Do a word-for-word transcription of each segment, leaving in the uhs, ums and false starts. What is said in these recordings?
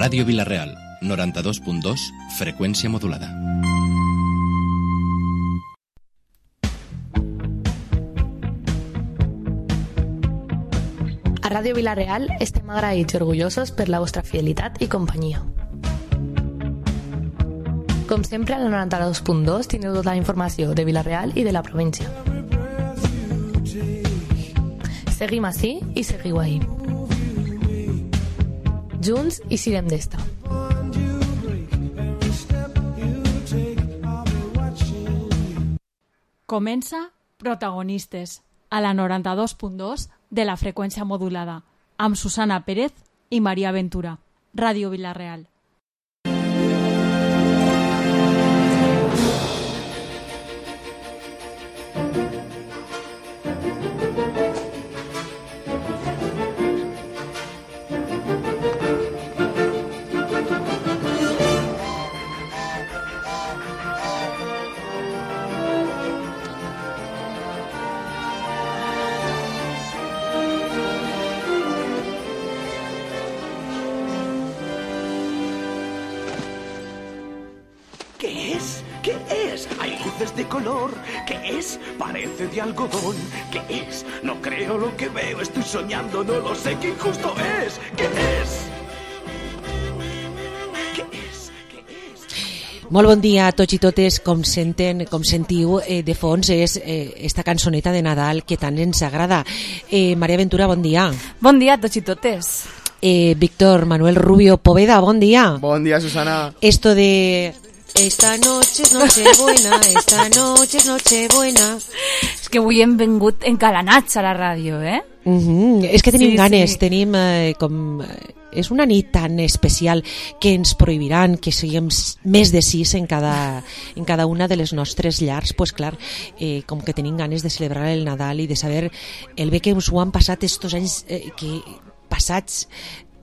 Ràdio Vila-real, noranta-dos punt dos, freqüència modulada. A Ràdio Vila-real estem agraïts i orgullosos per la vostra fidelitat i companyia. Com sempre, al noranta-dos punt dos teniu tota la informació de Vila-real i de la província. Seguim ací i seguiu ahí. Junts i sirem d'esta. Comença Protagonistes, a la noranta-dos punt dos de la freqüència modulada, amb Susana Pérez i Maria Ventura. Ràdio Vila-real. De color, ¿qué es? Parece de algodón, ¿qué es? No creo lo que veo, estoy soñando, no lo sé, qué injusto es, ¿qué es? ¿Qué es? ¿Qué es? Molt bon dia a tots i totes, com senten, com sentiu eh, de fons és eh, esta cançoneta de Nadal que tant ens agrada. Eh, Maria Ventura, bon dia. Bon dia a tots i totes. Eh, Víctor Manuel Rubio Poveda, bon dia. Bon dia, Susana. Esto de... Esta noche es Nochebuena, esta noche es Nochebuena. És que avui hem vengut encalanats a la ràdio, eh? Uh-huh. És que tenim sí, ganes, sí. tenim eh, com... És una nit tan especial que ens prohibiran que siguem més de sis en cada, en cada una de les nostres llars. Pues clar, eh, com que tenim ganes de celebrar el Nadal i de saber el bé que us ho han passat estos anys eh, que passats,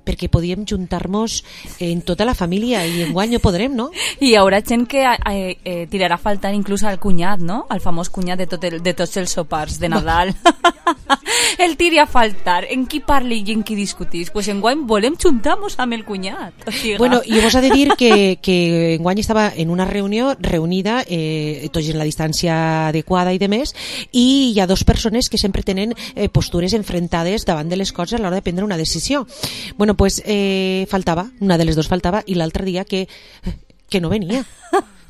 perquè podíem juntar-nos en tota la família i enguany no podrem, no? I hi haurà gent que eh, eh, tirarà faltant inclús al cunyat, no? El famós cunyat de, tot el, de tots els sopars de Nadal. El tiri a faltar. En qui parli i en qui discutís? Pues enguany volem juntar-nos amb el cunyat. O sigui, bueno, i vos ha de dir que, que enguany estava en una reunió reunida, eh, tots en la distància adequada i de més, i hi ha dos persones que sempre tenen eh, postures enfrontades davant de les coses a l'hora de prendre una decisió. Bueno, pues eh, faltava, una de les dos faltava, i l'altre dia que, que no venia,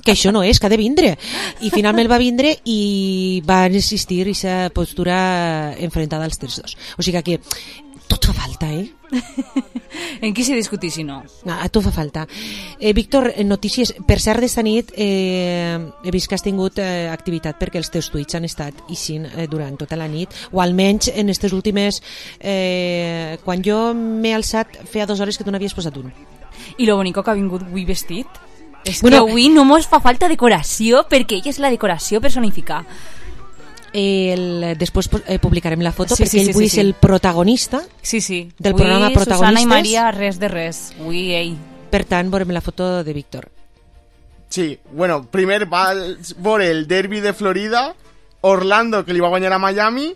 que això no és, que ha de vindre, i finalment va vindre i va existir aquesta postura enfrontada als tres dos. O sigui que tot fa falta, eh? En qui s'hi discutís si no? A tu fa falta. Eh, Víctor, notícies. Per cert, d'esta nit eh, he vist que has tingut eh, activitat perquè els teus tuits han estat ixint eh, durant tota la nit, o almenys en aquestes últimes... Eh, quan jo m'he alçat feia dues hores que tu n'havies posat un. I lo bonico que ha vingut avui vestit. És bueno, que avui no mos fa falta decoració, perquè ella és la decoració personificada. El, després eh, publicarem la foto, sí, perquè sí, ell sí, avui sí, és sí. el protagonista sí, sí. del Avui programa Protagonistes. Susana i Maria, res de res. Avui ell. Per tant, veurem la foto de Víctor. Sí, bueno, primer va veure el derbi de Florida, Orlando, que li va guanyar a Miami,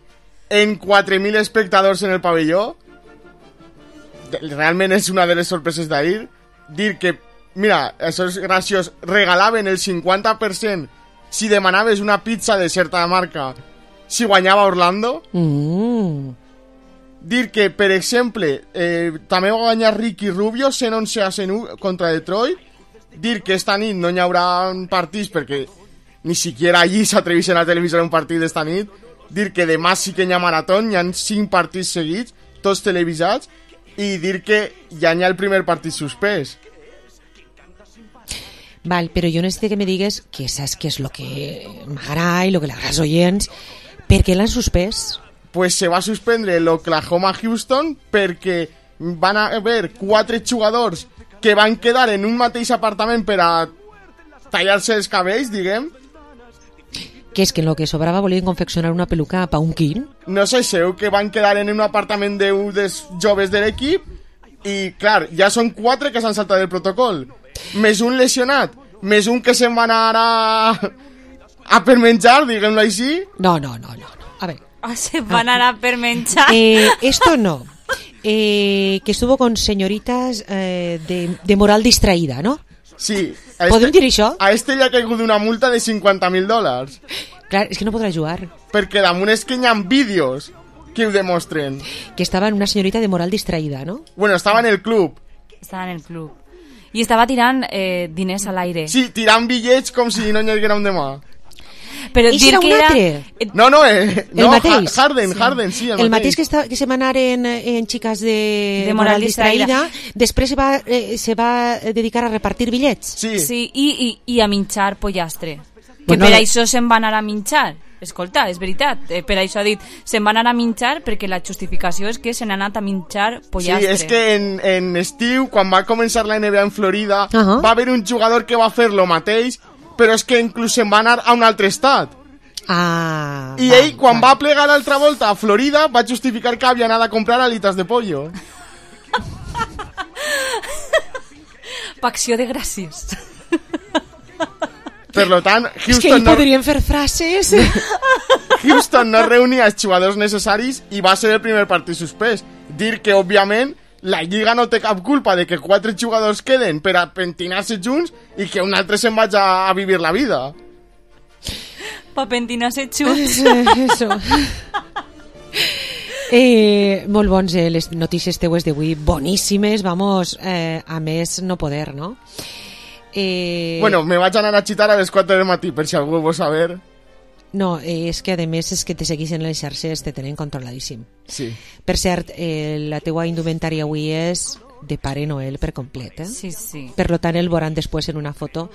en quatre mil espectadors en el pavelló. Realment és una de les sorpreses d'ahir. Dir que, mira, això és graciós, regalaven el cinquanta per cent si demanaves una pizza de certa marca si guanyava Orlando. Mm. Dir que, per exemple, eh, també va guanyar Ricky Rubio cent onze a cent u contra Detroit. Dir que esta nit no hi haurà partits perquè ni siquiera allí s'atreveixen a televisar un partit d'esta nit. Dir que demà sí que hi ha marató, hi ha cinc partits seguits, tots televisats, i dir que ja hi ha el primer partit suspès. Val, però jo necessito que me digues que saps què és el que m'agrada i el que l'agrada als oients. Per què l'han suspès? Pues se va suspendre l'Oklahoma-Houston perquè van haver quatre jugadors que van quedar en un mateix apartament per a tallar-se els cabells, diguem. Que és que en el que sobrava volien confeccionar una peluca pa un quin? No sé, seu que van quedar en un apartament d'un dels joves de l'equip i, clar, ja són quatre que s'han saltat el protocol. Més un lesionat, més un que se'n va anar a, a per menjar, diguem-lo així. No, no, no, no, no. A veure. Ah, se van anar per menjar. Eh, esto no. eh, que estuvo con señoritas eh, de, de moral distraída, ¿no? Sí. Podem dir això? A este li ha caigut una multa de cinquanta mil dòlars. Clar, és que no podrà jugar. Perquè damunt és que hi ha vídeos que ho demostren. Que estava en una señorita de moral distraída, ¿no? Bueno, estava en el club. Estava en el club. I estava tirant eh, diners a l'aire. Sí, tirant bitllets com si no n'hi haguera un demà. Però I dir serà que un era... altre? No, no, eh, El no mateix? Harden, sí. Harden, sí, el, el mateix que, està, que se va anar en, en xicas de, De moral moral distraïda, distraïda. després se va, eh, se va dedicar a repartir bitllets. Sí. Sí, i, i, i a minxar pollastre. Que Bueno, per eh. això se'n va anar a minxar. Escolta, és veritat. Eh, per això ha dit, se'n va anar a minxar perquè la justificació és que se n'ha anat a minxar pollastre. Sí, és que en, en estiu, quan va començar la N B A en Florida, Uh -huh. va haver un jugador que va fer lo mateix, però és que inclús se'n va anar a un altre estat. Ah, I val, ell, quan val. va plegar l'altra volta a Florida, va justificar que havia anat a comprar alitas de pollo. Pacció de gràcies. Per lo tant, És que Houston ell no, podrien fer frases. Houston no reunia els jugadors necessaris i va ser el primer partit suspès. Dir que, òbviament, la Lliga no té cap culpa de que quatre jugadors queden per a pentinar-se junts i que un altre se'n vagi a, a vivir la vida. Pa pentinar-se junts. Eso. Eh, molt bons, eh, les notícies teues d'avui, boníssimes, vamos, eh, a més no poder, no? Eh, Bueno, me vaig anar a xitar a les quatre del matí, per si algú vol saber. No, eh, és que a més és que te segueixen les xarxes, te tenen controladíssim. Sí. Per cert, eh, la teua indumentària avui és de Pare Noel per complet, eh? Sí, sí. Per lo tant, el veuran després en una foto,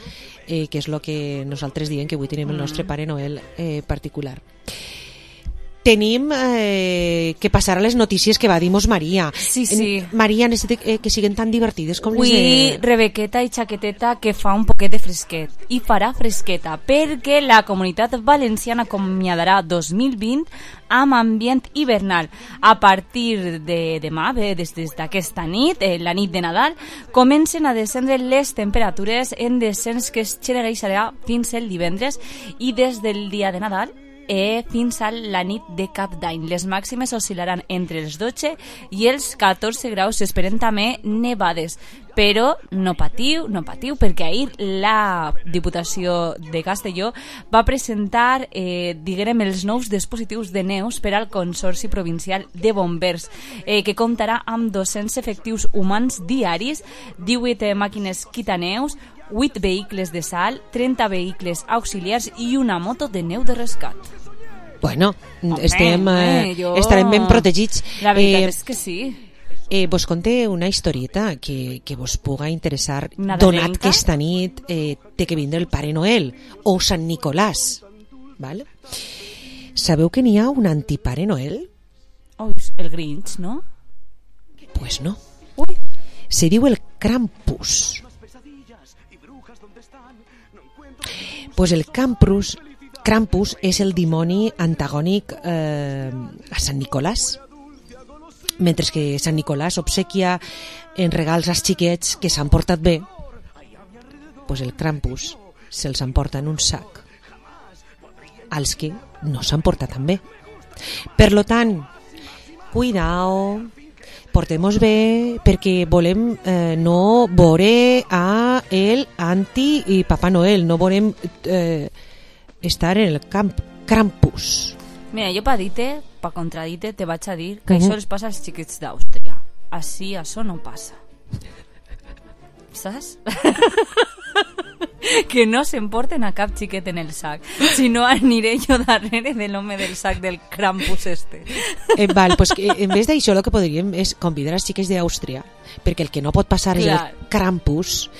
eh, que és el que nosaltres diem que avui tenim el nostre Pare Noel eh, particular. Tenim eh, que passar a les notícies que va dir-nos Maria. Sí, sí. En, Maria, necessita eh, que siguen tan divertides com Avui, les de... Rebequeta i Xaqueteta, que fa un poquet de fresquet. I farà fresqueta, perquè la Comunitat Valenciana acomiadarà dos mil vint amb ambient hivernal. A partir de demà, bé, des d'aquesta nit, eh, la nit de Nadal, comencen a descendre les temperatures en descens que es generalitzarà fins el divendres i des del dia de Nadal eh, fins a la nit de Cap d'Any. Les màximes oscil·laran entre els dotze i els catorze graus. S'esperen també nevades, però no patiu, no patiu, perquè ahir la Diputació de Castelló va presentar, eh, diguem, els nous dispositius de neus per al Consorci Provincial de Bombers, eh, que comptarà amb dos-cents efectius humans diaris, divuit màquines quitaneus, vuit vehicles de sal, trenta vehicles auxiliars i una moto de neu de rescat. Bueno, Home, estem, eh, eh, jo- estarem ben protegits. La veritat Eh, és que sí. Eh, vos conté una historieta que, que vos puga interessar, Nadalenca? donat que esta nit eh, té que vindre el Pare Noel o Sant Nicolàs, val? Sabeu que n'hi ha un antipare Noel? Ui, el Grinch, no? Pues no, Ui, se diu el Krampus. Pues el Krampus, Krampus és el dimoni antagònic eh, a Sant Nicolàs. Mentre que Sant Nicolàs obsequia en regals als xiquets que s'han portat bé, pues el Krampus se'ls emporta en un sac als que no s'han portat tan bé. Per lo tant, cuidao, portem-nos bé, perquè volem eh, no veure a el anti i Papa Noel, no volem eh, estar en el camp Krampus. mira, jo pa dir-te, pa contradir-te, te vaig a dir que Mhm. això els passa als xiquets d'Àustria. Així, això no passa. Saps? Que no s'emporten a cap xiquet en el sac. Si no, aniré jo darrere de l'home del sac del Krampus este. Eh, val, pues que en vez d'això el que podríem és convidar els xiques d'Àustria, perquè el que no pot passar és Clar. el Krampus,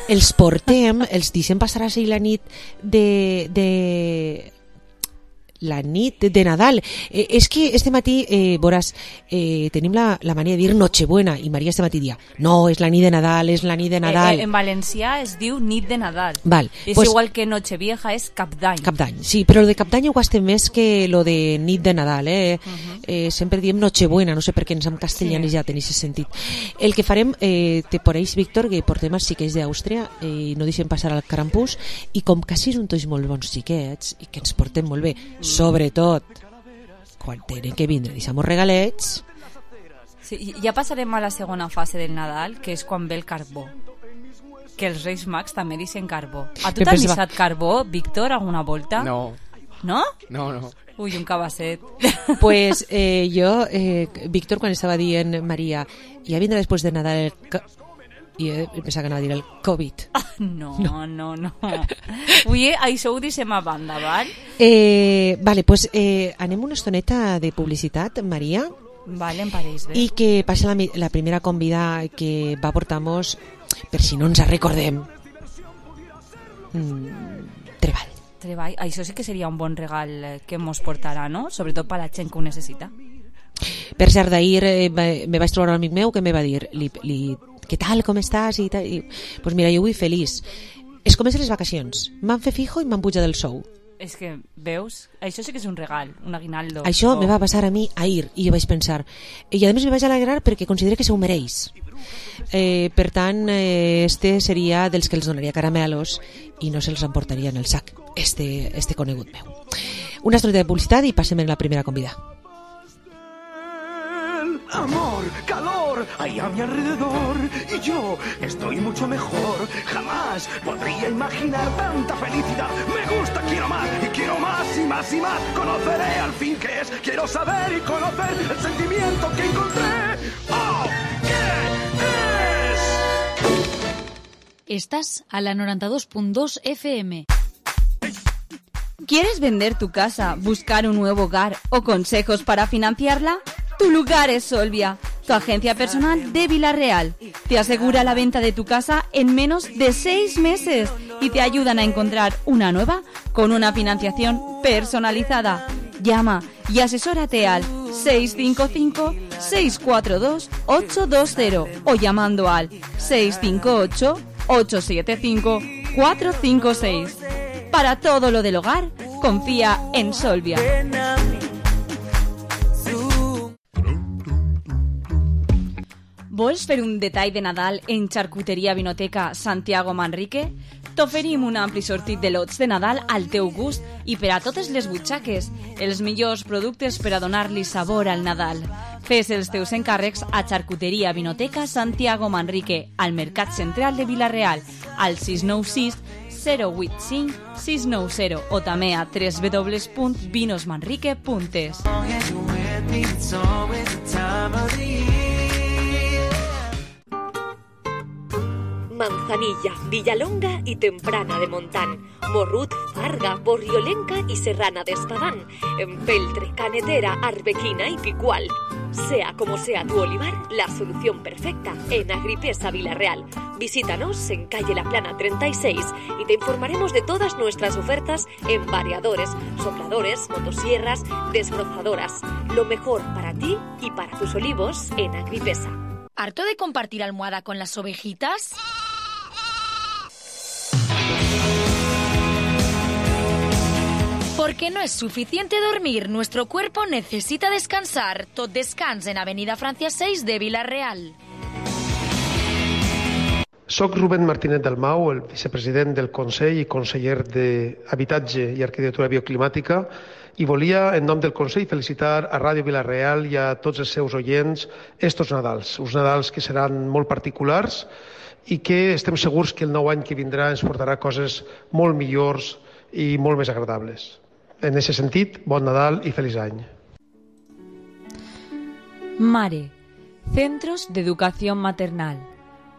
els portem, els deixem passar així la nit de... de la nit de Nadal. Eh, és que este matí, eh, veuràs, eh, tenim la, la mania de dir Nochebuena, i Maria este matí dia, no, és la nit de Nadal, és la nit de Nadal. Eh, eh, en valencià es diu nit de Nadal. Val, És pues- igual que Nochevieja és Cap d'Any. Cap d'any, sí, però el de Cap d'any ho gastem més que lo de nit de Nadal, eh? Uh-huh. eh sempre diem Nochebuena, no sé per què ens hem castellanitzat sí. en aquest sentit. El que farem, eh, te pareix, Víctor, que portem els xiquets d'Àustria i eh, no deixem passar al Krampus, i com que sí són tots molt bons xiquets i que ens portem molt bé, sobretot quan tenen que vindre, deixem-nos regalets, Sí, ja passarem a la segona fase del Nadal, que és quan ve el carbó. Que els Reis Mags també deixen carbó. A tu t'has deixat carbó, Víctor, alguna volta? No. No? No, no. Ui, un cabasset. Pues eh, jo, eh, Víctor, quan estava dient Maria, ja vindrà després de Nadal el... Co i eh, pensava que anava a dir el Covid. Ah, no, no, no, no. Ui, això ho deixem a banda, val? Eh, vale, pues eh, anem una estoneta de publicitat, Maria. Vale, em pareix bé. I que passa la, la primera convida que va portar-nos, per si no ens recordem, mm, treball. Treball, això sí que seria un bon regal que mos portarà, no? Sobretot per la gent que ho necessita. Per cert, d'ahir eh, me vaig trobar un amic meu que me va dir li, li, què tal, com estàs? I tal. I, pues mira, jo avui feliç. Es comencen les vacacions, m'han fet fijo i m'han pujat del sou. És que, veus? Això sí que és un regal, un aguinaldo. Això oh. me va passar a mi ahir i jo vaig pensar, i a més me vaig alegrar perquè considero que se ho mereix. Eh, per tant, eh, este seria dels que els donaria caramelos i no se'ls emportaria en el sac, este, este conegut meu. Una estoneta de publicitat i passem a la primera convida. Amor, calor, hay a mi alrededor y yo estoy mucho mejor. Jamás podría imaginar tanta felicidad. Me gusta, quiero más y quiero más y más y más. Conoceré al fin qué es, quiero saber y conocer el sentimiento que encontré. ¡Oh! ¿Qué es? Estás a la noventa y dos punto dos F M. ¿Quieres vender tu casa, buscar un nuevo hogar o consejos para financiarla? Tu lugar es Solvia, tu agencia personal de Vila-real. Te asegura la venta de tu casa en menos de seis meses y te ayudan a encontrar una nueva con una financiación personalizada. Llama y asesórate al seis cinco cinco, seis cuatro dos, ocho dos cero o llamando al seis cinco ocho, ocho siete cinco, cuatro cinco seis. Para todo lo del hogar, confía en Solvia. Vols fer un detall de Nadal en Xarcuteria Vinoteca Santiago Manrique? T'oferim un ampli sortit de lots de Nadal al teu gust i per a totes les butxaques, els millors productes per a donar-li sabor al Nadal. Fes els teus encàrrecs a Xarcuteria Vinoteca Santiago Manrique, al Mercat Central de Vila-real, al sis nou sis, zero vuit cinc, sis nou zero o també a w w w punt vinos manrique punt es. Manzanilla, Villalonga y Temprana de Montán, Morrut, Farga, Borriolenca y Serrana de Espadán, Empeltre, Canetera, Arbequina y Picual. Sea como sea tu olivar, la solución perfecta en Agripesa Vila-real. Visítanos en calle La Plana treinta y seis y te informaremos de todas nuestras ofertas en variadores, sopladores, motosierras, desbrozadoras. Lo mejor para ti y para tus olivos en Agripesa. ¿Harto de compartir almohada con las ovejitas? Porque no es suficiente dormir, nuestro cuerpo necesita descansar. Tot descans en Avenida Francia seis de Vila-real. Soc Rubén Martínez Dalmau, el vicepresident del Consell i conseller d'Habitatge i Arquitectura Bioclimàtica, i volia, en nom del Consell, felicitar a Ràdio Vila-real i a tots els seus oients estos Nadals, uns Nadals que seran molt particulars i que estem segurs que el nou any que vindrà ens portarà coses molt millors i molt més agradables. En aquest sentit, bon Nadal i feliç any. Mare, Centros de Educación Maternal.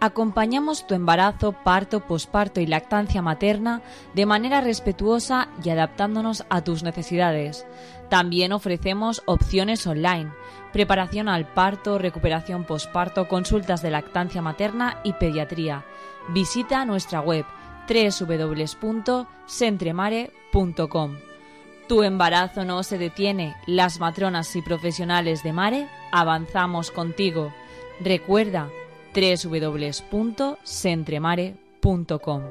Acompañamos tu embarazo, parto, posparto y lactancia materna de manera respetuosa y adaptándonos a tus necesidades. También ofrecemos opciones online, preparación al parto, recuperación posparto, consultas de lactancia materna y pediatría. Visita nuestra web doble u doble u doble u punto centremare punto com. Tu embarazo no se detiene. Las matronas y profesionales de Mare avanzamos contigo. Recuerda doble u doble u doble u punto centremare punto com.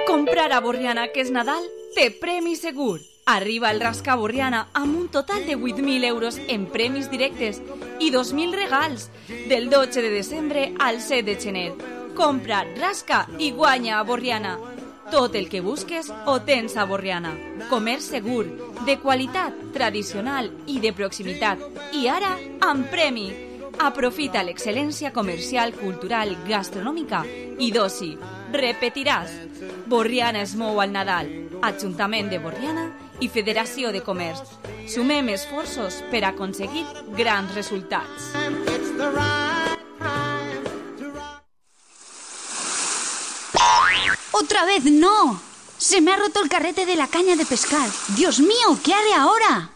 Comprar a Borriana, que és Nadal, té premi segur. Arriba el Rasca Borriana amb un total de vuit mil euros en premis directes i dos mil regals del dotze de desembre al set de gener. Compra, rasca i guanya a Borriana. Tot el que busques ho tens a Borriana. Comerç segur, de qualitat, tradicional i de proximitat. I ara, amb premi. Aprofita l'excel·lència comercial, cultural, gastronòmica i d'oci. Repetiràs. Borriana es mou al Nadal. Ajuntament de Borriana i Federació de Comerç. Sumem esforços per aconseguir grans resultats. ¡Otra vez no! Se me ha roto el carrete de la caña de pescar. ¡Dios mío! ¿Qué haré ahora?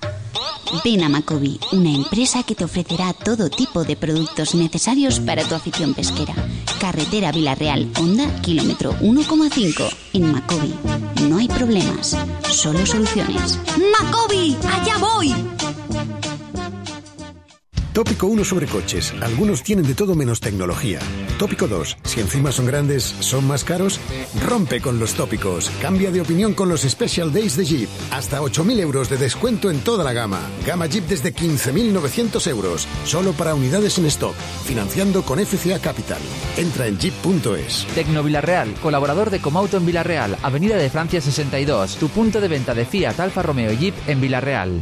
Ven a Macobi, una empresa que te ofrecerá todo tipo de productos necesarios para tu afición pesquera. Carretera Vilarreal, Honda, kilómetro uno coma cinco. En Macobi no hay problemas, solo soluciones. ¡Macobi! ¡Allá voy! Tópico uno sobre coches. Algunos tienen de todo menos tecnología. Tópico dos. Si encima son grandes, son más caros. Rompe con los tópicos. Cambia de opinión con los Special Days de Jeep. Hasta ocho mil euros de descuento en toda la gama. Gama Jeep desde quince mil novecientos euros. Solo para unidades en stock. Financiando con F C A Capital. Entra en jeep punto es. Tecno Vilarreal. Colaborador de Comauto en Vilarreal. Avenida de Francia sesenta y dos. Tu punto de venta de Fiat, Alfa Romeo y Jeep en Vilarreal.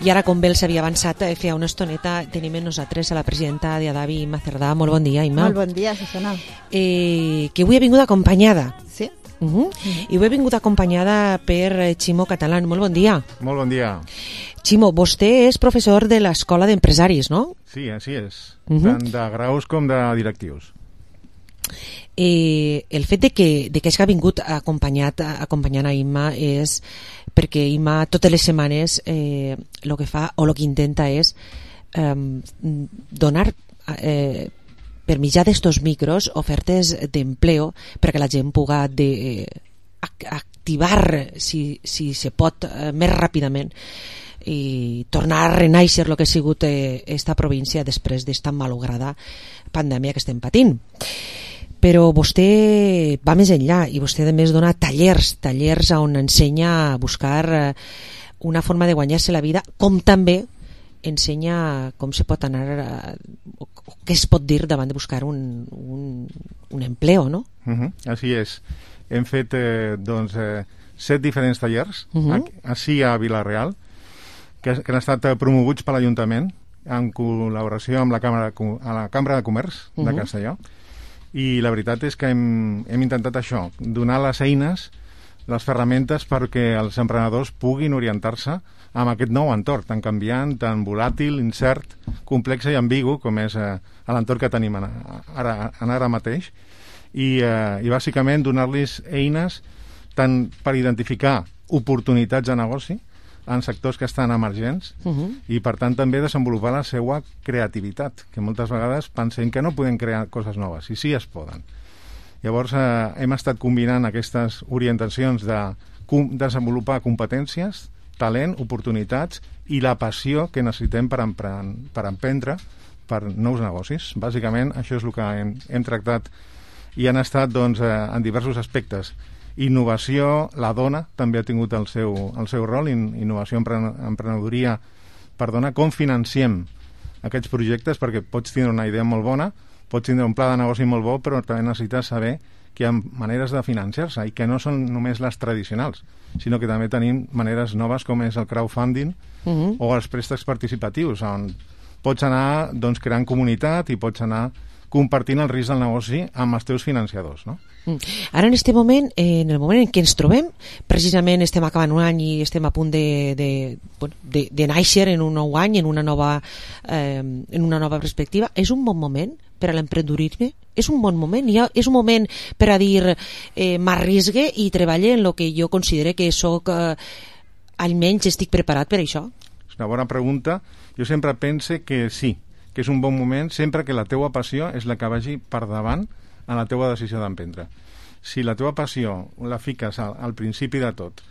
I ara, com bé els havia avançat, feia una estoneta, tenim amb nosaltres a la presidenta de Adavi, Imma Cerdà. Molt bon dia, Imma. Molt bon dia, Susana. Eh, que avui he vingut acompanyada. Sí. Uh -huh. Uh-huh. I avui he vingut acompanyada per Ximo Catalán. Molt bon dia. Molt bon dia. Ximo, vostè és professor de l'Escola d'Empresaris, no? Sí, així és. Uh -huh. Tant de graus com de directius. Eh, el fet de que, de que hagi vingut acompanyat, acompanyant a Imma és perquè Imma totes les setmanes eh, el que fa o el que intenta és eh, donar eh, per mitjà d'estos micros ofertes d'empleo perquè la gent puga de, eh, activar si, si se pot eh, més ràpidament i tornar a renaixer el que ha sigut eh, esta província després d'esta malograda pandèmia que estem patint. Però vostè va més enllà i vostè a més dona tallers, tallers on ensenya a buscar una forma de guanyar-se la vida, com també ensenya com se pot anar a, o què es pot dir davant de buscar un, un, un empleo, no? Uh -huh, així és. Hem fet eh, doncs, eh, set diferents tallers uh -huh. així a Vilarreal que, que han estat promoguts per l'Ajuntament en col·laboració amb la Càmera, a la Cambra de Comerç de uh -huh. Castelló. I la veritat és que hem, hem intentat això, donar les eines, les ferramentes perquè els emprenedors puguin orientar-se amb aquest nou entorn tan canviant, tan volàtil, incert, complex i ambigu com és eh, l'entorn que tenim ara, ara mateix i, eh, i bàsicament donar-los eines tant per identificar oportunitats de negoci en sectors que estan emergents uh -huh. i per tant també desenvolupar la seva creativitat, que moltes vegades pensem que no podem crear coses noves i sí es poden. Llavors eh, hem estat combinant aquestes orientacions de com desenvolupar competències, talent, oportunitats i la passió que necessitem per, empren per emprendre per nous negocis. Bàsicament això és el que hem, hem tractat i han estat doncs, eh, en diversos aspectes. Innovació, la dona també ha tingut el seu, el seu rol, in, innovació, emprenedoria, perdona, com financiem aquests projectes, perquè pots tindre una idea molt bona, pots tindre un pla de negoci molt bo, però també necessites saber que hi ha maneres de financiar-se i que no són només les tradicionals, sinó que també tenim maneres noves com és el crowdfunding uh-huh. o els préstecs participatius, on pots anar doncs, creant comunitat i pots anar compartint el risc del negoci amb els teus financiadors, no? Ara en este moment, en el moment en què ens trobem, precisament estem acabant un any i estem a punt de, de, bueno, de, de néixer en un nou any, en una nova, eh, en una nova perspectiva, és un bon moment per a l'emprenedorisme? És un bon moment? Ha, és un moment per a dir eh, m'arrisgue i treballe en el que jo considere que soc, eh, almenys estic preparat per això? És una bona pregunta. Jo sempre pense que sí, que és un bon moment sempre que la teua passió és la que vagi per davant en la teua decisió d'emprendre. Si la teua passió la fiques al, al principi de tot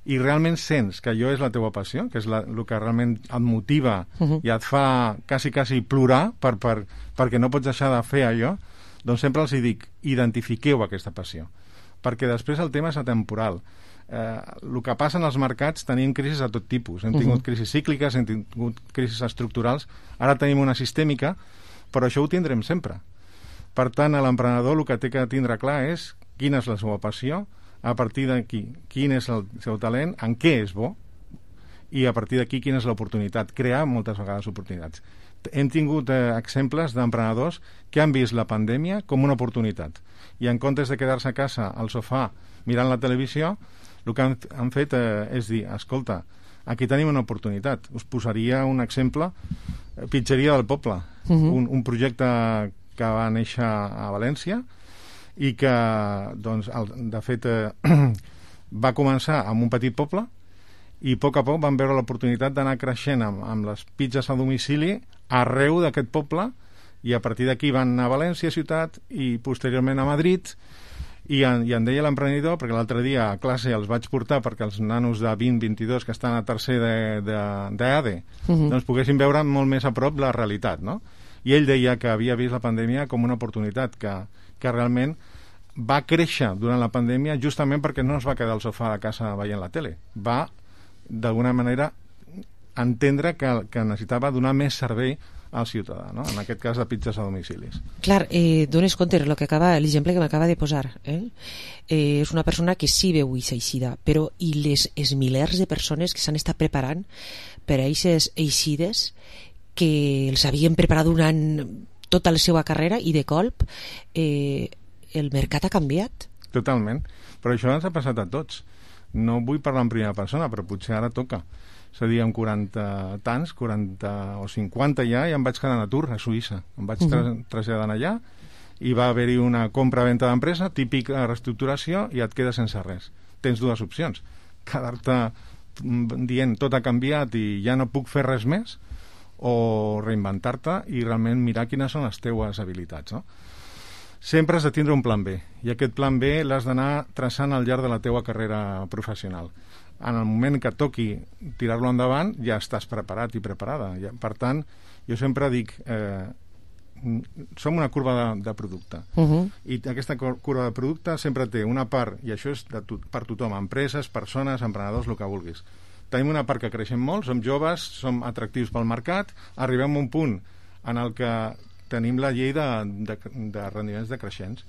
i realment sents que allò és la teua passió, que és la, el que realment et motiva uh-huh. i et fa quasi, quasi plorar per, per, perquè no pots deixar de fer allò, doncs sempre els hi dic, identifiqueu aquesta passió. Perquè després el tema és atemporal. Eh, el que passa en els mercats, tenim crisis de tot tipus. Hem tingut uh-huh. crisis cícliques, hem tingut crisis estructurals, ara tenim una sistèmica, però això ho tindrem sempre. Per tant, l'emprenedor el que té que tindre clar és quina és la seva passió, a partir d'aquí quin és el seu talent, en què és bo, i a partir d'aquí quina és l'oportunitat. Crear moltes vegades oportunitats. Hem tingut eh, exemples d'emprenedors que han vist la pandèmia com una oportunitat i en comptes de quedar-se a casa al sofà mirant la televisió, el que han, han fet eh, és dir, escolta, aquí tenim una oportunitat. Us posaria un exemple, eh, Pitxeria del Poble, uh-huh. un, un projecte que va néixer a València i que, doncs, el, de fet, eh, va començar amb un petit poble i a poc a poc van veure l'oportunitat d'anar creixent amb, amb les pizzas a domicili arreu d'aquest poble i a partir d'aquí van anar a València ciutat i posteriorment a Madrid i en, i en deia l'emprenedor, perquè l'altre dia a classe els vaig portar perquè els nanos de vint vint-i-dos que estan a tercer d'E A D E uh-huh. doncs poguessin veure molt més a prop la realitat, no? I ell deia que havia vist la pandèmia com una oportunitat, que, que realment va créixer durant la pandèmia justament perquè no es va quedar al sofà de casa veient la tele. Va, d'alguna manera, entendre que, que necessitava donar més servei al ciutadà, no? En aquest cas de pizzas a domicilis. Clar, eh, dones compte el que acaba, l'exemple que m'acaba de posar. Eh? Eh, és una persona que sí veu aquesta eixida, però i les, els milers de persones que s'han estat preparant per a aquestes eixides que els havien preparat durant tota la seva carrera i de colp eh, el mercat ha canviat. Totalment, però això ens ha passat a tots. No vull parlar en primera persona, però potser ara toca. És a dir, amb quaranta tants, quaranta o cinquanta ja, ja em vaig quedar en atur a Suïssa. Em vaig tra traslladant allà i va haver-hi una compra-venta d'empresa, típica reestructuració, i et quedes sense res. Tens dues opcions. Quedar-te dient tot ha canviat i ja no puc fer res més, o reinventar-te i realment mirar quines són les teues habilitats, no? Sempre has de tindre un plan B, i aquest plan B l'has d'anar traçant al llarg de la teua carrera professional. En el moment que toqui tirar-lo endavant, ja estàs preparat i preparada. Per tant, jo sempre dic, eh, som una curva de, de producte, uh-huh. i aquesta curva de producte sempre té una part, i això és de to per tothom, empreses, persones, emprenedors, el que vulguis. Tenim una part que creixem molt, som joves, som atractius pel mercat, arribem a un punt en el que tenim la llei de, de, de rendiments decreixents.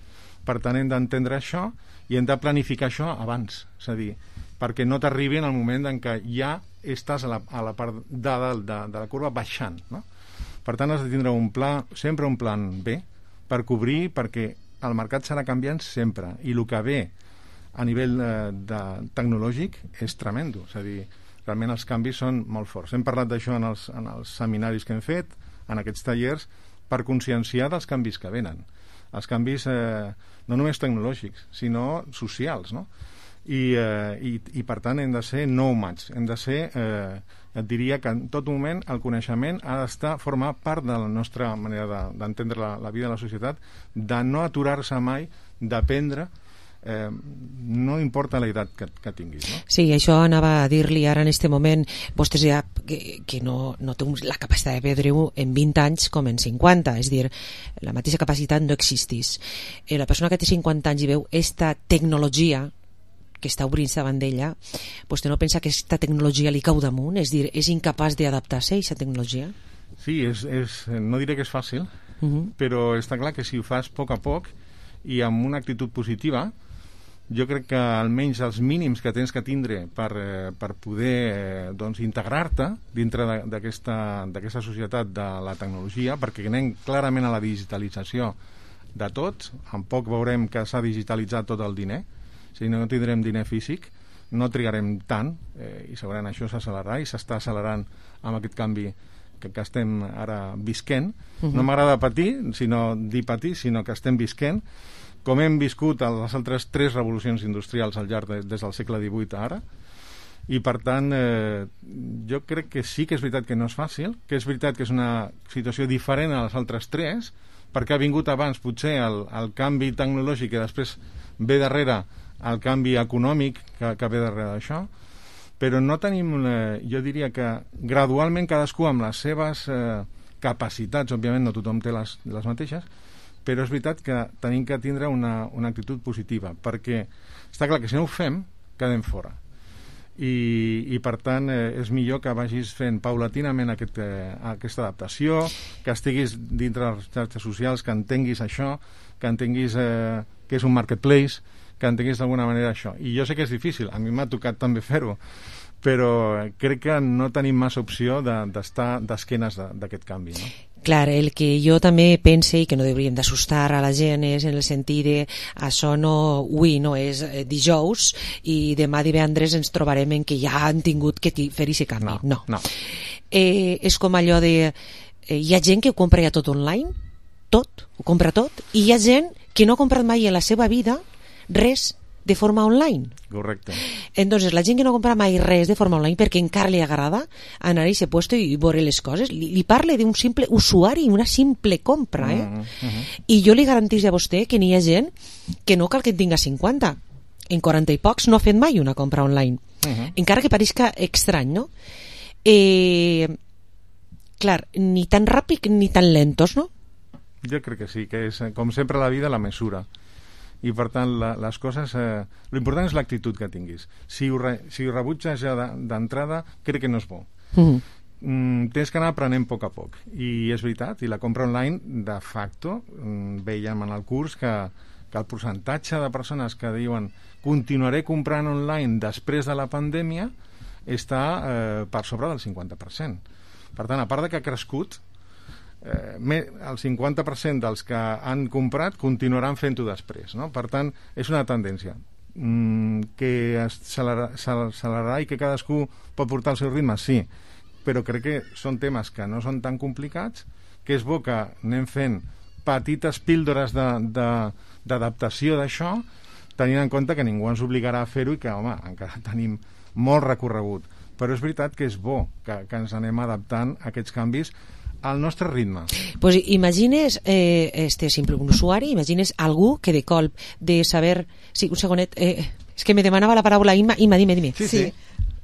Per tant, hem d'entendre això i hem de planificar això abans, és a dir, perquè no t'arribi en el moment en què ja estàs a la, a la part de, de, de, de la curva baixant, no? Per tant, has de tindre un pla, sempre un plan B per cobrir, perquè el mercat serà canviant sempre, i el que ve a nivell eh, de, tecnològic és tremendo, és a dir, realment els canvis són molt forts. Hem parlat d'això en, els, en els seminaris que hem fet, en aquests tallers, per conscienciar dels canvis que venen. Els canvis eh, no només tecnològics, sinó socials, no? I, eh, i, i per tant hem de ser nòmats, hem de ser, eh, et diria que en tot moment el coneixement ha d'estar, formar part de la nostra manera d'entendre de, la, la vida de la societat, de no aturar-se mai, d'aprendre, eh, no importa l'edat que, que tinguis, no? Sí, això anava a dir-li ara en este moment, vostès ja que, que no, no té la capacitat de perdre-ho en vint anys com en cinquanta, és dir, la mateixa capacitat no existís. Eh, la persona que té cinquanta anys i veu esta tecnologia que està obrint-se davant d'ella, vostè no pensa que aquesta tecnologia li cau damunt? És dir, és incapaç d'adaptar-se a aquesta tecnologia? Sí, és, és, no diré que és fàcil, uh-huh. però està clar que si ho fas a poc a poc i amb una actitud positiva, jo crec que almenys els mínims que tens que tindre per, eh, per poder eh, doncs, integrar-te dintre d'aquesta societat de la tecnologia, perquè anem clarament a la digitalització de tot, en poc veurem que s'ha digitalitzat tot el diner, si no tindrem diner físic, no trigarem tant, eh, i segurament això s'accelerarà i s'està accelerant amb aquest canvi que, que estem ara visquent. Uh-huh. No m'agrada patir, sinó dir patir, sinó que estem visquent, com hem viscut a les altres tres revolucions industrials al llarg de, des del segle divuit a ara, i per tant eh, jo crec que sí que és veritat que no és fàcil, que és veritat que és una situació diferent a les altres tres, perquè ha vingut abans potser el, el canvi tecnològic i després ve darrere el canvi econòmic que, que ve darrere d'això, però no tenim, eh, jo diria que gradualment cadascú amb les seves eh, capacitats, òbviament no tothom té les, les mateixes, però és veritat que tenim que tindre una, una actitud positiva, perquè està clar que si no ho fem, quedem fora. I, i per tant eh, és millor que vagis fent paulatinament aquest, eh, aquesta adaptació, que estiguis dintre les xarxes socials, que entenguis això, que entenguis eh, que és un marketplace, que entenguis d'alguna manera això. I jo sé que és difícil, a mi m'ha tocat també fer-ho, però crec que no tenim massa opció d'estar de, d'esquenes d'aquest canvi, no? Clar, el que jo també pense i que no hauríem d'assustar a la gent és en el sentit de això no, avui no és dijous i demà divendres ens trobarem en que ja han tingut que fer aquest canvi. No. no. no. Eh, és com allò de... Eh, hi ha gent que ho compra ja tot online, tot, ho compra tot, i hi ha gent que no ha comprat mai en la seva vida res de forma online. Correcte. Entonces, la gent que no compra mai res de forma online perquè encara li agrada anar a aquest puesto i veure les coses, li, li parle d'un simple usuari, una simple compra, eh? Uh -huh. I jo li garantís a vostè que n'hi ha gent que no cal que en tinga cinquanta. En quaranta i pocs no ha fet mai una compra online. Uh -huh. Encara que pareixca estrany, no? Eh, clar, ni tan ràpid ni tan lentos, no? Jo crec que sí, que és, com sempre a la vida, la mesura. I per tant la, les coses eh, l'important és l'actitud que tinguis. Si ho, re, si ho rebutges ja d'entrada, crec que no és bo. Mm-hmm. mm, tens que anar aprenent a poc a poc, i és veritat, i la compra online de facto mm, veiem en el curs que, que el percentatge de persones que diuen continuaré comprant online després de la pandèmia està eh, per sobre del cinquanta per cent. Per tant, a part de que ha crescut, Eh, el cinquanta per cent dels que han comprat continuaran fent-ho després, no? Per tant, és una tendència mm, que s'accelerarà i que cadascú pot portar el seu ritme, sí, però crec que són temes que no són tan complicats, que és bo que anem fent petites píldores d'adaptació d'això, tenint en compte que ningú ens obligarà a fer-ho i que, home, encara tenim molt recorregut, però és veritat que és bo que, que ens anem adaptant a aquests canvis al nostre ritme. Pues imagines eh, este simple un usuari, imagines algú que de colp de saber... Sí, un segonet, eh, és que me demanava la paraula Imma, Imma, dime, dime. Sí, sí. sí.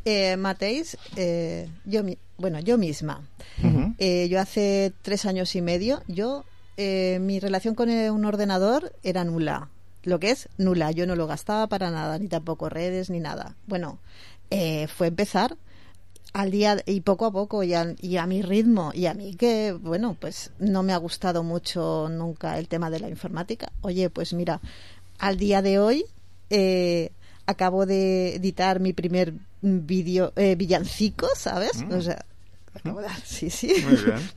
Eh, Mateix, eh, yo, bueno, yo misma, uh-huh. eh, yo hace tres años y medio, yo, eh, mi relación con un ordenador era nula, lo que es nula, yo no lo gastaba para nada, ni tampoco redes, ni nada. Bueno, eh, fue empezar al día y poco a poco y a, y a mi ritmo, y a mí que, bueno, pues no me ha gustado mucho nunca el tema de la informática. Oye, pues mira, al día de hoy eh, acabo de editar mi primer vídeo, eh, villancico, ¿sabes? Mm. O sea, acabo de, sí, sí,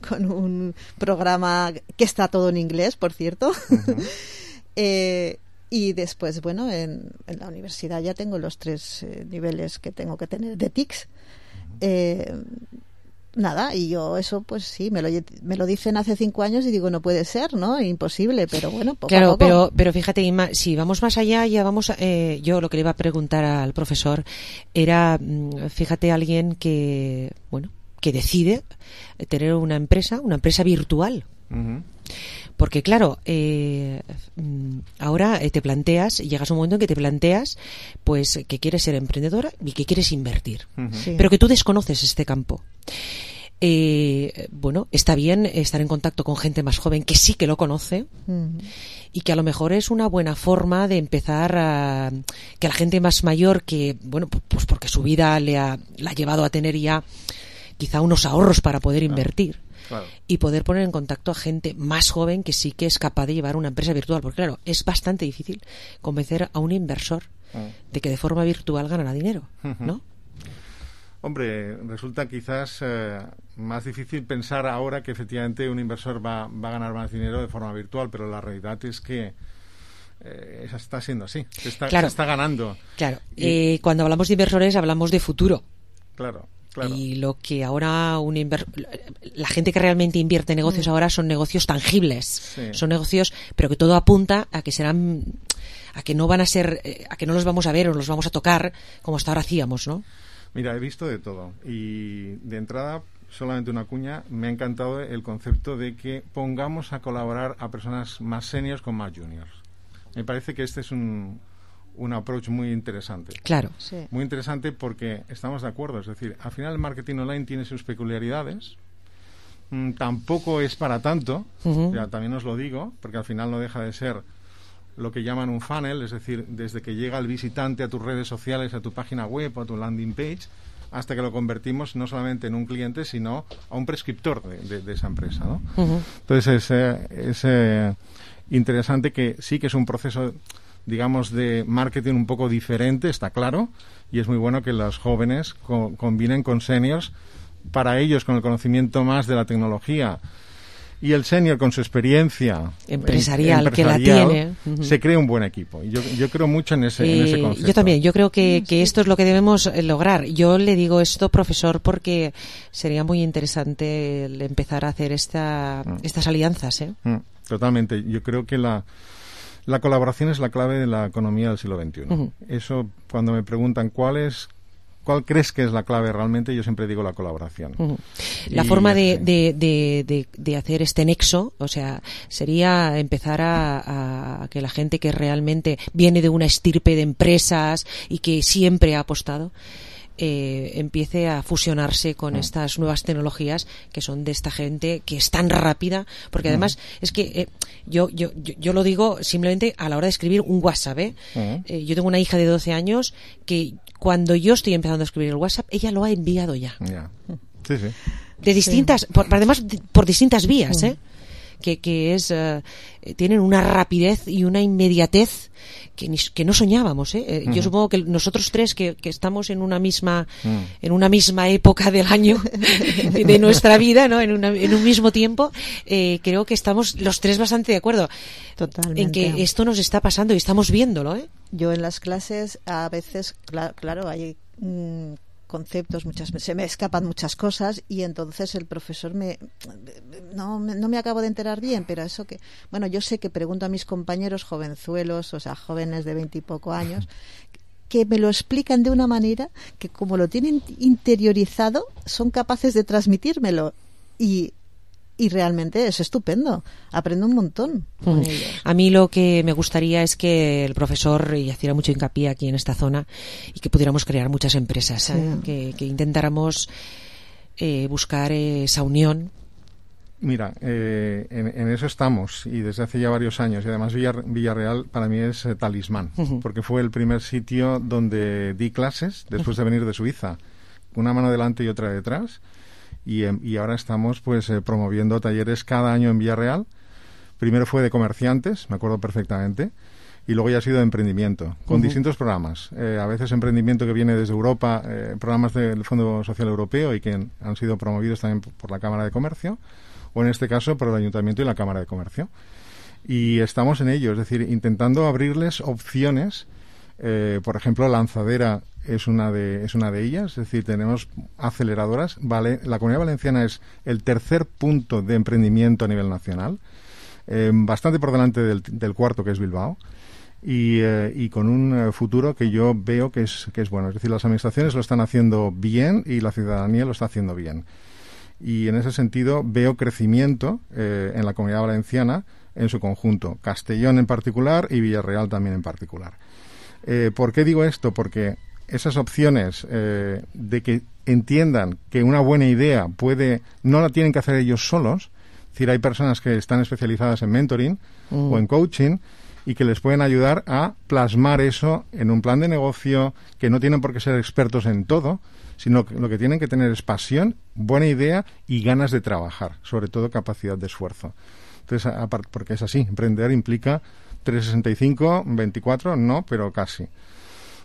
con un programa que está todo en inglés, por cierto. Uh-huh. eh, y después, bueno, en, en la universidad ya tengo los tres eh, niveles que tengo que tener de T I C S. Eh, nada, y yo eso pues sí, me lo, me lo dicen hace cinco años y digo, no puede ser, ¿no? Imposible, pero bueno, poco claro, a poco. Pero, pero fíjate, Inma, si vamos más allá, ya vamos, eh, yo lo que le iba a preguntar al profesor era, fíjate, alguien que, bueno, que decide tener una empresa, una empresa virtual. Uh-huh. Porque claro, eh, ahora te planteas, llegas a un momento en que te planteas pues que quieres ser emprendedora y que quieres invertir, uh-huh. sí. pero que tú desconoces este campo. Eh, bueno, está bien estar en contacto con gente más joven que sí que lo conoce uh-huh. y que a lo mejor es una buena forma de empezar a que la gente más mayor que, bueno, pues porque su vida le ha, la ha llevado a tener ya quizá unos ahorros para poder invertir. Claro. Y poder poner en contacto a gente más joven que sí que es capaz de llevar una empresa virtual, porque claro, es bastante difícil convencer a un inversor de que de forma virtual ganará dinero, ¿no? Hombre, resulta quizás eh, más difícil pensar ahora que efectivamente un inversor va, va a ganar más dinero de forma virtual, pero la realidad es que eh, está siendo así, se está, claro, se está ganando. Claro, y, eh, cuando hablamos de inversores hablamos de futuro. Claro. Claro. Y lo que ahora un inver... la gente que realmente invierte en negocios ahora son negocios tangibles, sí. Son negocios, pero que todo apunta a que serán, a que no van a ser, a que no los vamos a ver o los vamos a tocar como hasta ahora hacíamos, ¿no? Mira, he visto de todo y de entrada, solamente una cuña, me ha encantado el concepto de que pongamos a colaborar a personas más seniors con más juniors. Me parece que este es un un approach muy interesante. Claro. Sí. Muy interesante porque estamos de acuerdo. Es decir, al final el marketing online tiene sus peculiaridades. Mm, tampoco es para tanto. Uh-huh. Ya también os lo digo, porque al final no deja de ser lo que llaman un funnel, es decir, desde que llega el visitante a tus redes sociales, a tu página web o a tu landing page, hasta que lo convertimos no solamente en un cliente, sino a un prescriptor de, de, de esa empresa, ¿no? Uh-huh. Entonces es, eh, es eh, interesante que sí que es un proceso, digamos, de marketing un poco diferente, está claro, y es muy bueno que los jóvenes co- combinen con seniors, para ellos con el conocimiento más de la tecnología y el senior con su experiencia empresarial, em- que la tiene, uh-huh. Se crea un buen equipo. Y yo, yo creo mucho en ese, eh, en ese concepto. Yo también, yo creo que, que esto es lo que debemos lograr. Yo le digo esto, profesor, porque sería muy interesante el empezar a hacer esta, mm. estas alianzas, ¿eh? Mm, totalmente. Yo creo que la La colaboración es la clave de la economía del siglo veintiuno. Uh-huh. Eso, cuando me preguntan cuál es, cuál crees que es la clave realmente, yo siempre digo la colaboración. Uh-huh. La y, forma de, de, de, de, de hacer este nexo, o sea, sería empezar a, a que la gente que realmente viene de una estirpe de empresas y que siempre ha apostado, Eh, empiece a fusionarse con mm. estas nuevas tecnologías que son de esta gente que es tan rápida, porque además mm. es que eh, yo, yo, yo, yo lo digo simplemente a la hora de escribir un WhatsApp, ¿eh? Mm. Eh, yo tengo una hija de doce años que cuando yo estoy empezando a escribir el WhatsApp, ella lo ha enviado ya. Yeah. Sí, sí. De distintas, sí. por, además de, por distintas vías, mm. ¿eh? Que, que es uh, tienen una rapidez y una inmediatez que, ni, que no soñábamos, ¿eh? Uh-huh. Yo supongo que nosotros tres que, que estamos en una misma uh-huh. en una misma época del año de, de nuestra vida, ¿no? En, una, en un mismo tiempo, eh, creo que estamos los tres bastante de acuerdo. Totalmente. En que esto nos está pasando y estamos viéndolo, ¿eh? Yo en las clases a veces, claro, claro hay mmm, conceptos, muchas se me escapan muchas cosas y entonces el profesor me no, no me acabo de enterar bien, pero eso que, bueno, yo sé que pregunto a mis compañeros jovenzuelos, o sea, jóvenes de veinte y poco años, que me lo explican de una manera que como lo tienen interiorizado son capaces de transmitírmelo y Y realmente es estupendo. Aprendo un montón con mm. ellos. A mí lo que me gustaría es que el profesor hiciera mucho hincapié aquí en esta zona y que pudiéramos crear muchas empresas, sí. ¿eh? que, que intentáramos eh, buscar esa unión. Mira, eh, en, en eso estamos y desde hace ya varios años. Y además Villar, Villarreal para mí es eh, talismán, uh-huh. porque fue el primer sitio donde di clases después uh-huh. de venir de Suiza. Una mano delante y otra detrás. Y, y ahora estamos pues eh, promoviendo talleres cada año en Villarreal. Primero fue de comerciantes, me acuerdo perfectamente, y luego ya ha sido de emprendimiento, con uh-huh. distintos programas. Eh, a veces emprendimiento que viene desde Europa, eh, programas del Fondo Social Europeo y que han sido promovidos también por la Cámara de Comercio, o en este caso por el Ayuntamiento y la Cámara de Comercio. Y estamos en ello, es decir, intentando abrirles opciones. Eh, por ejemplo, Lanzadera es una de es una de ellas, es decir, tenemos aceleradoras. Vale, la Comunidad Valenciana es el tercer punto de emprendimiento a nivel nacional, eh, bastante por delante del, del cuarto, que es Bilbao, y, eh, y con un eh, futuro que yo veo que es que es bueno. Es decir, las administraciones lo están haciendo bien y la ciudadanía lo está haciendo bien. Y en ese sentido veo crecimiento eh, en la Comunidad Valenciana en su conjunto, Castellón en particular y Villarreal también en particular. Eh, ¿Por qué digo esto? Porque esas opciones eh, de que entiendan que una buena idea puede, no la tienen que hacer ellos solos, es decir, hay personas que están especializadas en mentoring mm. o en coaching y que les pueden ayudar a plasmar eso en un plan de negocio, que no tienen por qué ser expertos en todo, sino que lo que tienen que tener es pasión, buena idea y ganas de trabajar, sobre todo capacidad de esfuerzo. Entonces, aparte, porque es así, emprender implica trescientos sesenta y cinco, veinticuatro, no, pero casi.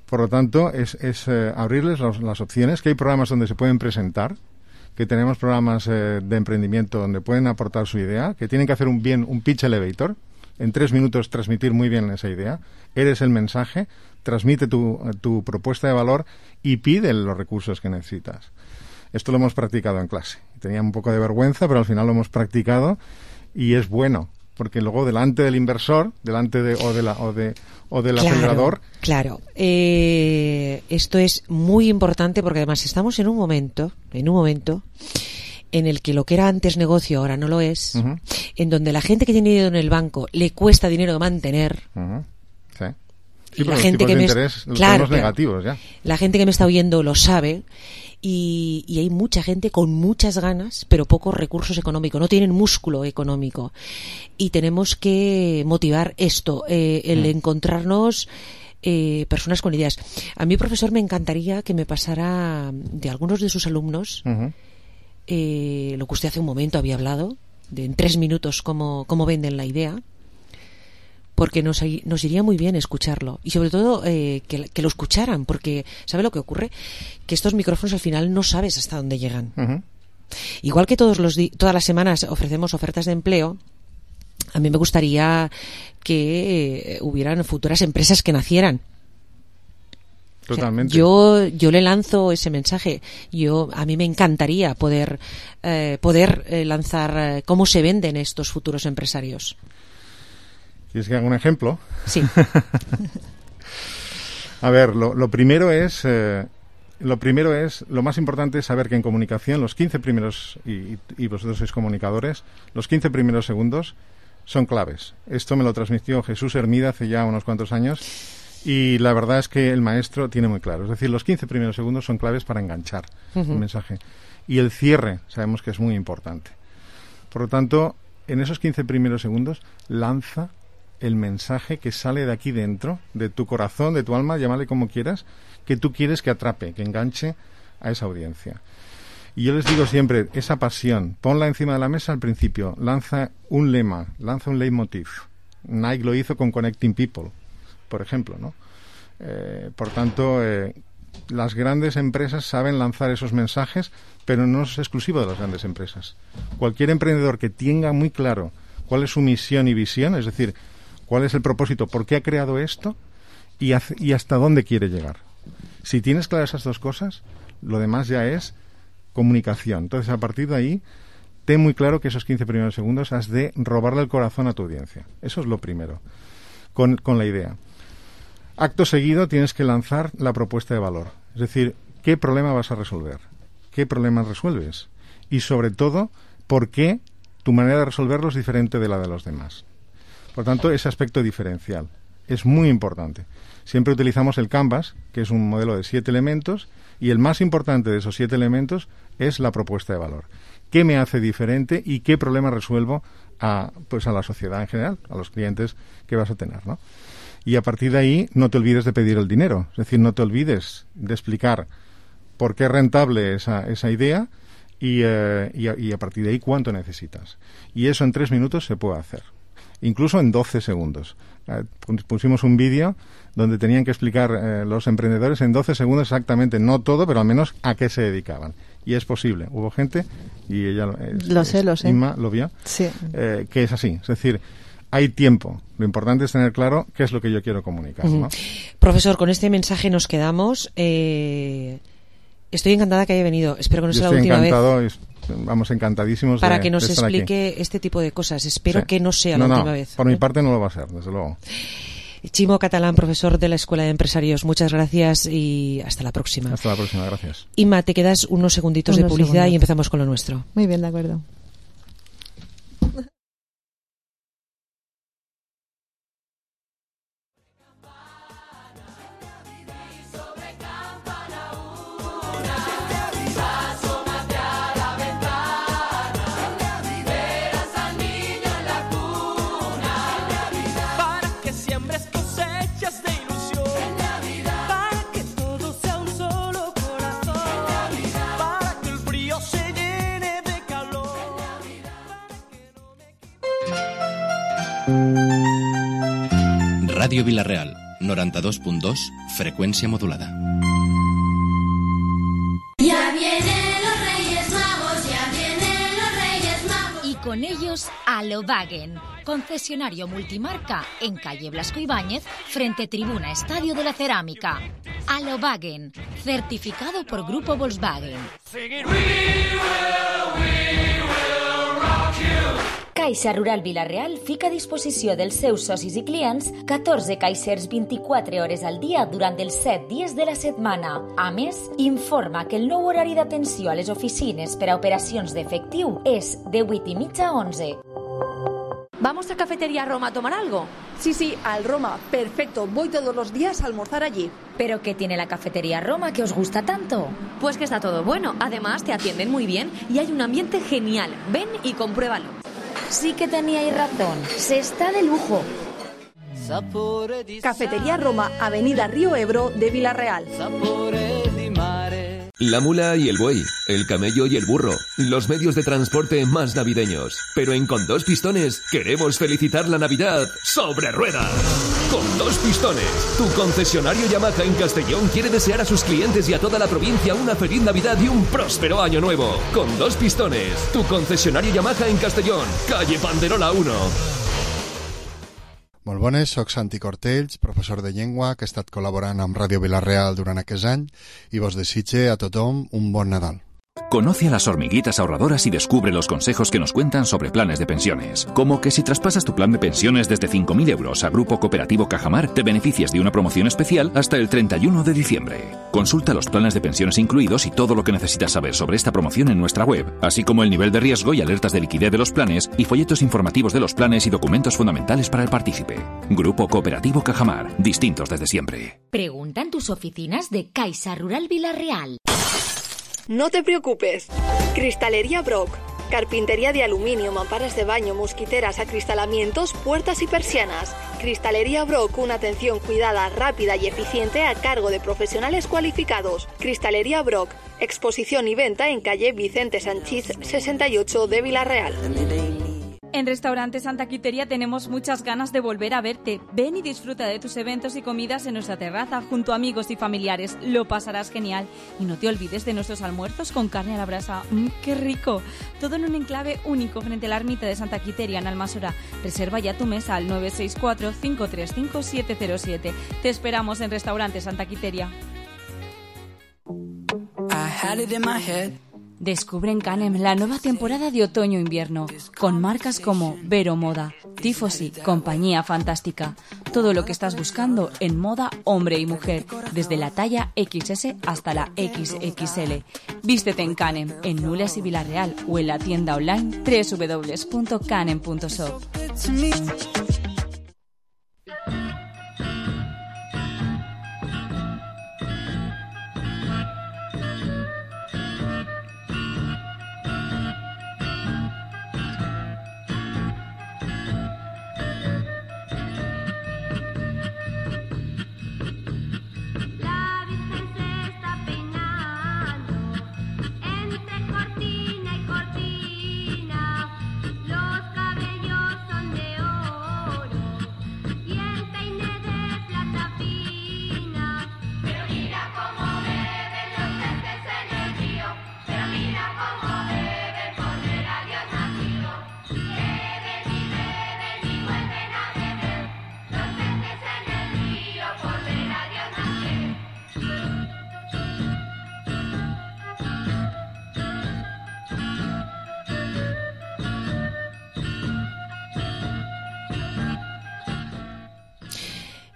Por lo tanto, es, es eh, abrirles los, las opciones, que hay programas donde se pueden presentar, que tenemos programas eh, de emprendimiento donde pueden aportar su idea, que tienen que hacer un bien un pitch elevator, en tres minutos transmitir muy bien esa idea, eres el mensaje, transmite tu, tu propuesta de valor y pide los recursos que necesitas. Esto lo hemos practicado en clase. Tenía un poco de vergüenza, pero al final lo hemos practicado y es bueno, porque luego delante del inversor, delante de o de la o de o del claro, acelerador. Claro, eh, esto es muy importante porque además estamos en un momento, en un momento en el que lo que era antes negocio ahora no lo es, uh-huh. en donde la gente que tiene dinero en el banco le cuesta dinero de mantener. Uh-huh. Sí. Sí, y la los gente tipos que de me interés, los claro, negativos ya. La gente que me está oyendo lo sabe. Y, y hay mucha gente con muchas ganas, pero pocos recursos económicos, no tienen músculo económico. Y tenemos que motivar esto, eh, el mm. encontrarnos eh, personas con ideas. A mí, profesor, me encantaría que me pasara de algunos de sus alumnos uh-huh. eh, lo que usted hace un momento había hablado, de en tres minutos cómo, cómo venden la idea. Porque nos, nos iría muy bien escucharlo y sobre todo eh, que, que lo escucharan, porque ¿sabe lo que ocurre? Que estos micrófonos al final no sabes hasta dónde llegan. Uh-huh. Igual que todos los di- todas las semanas ofrecemos ofertas de empleo, a mí me gustaría que eh, hubieran futuras empresas que nacieran. Totalmente. O sea, yo yo le lanzo ese mensaje. Yo a mí me encantaría poder eh, poder eh, lanzar eh, cómo se venden estos futuros empresarios. ¿Quieres que haga un ejemplo? Sí. A ver, lo, lo primero es, eh, lo primero es, lo más importante es saber que en comunicación los quince primeros, y, y vosotros sois comunicadores, los quince primeros segundos son claves. Esto me lo transmitió Jesús Hermida hace ya unos cuantos años y la verdad es que el maestro tiene muy claro. Es decir, los quince primeros segundos son claves para enganchar uh-huh. el mensaje. Y el cierre sabemos que es muy importante. Por lo tanto, en esos quince primeros segundos, lanza el mensaje que sale de aquí dentro, de tu corazón, de tu alma, llámale como quieras, que tú quieres que atrape, que enganche a esa audiencia. Y yo les digo siempre, esa pasión, ponla encima de la mesa al principio, lanza un lema, lanza un leitmotiv. Nike lo hizo con Connecting People, por ejemplo, ¿no? Eh, por tanto, eh, las grandes empresas saben lanzar esos mensajes, pero no es exclusivo de las grandes empresas. Cualquier emprendedor que tenga muy claro cuál es su misión y visión, es decir, cuál es el propósito, por qué ha creado esto y, hace, y hasta dónde quiere llegar. Si tienes claras esas dos cosas, lo demás ya es comunicación. Entonces, a partir de ahí, ten muy claro que esos quince primeros segundos has de robarle el corazón a tu audiencia. Eso es lo primero, con, con la idea. Acto seguido, tienes que lanzar la propuesta de valor. Es decir, ¿qué problema vas a resolver? ¿Qué problemas resuelves? Y, sobre todo, ¿por qué tu manera de resolverlo es diferente de la de los demás? Por tanto, ese aspecto diferencial es muy importante. Siempre utilizamos el Canvas, que es un modelo de siete elementos, y el más importante de esos siete elementos es la propuesta de valor. ¿Qué me hace diferente y qué problema resuelvo a, pues a la sociedad en general, a los clientes que vas a tener, ¿no? Y a partir de ahí, no te olvides de pedir el dinero. Es decir, no te olvides de explicar por qué es rentable esa, esa idea y, eh, y, a, y a partir de ahí cuánto necesitas. Y eso en tres minutos se puede hacer. Incluso en doce segundos. Eh, pusimos un vídeo donde tenían que explicar eh, los emprendedores en doce segundos exactamente, no todo, pero al menos a qué se dedicaban. Y es posible. Hubo gente, y ella es, lo sé, es, lo sé. Inma lo vio, sí. eh, que es así. Es decir, hay tiempo. Lo importante es tener claro qué es lo que yo quiero comunicar, ¿no? Uh-huh. Profesor, con este mensaje nos quedamos. Eh, estoy encantada que haya venido. Espero que no sea la última vez. Estoy encantado. Vamos, encantadísimos para de, que nos de estar explique aquí. Este tipo de cosas. Espero sí. que no sea no, la no, última vez. Por ¿eh? mi parte no lo va a ser, desde luego. Chimo Catalán, profesor de la Escuela de Empresarios, muchas gracias y hasta la próxima. Hasta la próxima, gracias. Inma, te quedas unos segunditos unos de publicidad segundos. Y empezamos con lo nuestro. Muy bien, de acuerdo. Ràdio Vila-real, noranta-dos punt dos, Frecuencia modulada. Ya vienen los Reyes Magos, ya vienen los Reyes Magos. Y con ellos a Volkswagen, concesionario multimarca en calle Blasco Ibáñez, frente Tribuna Estadio de la Cerámica. A Volkswagen, certificado por Grupo Volkswagen. Caixa Rural Vila-real fica a disposició dels seus socis i clients catorze caixers vint-i-quatre hores al dia durant els set dies de la setmana. A més, informa que el nou horari d'atenció a les oficines per a operacions d'efectiu és de vuit i mitja a onze. ¿Vamos a Cafetería Roma a tomar algo? Sí, sí, al Roma. Perfecto, voy todos los días a almorzar allí. ¿Pero qué tiene la Cafetería Roma que os gusta tanto? Pues que está todo bueno. Además, te atienden muy bien y hay un ambiente genial. Ven y compruébalo. Sí que teníais razón, se está de lujo. Cafetería Roma, Avenida Río Ebro de Vila-real. La mula y el buey, el camello y el burro, los medios de transporte más navideños. Pero en Con Dos Pistones queremos felicitar la Navidad sobre ruedas. Con Dos Pistones, tu concesionario Yamaha en Castellón quiere desear a sus clientes y a toda la provincia una feliz Navidad y un próspero año nuevo. Con Dos Pistones, tu concesionario Yamaha en Castellón, calle Panderola uno. Molt bones, soc Santi Cortells, professor de llengua que he estat col·laborant amb Ràdio Vila-real durant aquest any i vos desitge a tothom un bon Nadal. Conoce a las hormiguitas ahorradoras y descubre los consejos que nos cuentan sobre planes de pensiones. Como que si traspasas tu plan de pensiones desde cinco mil euros a Grupo Cooperativo Cajamar, te beneficias de una promoción especial hasta el treinta y uno de diciembre. Consulta los planes de pensiones incluidos y todo lo que necesitas saber sobre esta promoción en nuestra web, así como el nivel de riesgo y alertas de liquidez de los planes y folletos informativos de los planes y documentos fundamentales para el partícipe. Grupo Cooperativo Cajamar, distintos desde siempre. Pregunta en tus oficinas de Caixa Rural Vila-real. No te preocupes. Cristalería Brock. Carpintería de aluminio, mamparas de baño, mosquiteras, acristalamientos, puertas y persianas. Cristalería Brock, una atención cuidada, rápida y eficiente a cargo de profesionales cualificados. Cristalería Brock, exposición y venta en calle Vicente Sanchís sesenta y ocho de Vila-real. En Restaurante Santa Quiteria tenemos muchas ganas de volver a verte. Ven y disfruta de tus eventos y comidas en nuestra terraza junto a amigos y familiares. Lo pasarás genial. Y no te olvides de nuestros almuerzos con carne a la brasa. ¡Mmm, qué rico! Todo en un enclave único frente a la ermita de Santa Quiteria en Almasora. Reserva ya tu mesa al nueve seis cuatro, cinco tres cinco, siete cero siete. Te esperamos en Restaurante Santa Quiteria. I had it in my head. Descubre en Canem la nueva temporada de otoño-invierno, con marcas como Vero Moda, Tifosi, Compañía Fantástica. Todo lo que estás buscando en moda hombre y mujer, desde la talla equis ese hasta la equis equis ele. Vístete en Canem, en Nules y Vila-real o en la tienda online doble u doble u doble u punto canem punto shop.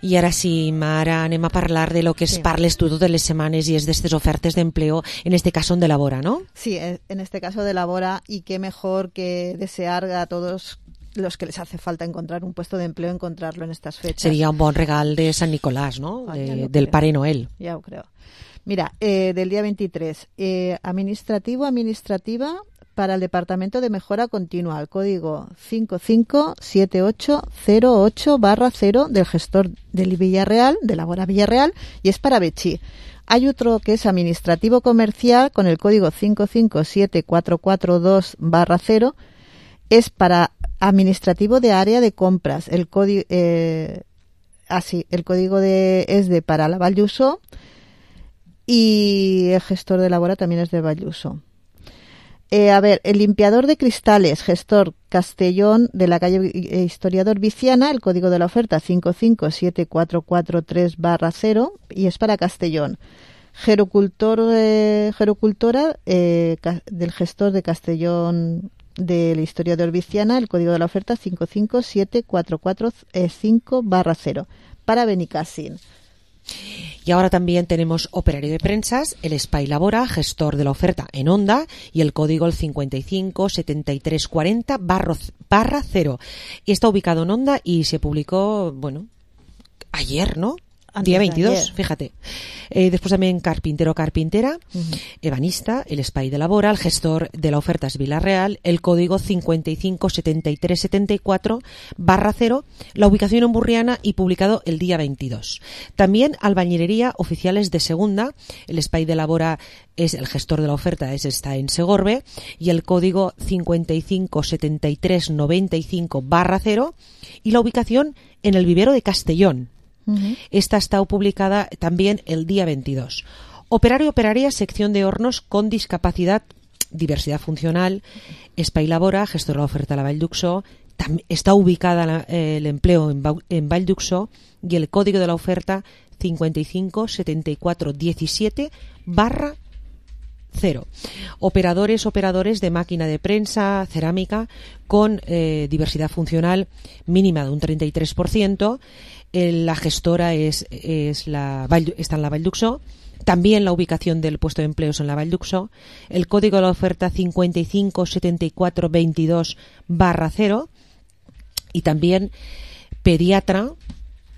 I ara sí, Mara, anem a parlar de lo que es sí. parles tú totes les semanas y es de estas ofertas de empleo, en este caso de Labora, ¿no? Sí, en este caso de Labora, y qué mejor que desear a todos los que les hace falta encontrar un puesto de empleo, encontrarlo en estas fechas. Sería un bon regal de San Nicolás, ¿no? Ah, de, del creo. Pare Noel. Ya lo creo. Mira, eh, del día veintitrés, eh, administrativo, administrativa para el Departamento de Mejora Continua, el código cinco cinco siete ocho cero ocho barra cero del gestor del Villarreal, de Labora Villarreal, y es para Betxí. Hay otro que es administrativo comercial con el código cinco cinco siete cuatro cuatro dos barra cero, es para administrativo de área de compras, el código... Eh, ah, sí, el código de, es de para la Vall d'Uixó y el gestor de Labora también es de Vall d'Uixó. Eh, a ver, el limpiador de cristales, gestor Castellón de la calle Historiador Viciana, el código de la oferta cinco cinco siete cuatro cuatro tres barra cero y es para Castellón. Gerocultor, eh, gerocultora eh, ca, del gestor de Castellón de la Historiador Viciana, el código de la oferta cinco cinco siete cuatro cuatro cinco barra cero para Benicàssim. Y ahora también tenemos operario de prensas, el Espai Labora, gestor de la oferta en Onda, y el código el cincuenta y cinco setenta y tres cuarenta barra cero. Y está ubicado en Onda y se publicó, bueno, ayer, ¿no? Antes día veintidós, fíjate. Eh, después también carpintero carpintera, uh-huh. ebanista, el Espai de Labora, el gestor de la oferta es Vila-real, el código cincuenta y cinco setenta y tres setenta y cuatro barra cero, la ubicación en Burriana y publicado el día veintidós. También albañilería oficiales de segunda, el Espai de Labora es el gestor de la oferta, es está en Segorbe, y el código cincuenta y cinco setenta y tres noventa y cinco barra cero y la ubicación en el vivero de Castellón. Esta está publicada también el día veintidós. Operario operaria, sección de hornos con discapacidad, diversidad funcional, Espai Labora, gestor de la oferta a la Vall d'Uixó, está ubicada la, eh, el empleo en, en Vall d'Uixó y el código de la oferta cincuenta y cinco setenta y cuatro diecisiete barra cero. Operadores, operadores de máquina de prensa, cerámica, con eh, diversidad funcional mínima de un treinta y tres por ciento. La gestora es, es la, está en la Vall d'Uixó. También la ubicación del puesto de empleo es en la Vall d'Uixó. El código de la oferta cincuenta y cinco setenta y cuatro veintidós barra cero. Y también pediatra,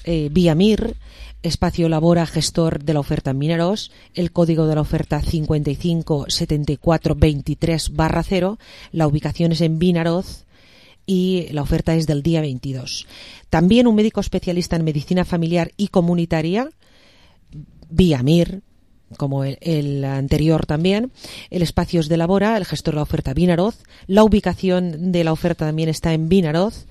eh, Viamir, Espacio Labora, gestor de la oferta en Vinaròs. El código de la oferta cincuenta y cinco setenta y cuatro veintitrés barra cero. La ubicación es en Vinaròs y la oferta es del día veintidós. También un médico especialista en medicina familiar y comunitaria, Viamir, como el, el anterior también. El espacio es de Labora, el gestor de la oferta Vinaròs. La ubicación de la oferta también está en Vinaròs.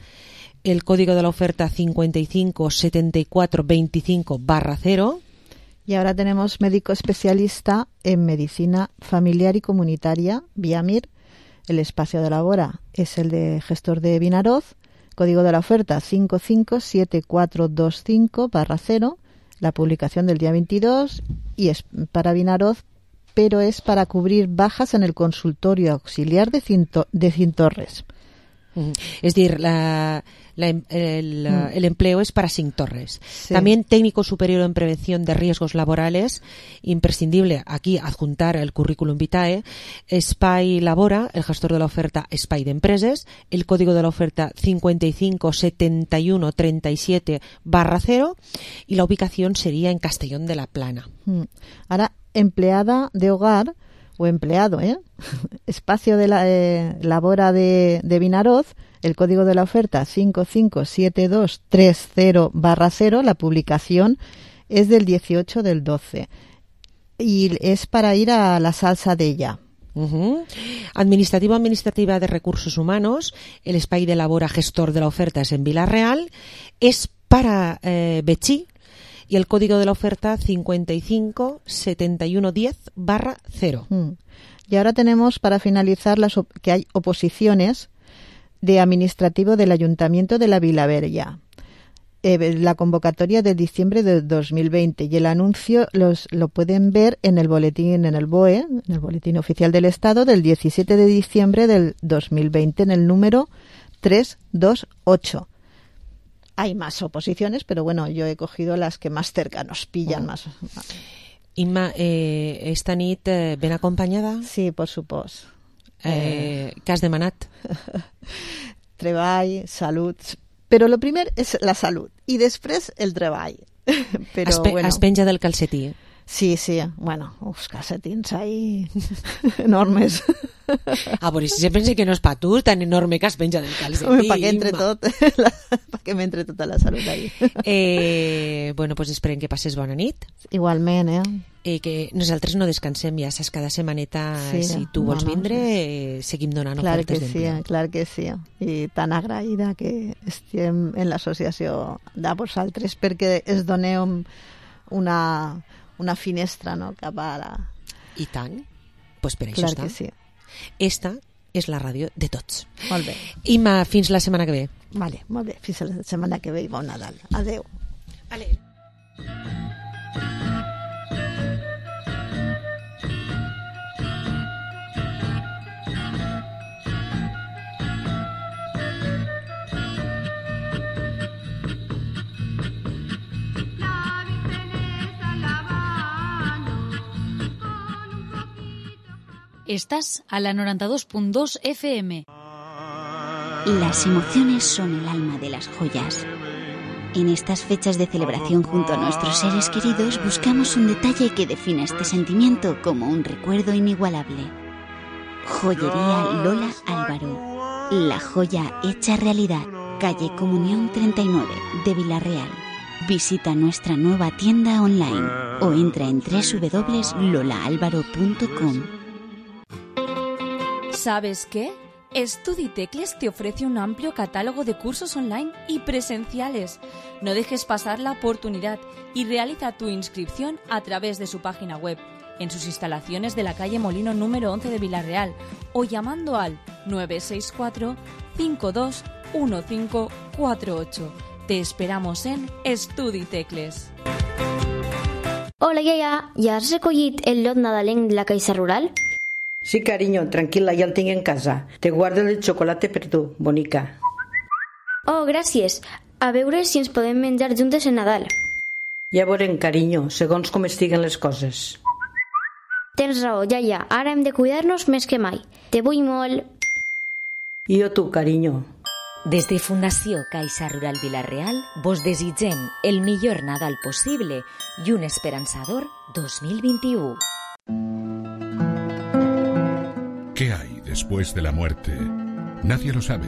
El código de la oferta cincuenta y cinco setenta y cuatro veinticinco barra cero. Y ahora tenemos médico especialista en medicina familiar y comunitaria, Viamir. El espacio de Labora es el de gestor de Vinaròs. Código de la oferta cinco cinco siete cuatro dos cinco barra cero. La publicación del día veintidós y es para Vinaròs, pero es para cubrir bajas en el consultorio auxiliar de, Cinto, de Cintorres. Es decir, la, la, el, mm. el empleo es para Cintorres. Sí. También técnico superior en prevención de riesgos laborales, imprescindible aquí adjuntar el currículum vitae. Espai Labora, el gestor de la oferta Espai de Empreses, el código de la oferta cincuenta y cinco setenta y uno treinta y siete barra cero y la ubicación sería en Castellón de la Plana. Mm. Ahora, empleada de hogar o empleado, ¿eh? Espacio de la eh, Labora de, de Vinaròs, el código de la oferta cinco cinco siete dos tres cero barra cero, la publicación es del dieciocho del doce y es para ir a la salsa de ella. Uh-huh. Administrativo administrativa de recursos humanos, el Espai de Labora, gestor de la oferta es en Vila-real, es para eh, Betxí. Y el código de la oferta cincuenta y cinco setenta y uno diez barra cero. Mm. Y ahora tenemos para finalizar las op- que hay oposiciones de administrativo del Ayuntamiento de la Vilavella. Eh, la convocatoria de diciembre de dos mil veinte y el anuncio los, lo pueden ver en el boletín, en el B O E, en el Boletín Oficial del Estado del diecisiete de diciembre del dos mil veinte en el número trescientos veintiocho. Hay más oposiciones, pero bueno, yo he cogido las que más cerca nos pillan. Oh. más. Inma, eh, esta nit eh, ben acompanyada? Sí, por supuesto. Eh, què has demanat? Treball, salut. Però lo primer és la salut i després el treball. Però, es, pe bueno. es penja del calcetí. Sí, sí. Bueno, uns calcetins ahí enormes. Ah, però si se pensa que no és pa tu, tan enorme que es penja del calcetí. Pa que entre tot. que m'entre tota la salut ahí. Eh, bueno, pues esperem que passes bona nit. Igualment, eh? I que nosaltres no descansem, ja saps, cada setmaneta, sí, si tu vols no, no, vindre, eh, seguim donant clar ofertes que d'empleo. Sí, clar que sí, i tan agraïda que estem en l'associació de vosaltres perquè es doneu una, una finestra, no?, cap a la... I tant, pues per això clar està. Que sí. Esta és la ràdio de tots. Molt bé. Imma, fins la setmana que ve. Vale, molt bé, fins la setmana que ve i bon Nadal. Adeu. Vale. Estás a la noventa y dos punto dos F M. Las emociones son el alma de las joyas. En estas fechas de celebración junto a nuestros seres queridos buscamos un detalle que defina este sentimiento como un recuerdo inigualable. Joyería Lola Álvaro. La joya hecha realidad. Calle Comunión treinta y nueve de Villarreal. Visita nuestra nueva tienda online o entra en doble u doble u doble u punto lola álvaro punto com. ¿Sabes qué? StudiTecles te ofrece un amplio catálogo de cursos online y presenciales. No dejes pasar la oportunidad y realiza tu inscripción a través de su página web, en sus instalaciones de la calle Molino número once de Villarreal o llamando al nueve seis cuatro, cinco dos uno cinco cuatro ocho. Te esperamos en StudiTecles. Hola, iaia, ja has recollit el lot nadalenc de la Caixa Rural? Sí, cariño, tranquil·la, ja el tinc en casa. Te guardo el xocolate per tu, bonica. Oh, gràcies. A veure si ens podem menjar juntes en Nadal. Ja veurem, carinyo, segons com estiguen les coses. Tens raó, iaia. Ara hem de cuidar-nos més que mai. Te vull molt. I jo tu, carinyo. Des de Fundació Caixa Rural Vilareal vos desitgem el millor Nadal possible i un esperançador dos mil vint-i-u. ¿Qué hay después de la muerte? Nadie lo sabe,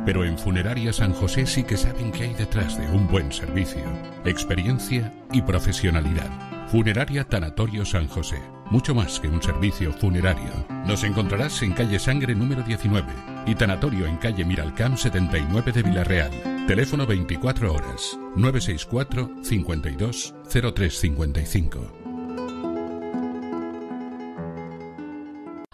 pero en Funeraria San José sí que saben qué hay detrás de un buen servicio, experiencia y profesionalidad. Funeraria Tanatorio San José, mucho más que un servicio funerario. Nos encontrarás en calle Sangre número diecinueve y Tanatorio en calle Miralcamp setenta y nueve de Villarreal. Teléfono veinticuatro horas, nueve seis cuatro, cincuenta y dos, cero tres cincuenta y cinco.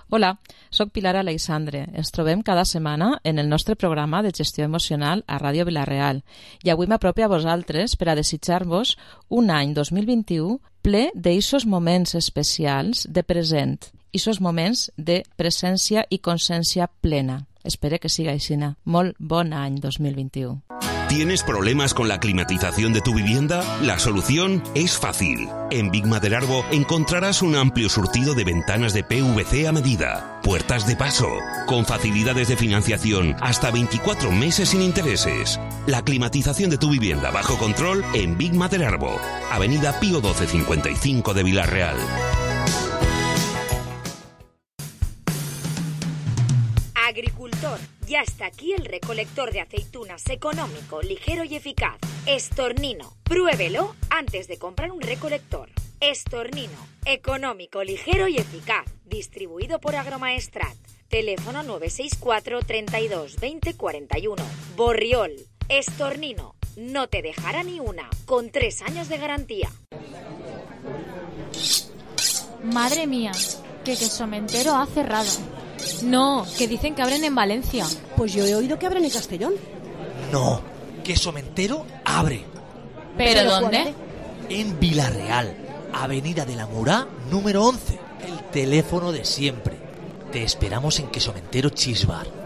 Hola, soc Pilar Aleixandre. Ens trobem cada setmana en el nostre programa de gestió emocional a Ràdio Vilareal i avui m'apropio a vosaltres per a desitjar-vos un any dos mil vint-i-u ple d'eixos moments especials de present, eixos moments de presència i consciència plena. Espero que siga així. Molt bon any dos mil vint-i-u. ¿Tienes problemas con la climatización de tu vivienda? La solución es fácil. En Big Maderarbo encontrarás un amplio surtido de ventanas de P V C a medida, puertas de paso, con facilidades de financiación hasta veinticuatro meses sin intereses. La climatización de tu vivienda bajo control en Big Maderarbo, Avenida Pío doce cincuenta y cinco de Villarreal. Agricultor, ya está aquí el recolector de aceitunas económico, ligero y eficaz. Estornino. Pruébelo antes de comprar un recolector. Estornino. Económico, ligero y eficaz. Distribuido por Agromaestrat. Teléfono nueve seis cuatro, treinta y dos, veinte, cuarenta y uno. Borriol. Estornino. No te dejará ni una. Con tres años de garantía. Madre mía, que Quesomentero ha cerrado. No, que dicen que abren en Valencia. Pues yo he oído que abren en Castellón. No, Quesomentero abre. ¿Pero, ¿Pero dónde? En Villarreal, Avenida de la Murá, número once. El teléfono de siempre. Te esperamos en Quesomentero Cheese Bar.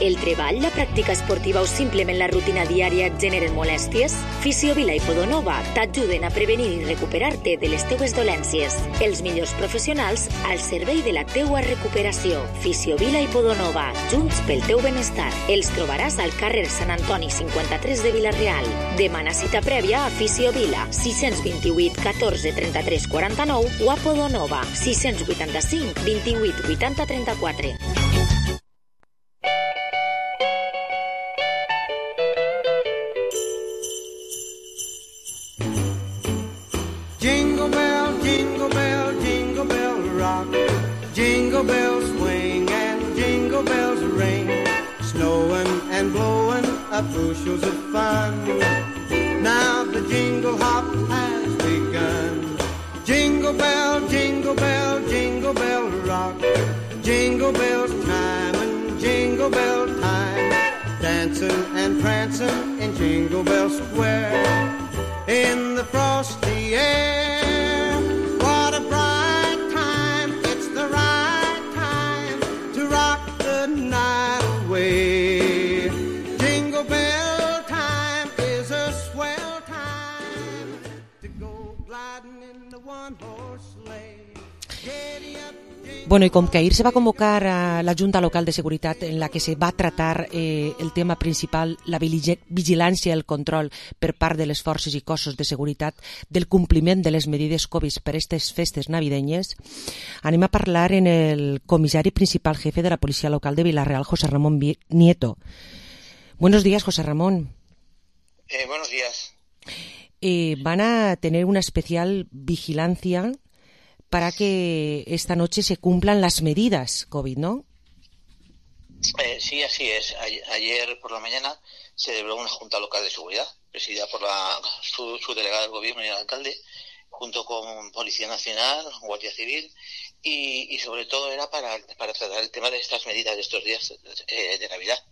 El treball, la pràctica esportiva o simplement la rutina diària et generen molèsties? Fisiovila i Podonova t'ajuden a prevenir i recuperar-te de les teues dolències. Els millors professionals al servei de la teua recuperació. Fisiovila i Podonova, junts pel teu benestar. Els trobaràs al carrer Sant Antoni cinquanta-tres de Vilareal. Demana cita prèvia a Fisiovila, sis dos vuit, catorze, trenta-tres, quaranta-nou o a Podonova, sis vuitanta-cinc, vint-i-vuit, vuitanta, trenta-quatre. a bushels of fun. Now the jingle hop has begun. Jingle bell, jingle bell, jingle bell rock. Jingle bell time and jingle bell time. Dancing and prancing in Jingle Bell Square. In the frosty air. What a bright time. It's the right time to rock the night away. Jingle bell time is a swell time to go gliding in the one-horse sleigh. Giddy up. Bueno, y com que ahir se va convocar a la Junta Local de Seguretat en la que se va tratar eh, el tema principal, la vigilància i el control per part de les forces i cossos de seguretat del compliment de les medides Covid per aquestes festes navidenyes, anem a parlar en el comissari principal jefe de la Policia Local de Vila-real, José Ramón Nieto. Buenos días, José Ramón. Eh, buenos días. Eh, van a tener una especial vigilancia para que esta noche se cumplan las medidas COVID, ¿no? Eh, sí, así es. Ayer por la mañana se celebró una Junta Local de Seguridad, presidida por la su, su delegada del Gobierno y el alcalde, junto con Policía Nacional, Guardia Civil, y, y sobre todo era para, para tratar el tema de estas medidas de estos días eh, de Navidad.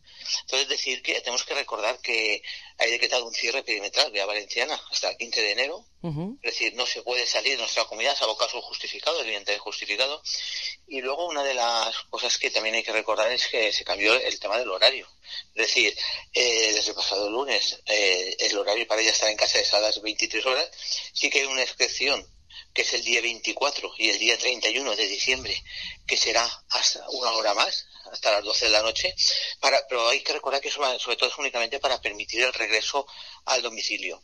Entonces, decir que tenemos que recordar que hay decretado un cierre perimetral vía Valenciana hasta el quince de enero. Uh-huh. Es decir, no se puede salir de nuestra comunidad salvo casos justificados, evidentemente justificado. Y luego una de las cosas que también hay que recordar es que se cambió el tema del horario. Es decir, eh, desde el pasado lunes eh, el horario para ella estar en casa es a las veintitrés horas. Sí que hay una excepción, que es el día veinticuatro y el día treinta y uno de diciembre, que será hasta una hora más, hasta las doce de la noche, para, pero hay que recordar que eso sobre todo es únicamente para permitir el regreso al domicilio.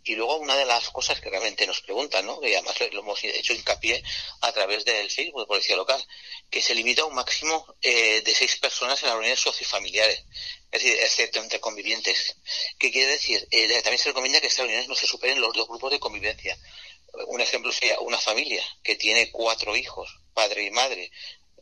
Y luego una de las cosas que realmente nos preguntan, ¿no?, que además lo hemos hecho hincapié a través del Facebook de Policía Local, que se limita a un máximo eh, de seis personas en las reuniones sociofamiliares, es decir, excepto entre convivientes. ¿Qué quiere decir? Eh, también se recomienda que estas reuniones no se superen los dos grupos de convivencia. Un ejemplo sería una familia que tiene cuatro hijos, padre y madre,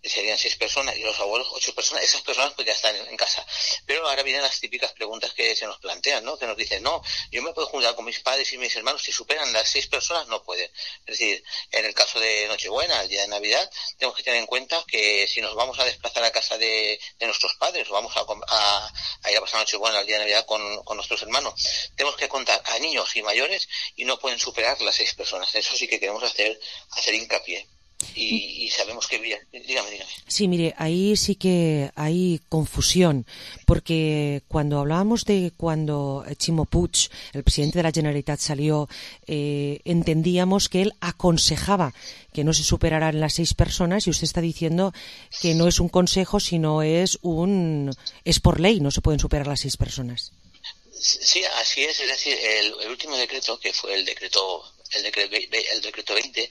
serían seis personas, y los abuelos ocho personas. Esas personas pues ya están en, en casa. Pero ahora vienen las típicas preguntas que se nos plantean, ¿no? Que nos dicen, no, yo me puedo juntar con mis padres y mis hermanos, si superan las seis personas no pueden. Es decir, en el caso de Nochebuena, el día de Navidad, tenemos que tener en cuenta que si nos vamos a desplazar a casa de, de nuestros padres, o vamos a, a, a ir a pasar Nochebuena el día de Navidad con, con nuestros hermanos, tenemos que contar a niños y mayores y no pueden superar las seis personas. Eso sí que queremos hacer, hacer hincapié. Y, y sabemos que... Dígame, dígame. Sí, mire, ahí sí que hay confusión, porque cuando hablábamos de cuando Ximo Puig, el presidente de la Generalitat, salió, eh, entendíamos que él aconsejaba que no se superaran las seis personas, y usted está diciendo que no es un consejo, sino es un... es por ley, no se pueden superar las seis personas. Sí, así es. Es decir, el, el último decreto, que fue el decreto, el decreto, el decreto veinte,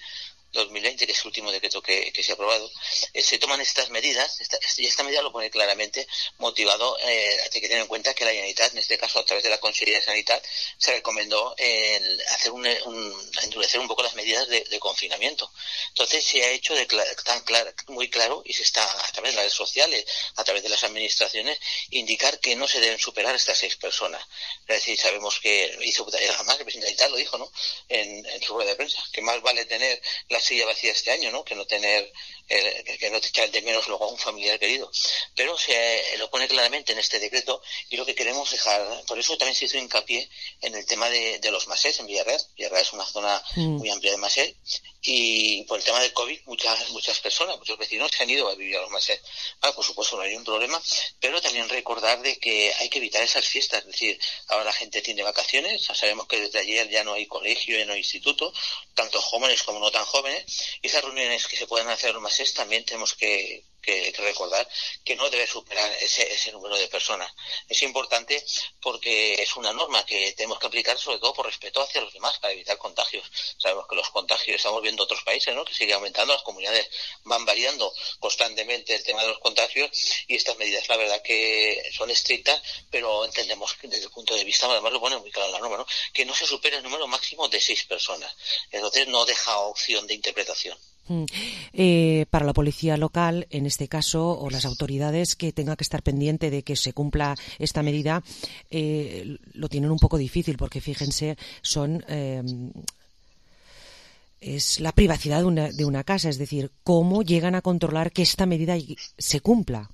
dos mil veinte, que es el último decreto que, que se ha aprobado, eh, se toman estas medidas, esta, y esta medida lo pone claramente motivado, eh, hay que tener en cuenta que la Generalitat, en este caso a través de la Consellería de Sanidad, se recomendó eh, hacer un, un, endurecer un poco las medidas de, de confinamiento. Entonces se ha hecho de cl- tan claro, muy claro, y se está a través de las redes sociales, a través de las administraciones, indicar que no se deben superar estas seis personas. Es decir, sabemos que hizo, además el presidente de Italia lo dijo, ¿no?, en, en su rueda de prensa, que más vale tener la silla vacía este año, ¿no?, que no tener, eh, que no te echar de menos luego a un familiar querido. Pero se eh, lo pone claramente en este decreto, y lo que queremos dejar, por eso también se hizo hincapié en el tema de, de los masés en Villarreal. Villarreal es una zona mm. muy amplia de masés, y por el tema del COVID muchas muchas personas, muchos vecinos se han ido a vivir a los masés. Bueno, por supuesto no hay un problema, pero también recordar de que hay que evitar esas fiestas. Es decir, ahora la gente tiene vacaciones, sabemos que desde ayer ya no hay colegio, ya no hay instituto, tanto jóvenes como no tan jóvenes, y esas reuniones que se pueden hacer en los masés también tenemos que Que, que recordar que no debe superar ese, ese número de personas. Es importante porque es una norma que tenemos que aplicar, sobre todo por respeto hacia los demás, para evitar contagios. Sabemos que los contagios, estamos viendo otros países, ¿no?, que siguen aumentando, las comunidades van variando constantemente el tema de los contagios, y estas medidas la verdad que son estrictas, pero entendemos que desde el punto de vista, además lo pone muy claro en la norma, ¿no?, que no se supera el número máximo de seis personas. Entonces no deja opción de interpretación. Eh, para la policía local, en este caso, o las autoridades que tengan que estar pendiente de que se cumpla esta medida, eh, lo tienen un poco difícil porque, fíjense, son eh, es la privacidad de una, de una casa, es decir, cómo llegan a controlar que esta medida se cumpla.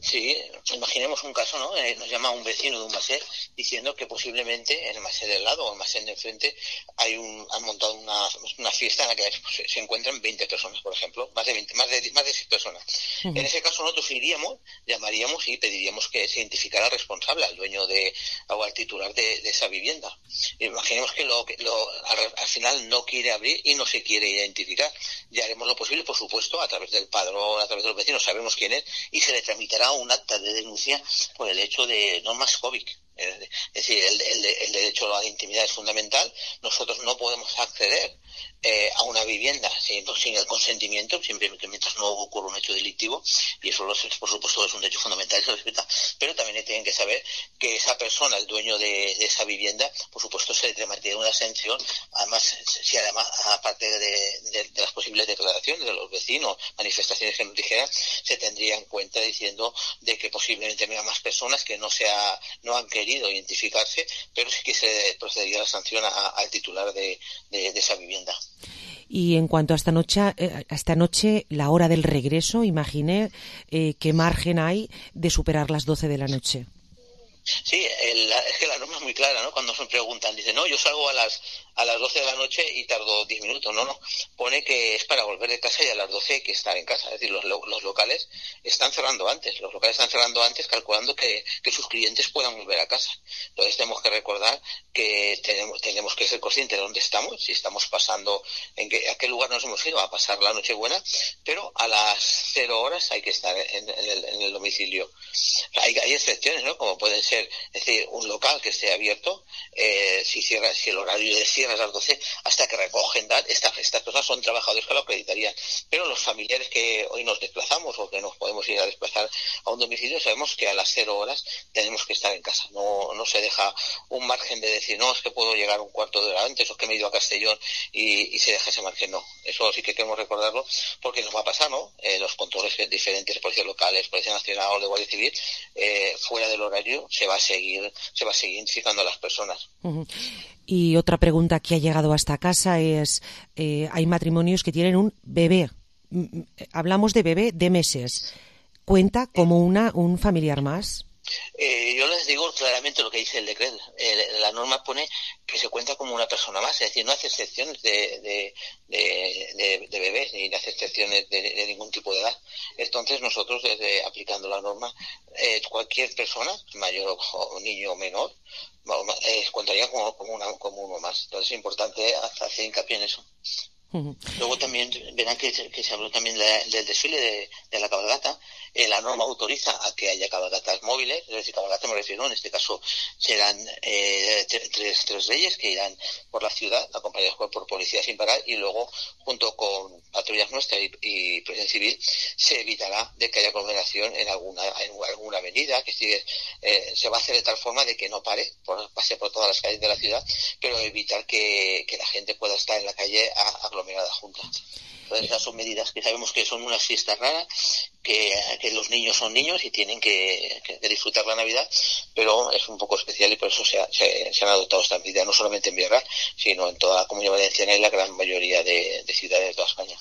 Sí, imaginemos un caso, ¿no? Eh, nos llama un vecino de un masé diciendo que posiblemente en el masé del lado o el masé de enfrente hay un, han montado una, una fiesta en la que se, se encuentran veinte personas, por ejemplo, más de veinte, más de, más de seis personas. Uh-huh. En ese caso nosotros iríamos, llamaríamos y pediríamos que se identificara al responsable, al dueño de, o al titular de, de esa vivienda. Imaginemos que, lo, que lo, al, al final no quiere abrir y no se quiere identificar. Ya haremos lo posible, por supuesto, a través del padrón, a través de los vecinos, sabemos quién es y se le tramitará un acta de denuncia por el hecho de normas COVID. Es decir, el, el, el derecho a la intimidad es fundamental. Nosotros no podemos acceder eh, a una vivienda sin, sin el consentimiento, siempre que mientras no ocurra un hecho delictivo, y eso, por supuesto, es un derecho fundamental y se respeta. Pero también tienen que saber que esa persona, el dueño de, de esa vivienda, por supuesto, se le tramitará una sanción. Además, si además, aparte de, de, de las posibles declaraciones de los vecinos, manifestaciones que nos dijeran, se tendría en cuenta diciendo de que posiblemente haya más personas que no sea, no han querido identificarse, pero sí que se procedería a la sanción a, al titular de, de, de esa vivienda. Y en cuanto a esta noche, eh, a esta noche, la hora del regreso, imaginé eh, qué margen hay de superar las doce de la noche. Sí, el, es que la norma es muy clara, ¿no? Cuando se preguntan, dicen, no, yo salgo a las a las doce de la noche y tardo diez minutos. No, no, pone que es para volver de casa y a las doce hay que estar en casa. Es decir, los, los locales están cerrando antes, los locales están cerrando antes calculando que, que sus clientes puedan volver a casa. Entonces tenemos que recordar que tenemos tenemos que ser conscientes de dónde estamos, si estamos pasando, en qué, a qué lugar nos hemos ido a pasar la Nochebuena, pero a las cero horas hay que estar en, en, el, en el domicilio. Hay, hay excepciones, ¿no? Como pueden ser, es decir, un local que esté abierto, eh, si cierra, si el horario de cierre es a las doce, hasta que recogen edad, estas, estas personas son trabajadores que lo acreditarían. Pero los familiares que hoy nos desplazamos o que nos podemos ir a desplazar a un domicilio, sabemos que a las cero horas tenemos que estar en casa. No, no se deja un margen de decir, no, es que puedo llegar un cuarto de hora antes o que me he ido a Castellón y, y se deja ese margen. No, eso sí que queremos recordarlo porque nos va a pasar, ¿no? Eh, los controles diferentes, policías locales, Policía Nacional o de Guardia Civil, eh, fuera del horario se va a seguir, se va a seguir identificando a las personas. Uh-huh. Y otra pregunta que ha llegado a esta casa es, eh, hay matrimonios que tienen un bebé. Hablamos de bebé de meses. ¿Cuenta como una un familiar más? Eh, yo les digo claramente lo que dice el decreto. Eh, la norma pone que se cuenta como una persona más, es decir, no hace excepciones de, de, de, de, de bebés ni hace excepciones de, de ningún tipo de edad. Entonces nosotros, desde aplicando la norma, eh, cualquier persona, mayor o niño o menor, eh, contaría como, como, una, como uno más. Entonces es importante hacer hincapié en eso. Uh-huh. Luego también verán que, que se habló también de, del desfile de, de la cabalgata. Eh, la norma autoriza a que haya cabalgatas móviles, es decir, cabalgata me refiero, en este caso serán eh, tres, tres reyes que irán por la ciudad acompañados por policía sin parar y luego junto con patrullas nuestras y, y protección civil se evitará de que haya aglomeración en alguna en alguna avenida, que sigue, eh, se va a hacer de tal forma de que no pare, por, pase por todas las calles de la ciudad, pero evitar que, que la gente pueda estar en la calle a, aglomerada junta. Entonces esas son medidas que sabemos que son unas fiestas raras, que, que los niños son niños y tienen que, que disfrutar la Navidad, pero es un poco especial y por eso se, ha, se, se han adoptado estas medidas, no solamente en Villarreal, sino en toda la Comunidad Valenciana y la gran mayoría de, de ciudades de toda España.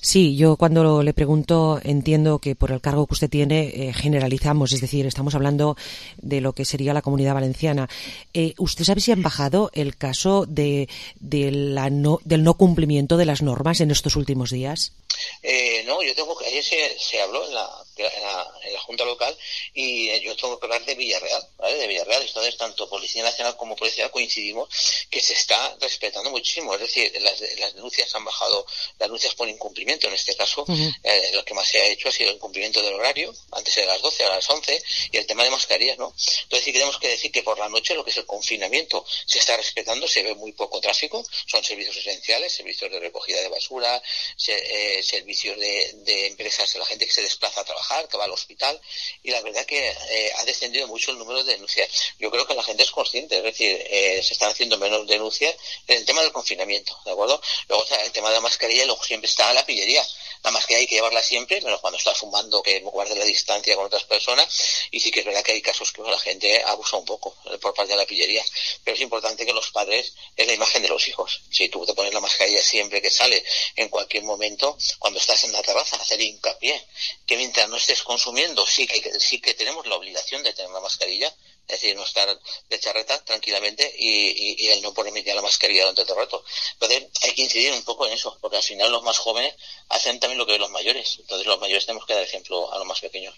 Sí, yo cuando le pregunto entiendo que por el cargo que usted tiene eh, generalizamos, es decir, estamos hablando de lo que sería la Comunidad Valenciana. Eh, ¿Usted sabe si han bajado el caso de, de la no, del no cumplimiento de las normas en estos últimos días? Eh, no, yo tengo que, ayer se, se habló en la, en, la, en la Junta Local y yo tengo que hablar de Villarreal, ¿vale? De Villarreal, entonces tanto Policía Nacional como Policía coincidimos que se está respetando muchísimo, es decir, las, las denuncias han bajado, las denuncias por incumplimiento, en este caso, uh-huh. eh, lo que más se ha hecho ha sido el incumplimiento del horario, antes era a las doce, ahora a las once, y el tema de mascarillas, ¿no? Entonces sí tenemos que decir que por la noche lo que es el confinamiento se está respetando, se ve muy poco tráfico, son servicios esenciales, servicios de recogida de basura, se, eh, servicios de, de empresas, la gente que se desplaza a trabajar trabajar, que va al hospital, y la verdad que eh, ha descendido mucho el número de denuncias. Yo creo que la gente es consciente, es decir, eh, se están haciendo menos denuncias en el tema del confinamiento, ¿de acuerdo? Luego, o sea, el tema de la mascarilla, luego siempre está la pillería. La mascarilla hay que llevarla siempre, menos cuando estás fumando, que guarde la distancia con otras personas, y sí que es verdad que hay casos que la gente abusa un poco por parte de la pillería, pero es importante que los padres es la imagen de los hijos. Si tú te pones la mascarilla siempre que sale, en cualquier momento, cuando estás en la terraza, hacer hincapié que mientras no estés consumiendo, sí que, sí que tenemos la obligación de tener la mascarilla, es decir, no estar de charreta tranquilamente y, y, y el no ponerme ya la mascarilla durante todo el rato. Entonces hay que incidir un poco en eso, porque al final los más jóvenes hacen también lo que los mayores. Entonces los mayores tenemos que dar ejemplo a los más pequeños.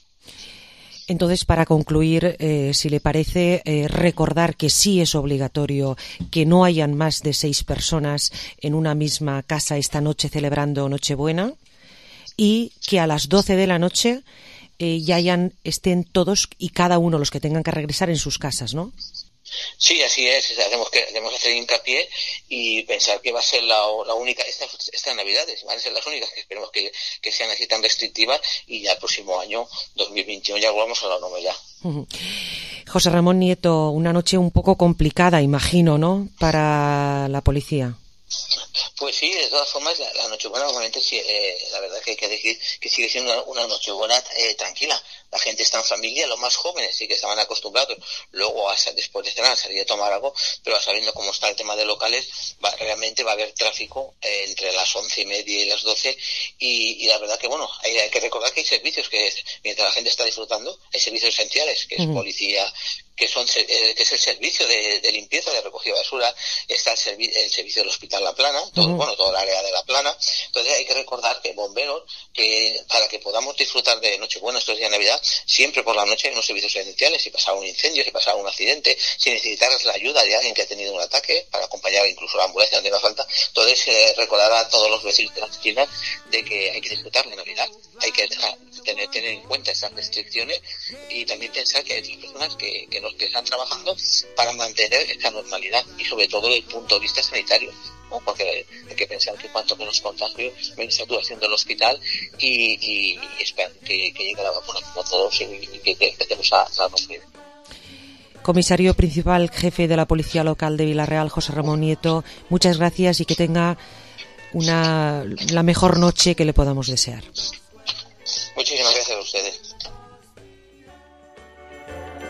Entonces, para concluir, eh, si le parece, eh, recordar que sí es obligatorio que no hayan más de seis personas en una misma casa esta noche celebrando Nochebuena, y que a las doce de la noche eh, ya hayan, estén todos y cada uno los que tengan que regresar en sus casas, ¿no? Sí, así es. Hacemos que debemos hacer hincapié y pensar que va a ser la, la única, estas esta Navidades van a ser las únicas, que esperemos que, que sean así tan restrictivas, y ya el próximo año, dos mil veintiuno, ya volvamos a la normalidad. Uh-huh. José Ramón Nieto, una noche un poco complicada, imagino, ¿no?, para la policía. Pues sí, de todas formas, la, la Nochebuena normalmente, sí, eh, la verdad que hay que decir que sigue siendo una, una Nochebuena eh, tranquila. La gente está en familia, los más jóvenes sí que estaban acostumbrados luego a, después de cenar, salir a tomar algo, pero sabiendo cómo está el tema de locales, va, realmente va a haber tráfico eh, entre las once y media y las doce, y, y la verdad que bueno, hay, hay que recordar que hay servicios que mientras la gente está disfrutando, hay servicios esenciales, que es uh-huh. policía, que son eh, que es el servicio de, de limpieza, de recogida de basura, está el, servi- el servicio del Hospital La Plana, todo, uh-huh. bueno, todo el área de La Plana. Entonces hay que recordar que bomberos, que para que podamos disfrutar de Nochebuena estos días de Navidad, siempre por la noche hay unos servicios esenciales. Si pasaba un incendio, si pasaba un accidente, si necesitaras la ayuda de alguien que ha tenido un ataque, para acompañar incluso a la ambulancia donde haga falta. Entonces eh, recordar a todos los vecinos de las esquinas de que hay que disfrutar de Navidad, hay que dejar, tener, tener en cuenta esas restricciones, y también pensar que hay otras personas que, que, nos, que están trabajando para mantener esta normalidad, y sobre todo desde el punto de vista sanitario, ¿no? Porque hay que pensar que cuanto menos contagio, menos saturación del hospital, y, y, y esperar que, que llegue la vacuna como todos, y, y que, que empecemos a, a romper. Comisario principal, jefe de la Policía Local de Vila-real, José Ramón Nieto, muchas gracias y que tenga una la mejor noche que le podamos desear. Muchísimas gracias a ustedes.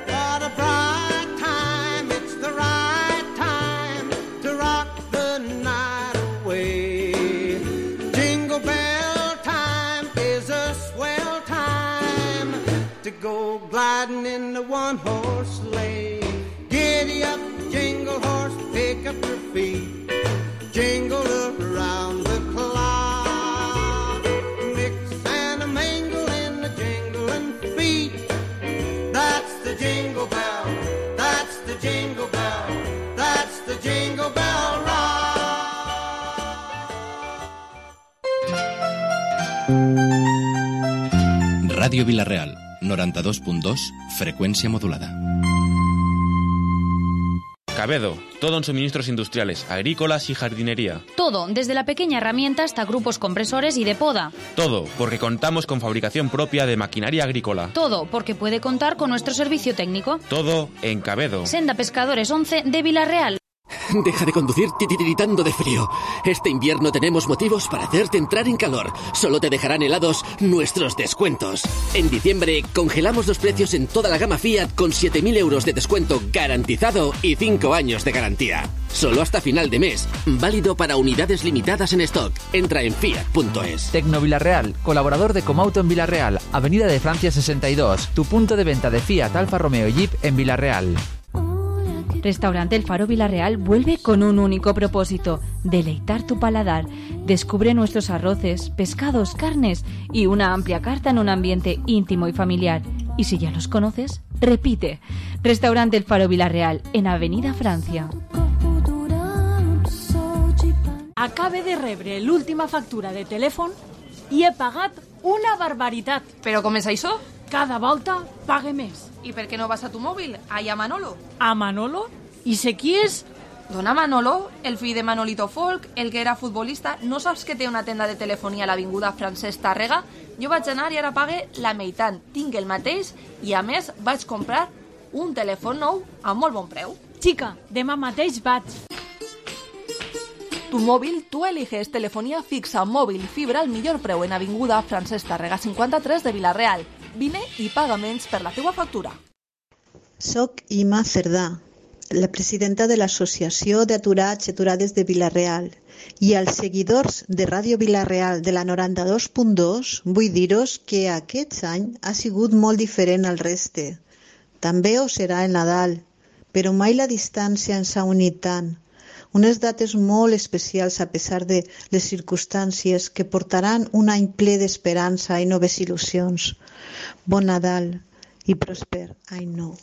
What a bright time, it's the right time to rock the night away. Jingle bell time is a swell time to go gliding in the one-horse sleigh. Giddy up, jingle horse, pick up your feet, jingle around the clock, mix and a mingle in the jingling feet. That's the jingle bell, that's the jingle bell, that's the jingle bell rock. Radio Vila-real, noranta-dos punt dos, frecuencia modulada. Cabedo, todo en suministros industriales, agrícolas y jardinería. Todo, desde la pequeña herramienta hasta grupos compresores y de poda. Todo, porque contamos con fabricación propia de maquinaria agrícola. Todo, porque puede contar con nuestro servicio técnico. Todo en Cabedo. Senda Pescadores once de Vila-real. Deja de conducir titiritando de frío. Este invierno tenemos motivos para hacerte entrar en calor. Solo te dejarán helados nuestros descuentos. En diciembre congelamos los precios en toda la gama Fiat con siete mil euros de descuento garantizado y cinco años de garantía. Solo hasta final de mes. Válido para unidades limitadas en stock. Entra en fiat punto es. Tecno Vila-real, colaborador de Comauto en Vila-real, Avenida de Francia sesenta y dos. Tu punto de venta de Fiat, Alfa Romeo y Jeep en Vila-real. Restaurante El Faro Vila-real vuelve con un único propósito: deleitar tu paladar. Descubre nuestros arroces, pescados, carnes y una amplia carta en un ambiente íntimo y familiar. Y si ya los conoces, repite. Restaurante El Faro Vila-real, en Avenida Francia. Acabe de rebre l'última factura de telèfon i he pagat una barbaritat. Però com és això? Cada volta pague més. I per què no vas a tu mòbil? Allà a Manolo. A Manolo? I sé qui és? Dona Manolo, el fill de Manolito Folk, el que era futbolista, no saps que té una tenda de telefonia a l'avinguda Francesc Tàrrega? Jo vaig anar i ara pague la meitat. Tinc el mateix i, a més, vaig comprar un telèfon nou a molt bon preu. Chica, demà mateix vaig. Tu mòbil, tu eliges telefonia fixa, mòbil i fibra al millor preu en avinguda Francesc Tàrrega cinquanta-tres de Vila-real. Vine i paga menys per la teua factura. Soc Ima Cerdà, la presidenta de l'Associació d'Aturats i Aturades de Vila-real, i als seguidors de Ràdio Vila-real de la noranta-dos punt dos vull dir-vos que aquest any ha sigut molt diferent al reste. També ho serà el Nadal, però mai la distància ens ha unit tant. Unes dates molt especials a pesar de les circumstàncies que portaran un any ple d'esperança i noves il·lusions. Bon Nadal y prosper any nou.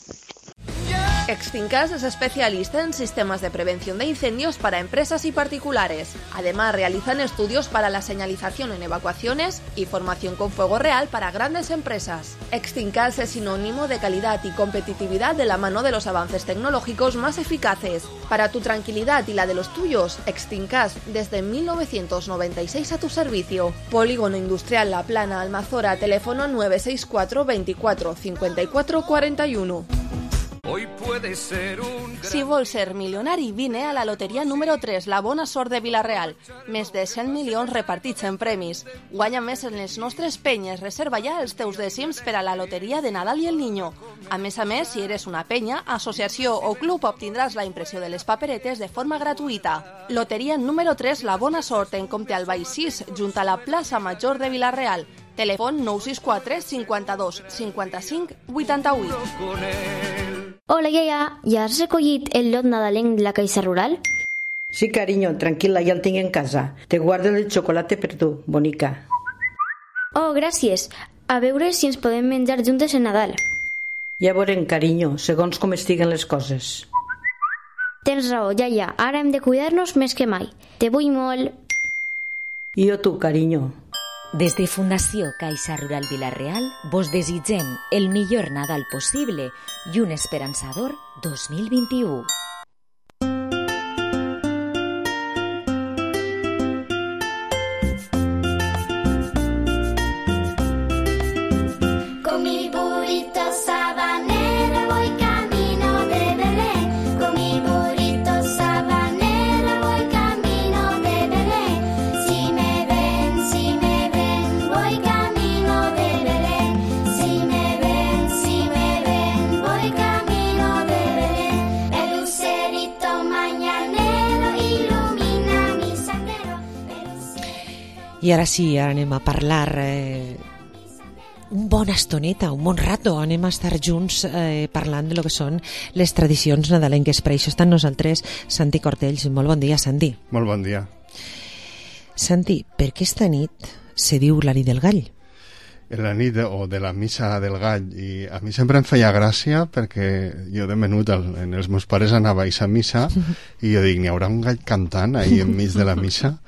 Extincas es especialista en sistemas de prevención de incendios para empresas y particulares. Además, realizan estudios para la señalización en evacuaciones y formación con fuego real para grandes empresas. Extincas es sinónimo de calidad y competitividad de la mano de los avances tecnológicos más eficaces. Para tu tranquilidad y la de los tuyos, Extincas desde mil novecientos noventa y seis a tu servicio. Polígono Industrial La Plana, Almazora, teléfono nueve seis cuatro veinticuatro cincuenta y cuatro cuarenta y uno. Hoy puede ser un... Si vols ser milionari, vine a la loteria número tres, la bona sort de Vila-real. Més de cent milions repartits en premis. Guanya més en les nostres penyes. Reserva ja els teus dècims per a la loteria de Nadal i el Niño. A més a més, si eres una penya, associació o club, obtindràs la impressió de les paperetes de forma gratuïta. Loteria número tres, la bona sort, en Comte Albay sis, junt a la plaça Major de Vila-real. Telèfon nou sis quatre cinquanta-dos cinquanta-cinc vuitanta-vuit. Hola, iaia, ja has recollit el lot nadalenc de la Caixa Rural? Sí, cariño, tranquil·la, ja el tinc en casa. Te guardo el xocolate per tu, bonica. Oh, gràcies. A veure si ens podem menjar juntes en Nadal. Ja veurem, carinyo, segons com estiguen les coses. Tens raó, iaia. Ara hem de cuidar-nos més que mai. Te vull molt. I jo tu, carinyo. Des de Fundació Caixa Rural Vila-real vos desitgem el millor Nadal possible i un esperançador dos mil vint-i-u. Con mi burrito sabanero voy camino de Belén. Con mi burrito sabanero voy camino de Belén. Si me ven, si me ven, voy camino de Belén. Si me ven, si me ven, voy camino de Belén. El lucerito mañanero ilumina mi sendero. I ara sí, ara anem a parlar eh, un bona estoneta, un bon rato. Anem a estar junts eh, parlant de lo que són les tradicions nadalenques. Per això estan nosaltres Santi Cortells. Molt bon dia, Santi. Molt bon dia. Santi, per què esta nit se diu la nit del gall? La nit de, o de la missa del gall. I a mi sempre em feia gràcia perquè jo de menut el, en els meus pares anava a aquesta missa i jo dic, n'hi haurà un gall cantant ahí enmig de la missa?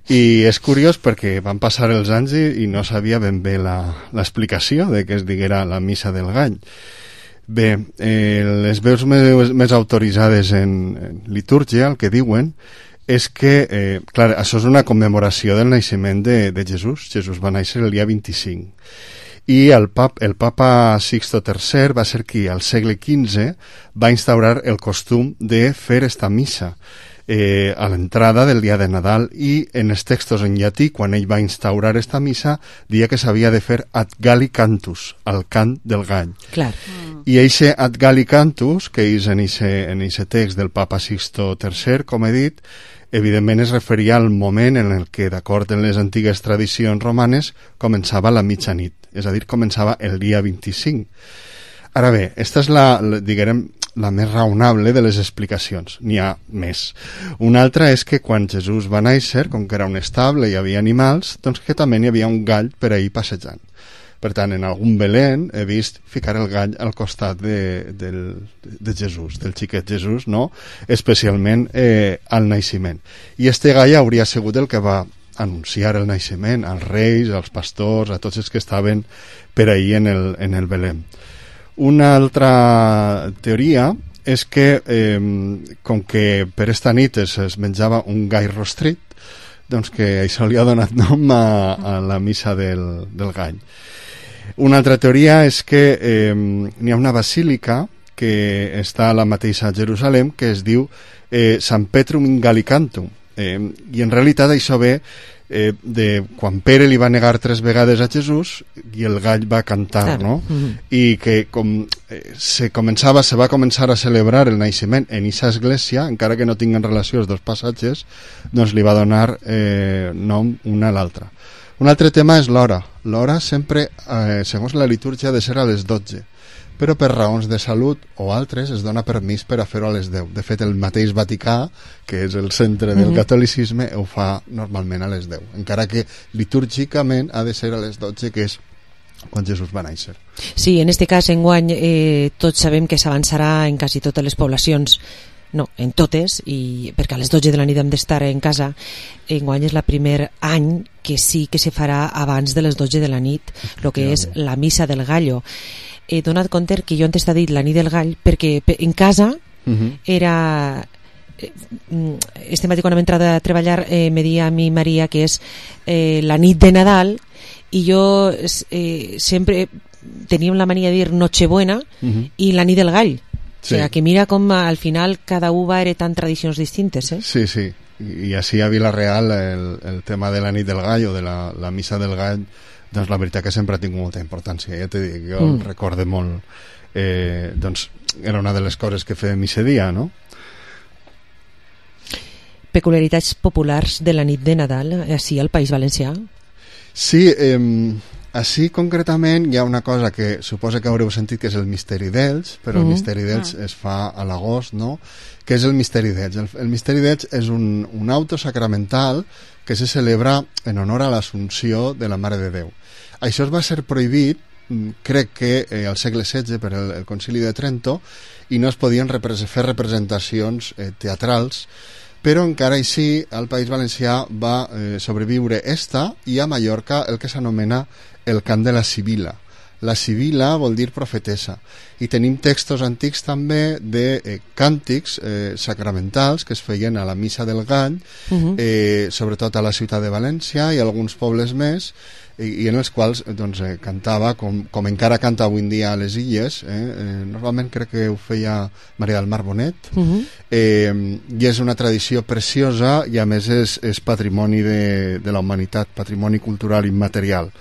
I és curiós perquè van passar els anys i, i no sabia ben bé l'explicació de que es diguera la missa del gall. Bé, eh, les veus més, més autoritzades en, en litúrgia, el que diuen, és que, eh, clar, això és una commemoració del naixement de, de Jesús. Jesús va néixer el dia vint-i-cinc. I el, pap, el papa Sixto tercer va ser qui, al segle quinze, va instaurar el costum de fer esta missa eh, a l'entrada del dia de Nadal, i en els textos en llatí, quan ell va instaurar esta missa, dia que s'havia de fer ad galli cantus, el cant del gall. Clar. Mm. I eixe ad galli cantus, que és en eixe text del papa Sixto tercer, com he dit, evidentment es referia al moment en el que, d'acord amb les antigues tradicions romanes, començava la mitjanit, és a dir, començava el dia vint-i-cinc. Ara bé, esta és la, la diguem, la més raonable de les explicacions. N'hi ha més. Una altra és que quan Jesús va néixer, com que era un estable i hi havia animals, doncs que també n'hi havia un gall per ahir passejant. Per tant, en algun Belén he vist ficar el gall al costat de, del, de Jesús, del xiquet Jesús, no? Especialment eh, al naixement. I este gall hauria sigut el que va anunciar el naixement als reis, als pastors, a tots els que estaven per ahir en el, en el Belén. Una altra teoria és que eh, com que per esta nit es, es menjava un gall rostrit, doncs que això li ha donat nom a, a la missa del, del gall. Una altra teoria és que eh, n'hi ha una basílica que està a la mateixa Jerusalem que es diu eh, Sant Petrum in Gallicantum, eh, i en realitat això ve eh, de quan Pere li va negar tres vegades a Jesús i el gall va cantar, no? Mm-hmm. I que com eh, se començava, se va començar a celebrar el naixement en aquesta església, encara que no tinguen relació els dos passatges, doncs li va donar eh, nom una a l'altra. Un altre tema és l'hora. L'hora sempre, eh, segons la litúrgia, ha de ser a les dotze, però per raons de salut o altres es dona permís per a fer-ho a les deu. De fet, el mateix Vaticà, que és el centre del mm-hmm. catolicisme, ho fa normalment a les deu, encara que litúrgicament ha de ser a les dotze, que és quan Jesús va néixer. Sí, en este cas, enguany, eh, tots sabem que s'avançarà en quasi totes les poblacions, no, en totes, i perquè a les dotze de la nit hem d'estar en casa. Enguany és el primer any que sí que se farà abans de les dotze de la nit, el que és la missa del gallo. He donat compte que jo antes t'he dit la nit del gall perquè en casa uh-huh. era... Este matí quan hem entrat a treballar eh, me dia a mi Maria que és eh, la nit de Nadal i jo eh, sempre teníem la mania de dir Nochebuena uh-huh. i la nit del gall. Sí. O sea, que mira com al final cada u va heretant tradicions distintes, eh? Sí, sí. I així a Vila-real el, el tema de la nit del gall o de la, la missa del gall, doncs la veritat que sempre ha tingut molta importància. Ja t'he dit, jo mm. recorde molt, eh, doncs era una de les coses que fèiem aquest dia, no? Peculiaritats populars de la nit de Nadal, així al País Valencià? Sí, eh, així concretament hi ha una cosa que suposa que haureu sentit que és el misteri d'Elx, però mm. el misteri d'Elx ah. es fa a l'agost, no? Què és el misteri d'Elx? El, el misteri d'Elx és un, un auto sacramental que se celebra en honor a l'Assumpció de la Mare de Déu. Això es va ser prohibit, crec que eh, al segle setze per el, el Concili de Trento, i no es podien repre- fer representacions eh, teatrals, però encara així al País Valencià va eh, sobreviure esta i a Mallorca el que s'anomena el cant de la Sibila. La Sibila vol dir profetessa i tenim textos antics també de eh, càntics eh, sacramentals que es feien a la missa del gall, uh-huh. eh, sobretot a la ciutat de València i alguns pobles més, i, i en els quals doncs, eh, cantava com, com encara canta avui en dia a les illes, eh? Eh, normalment crec que ho feia Maria del Mar Bonet, uh-huh. eh, i és una tradició preciosa i a més és, és patrimoni de, de la humanitat, patrimoni cultural immaterial.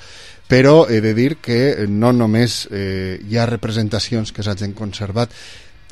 Però he de dir que no només eh, hi ha representacions que s'hagin conservat,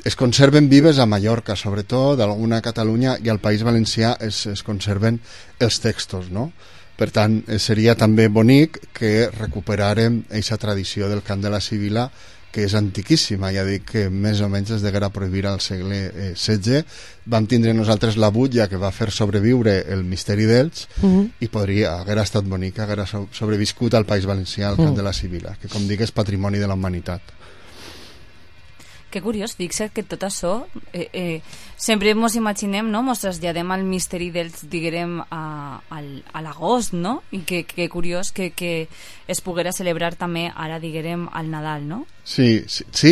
es conserven vives a Mallorca, sobretot, alguna a Catalunya, i al País Valencià es, es conserven els textos, no? Per tant, seria també bonic que recuperarem aquesta tradició del cant de la Sibila, que és antiquíssima, ja dic que més o menys es deguera prohibir al segle eh, setze. Vam tindre nosaltres la butlla que va fer sobreviure el misteri d'Elx, uh-huh. i podria, haguera estat bonic, haguera sobreviscut al País Valencià el cant uh-huh. de la Sibila, que com dic és patrimoni de la humanitat. Que curiós, fixa't que tot això eh, eh, sempre ens imaginem, no? Ens traslladem al misteri dels, diguem, a, al, a l'agost, no? I que, que curiós que, que es poguera celebrar també ara, diguem, al Nadal, no? Sí, sí, sí.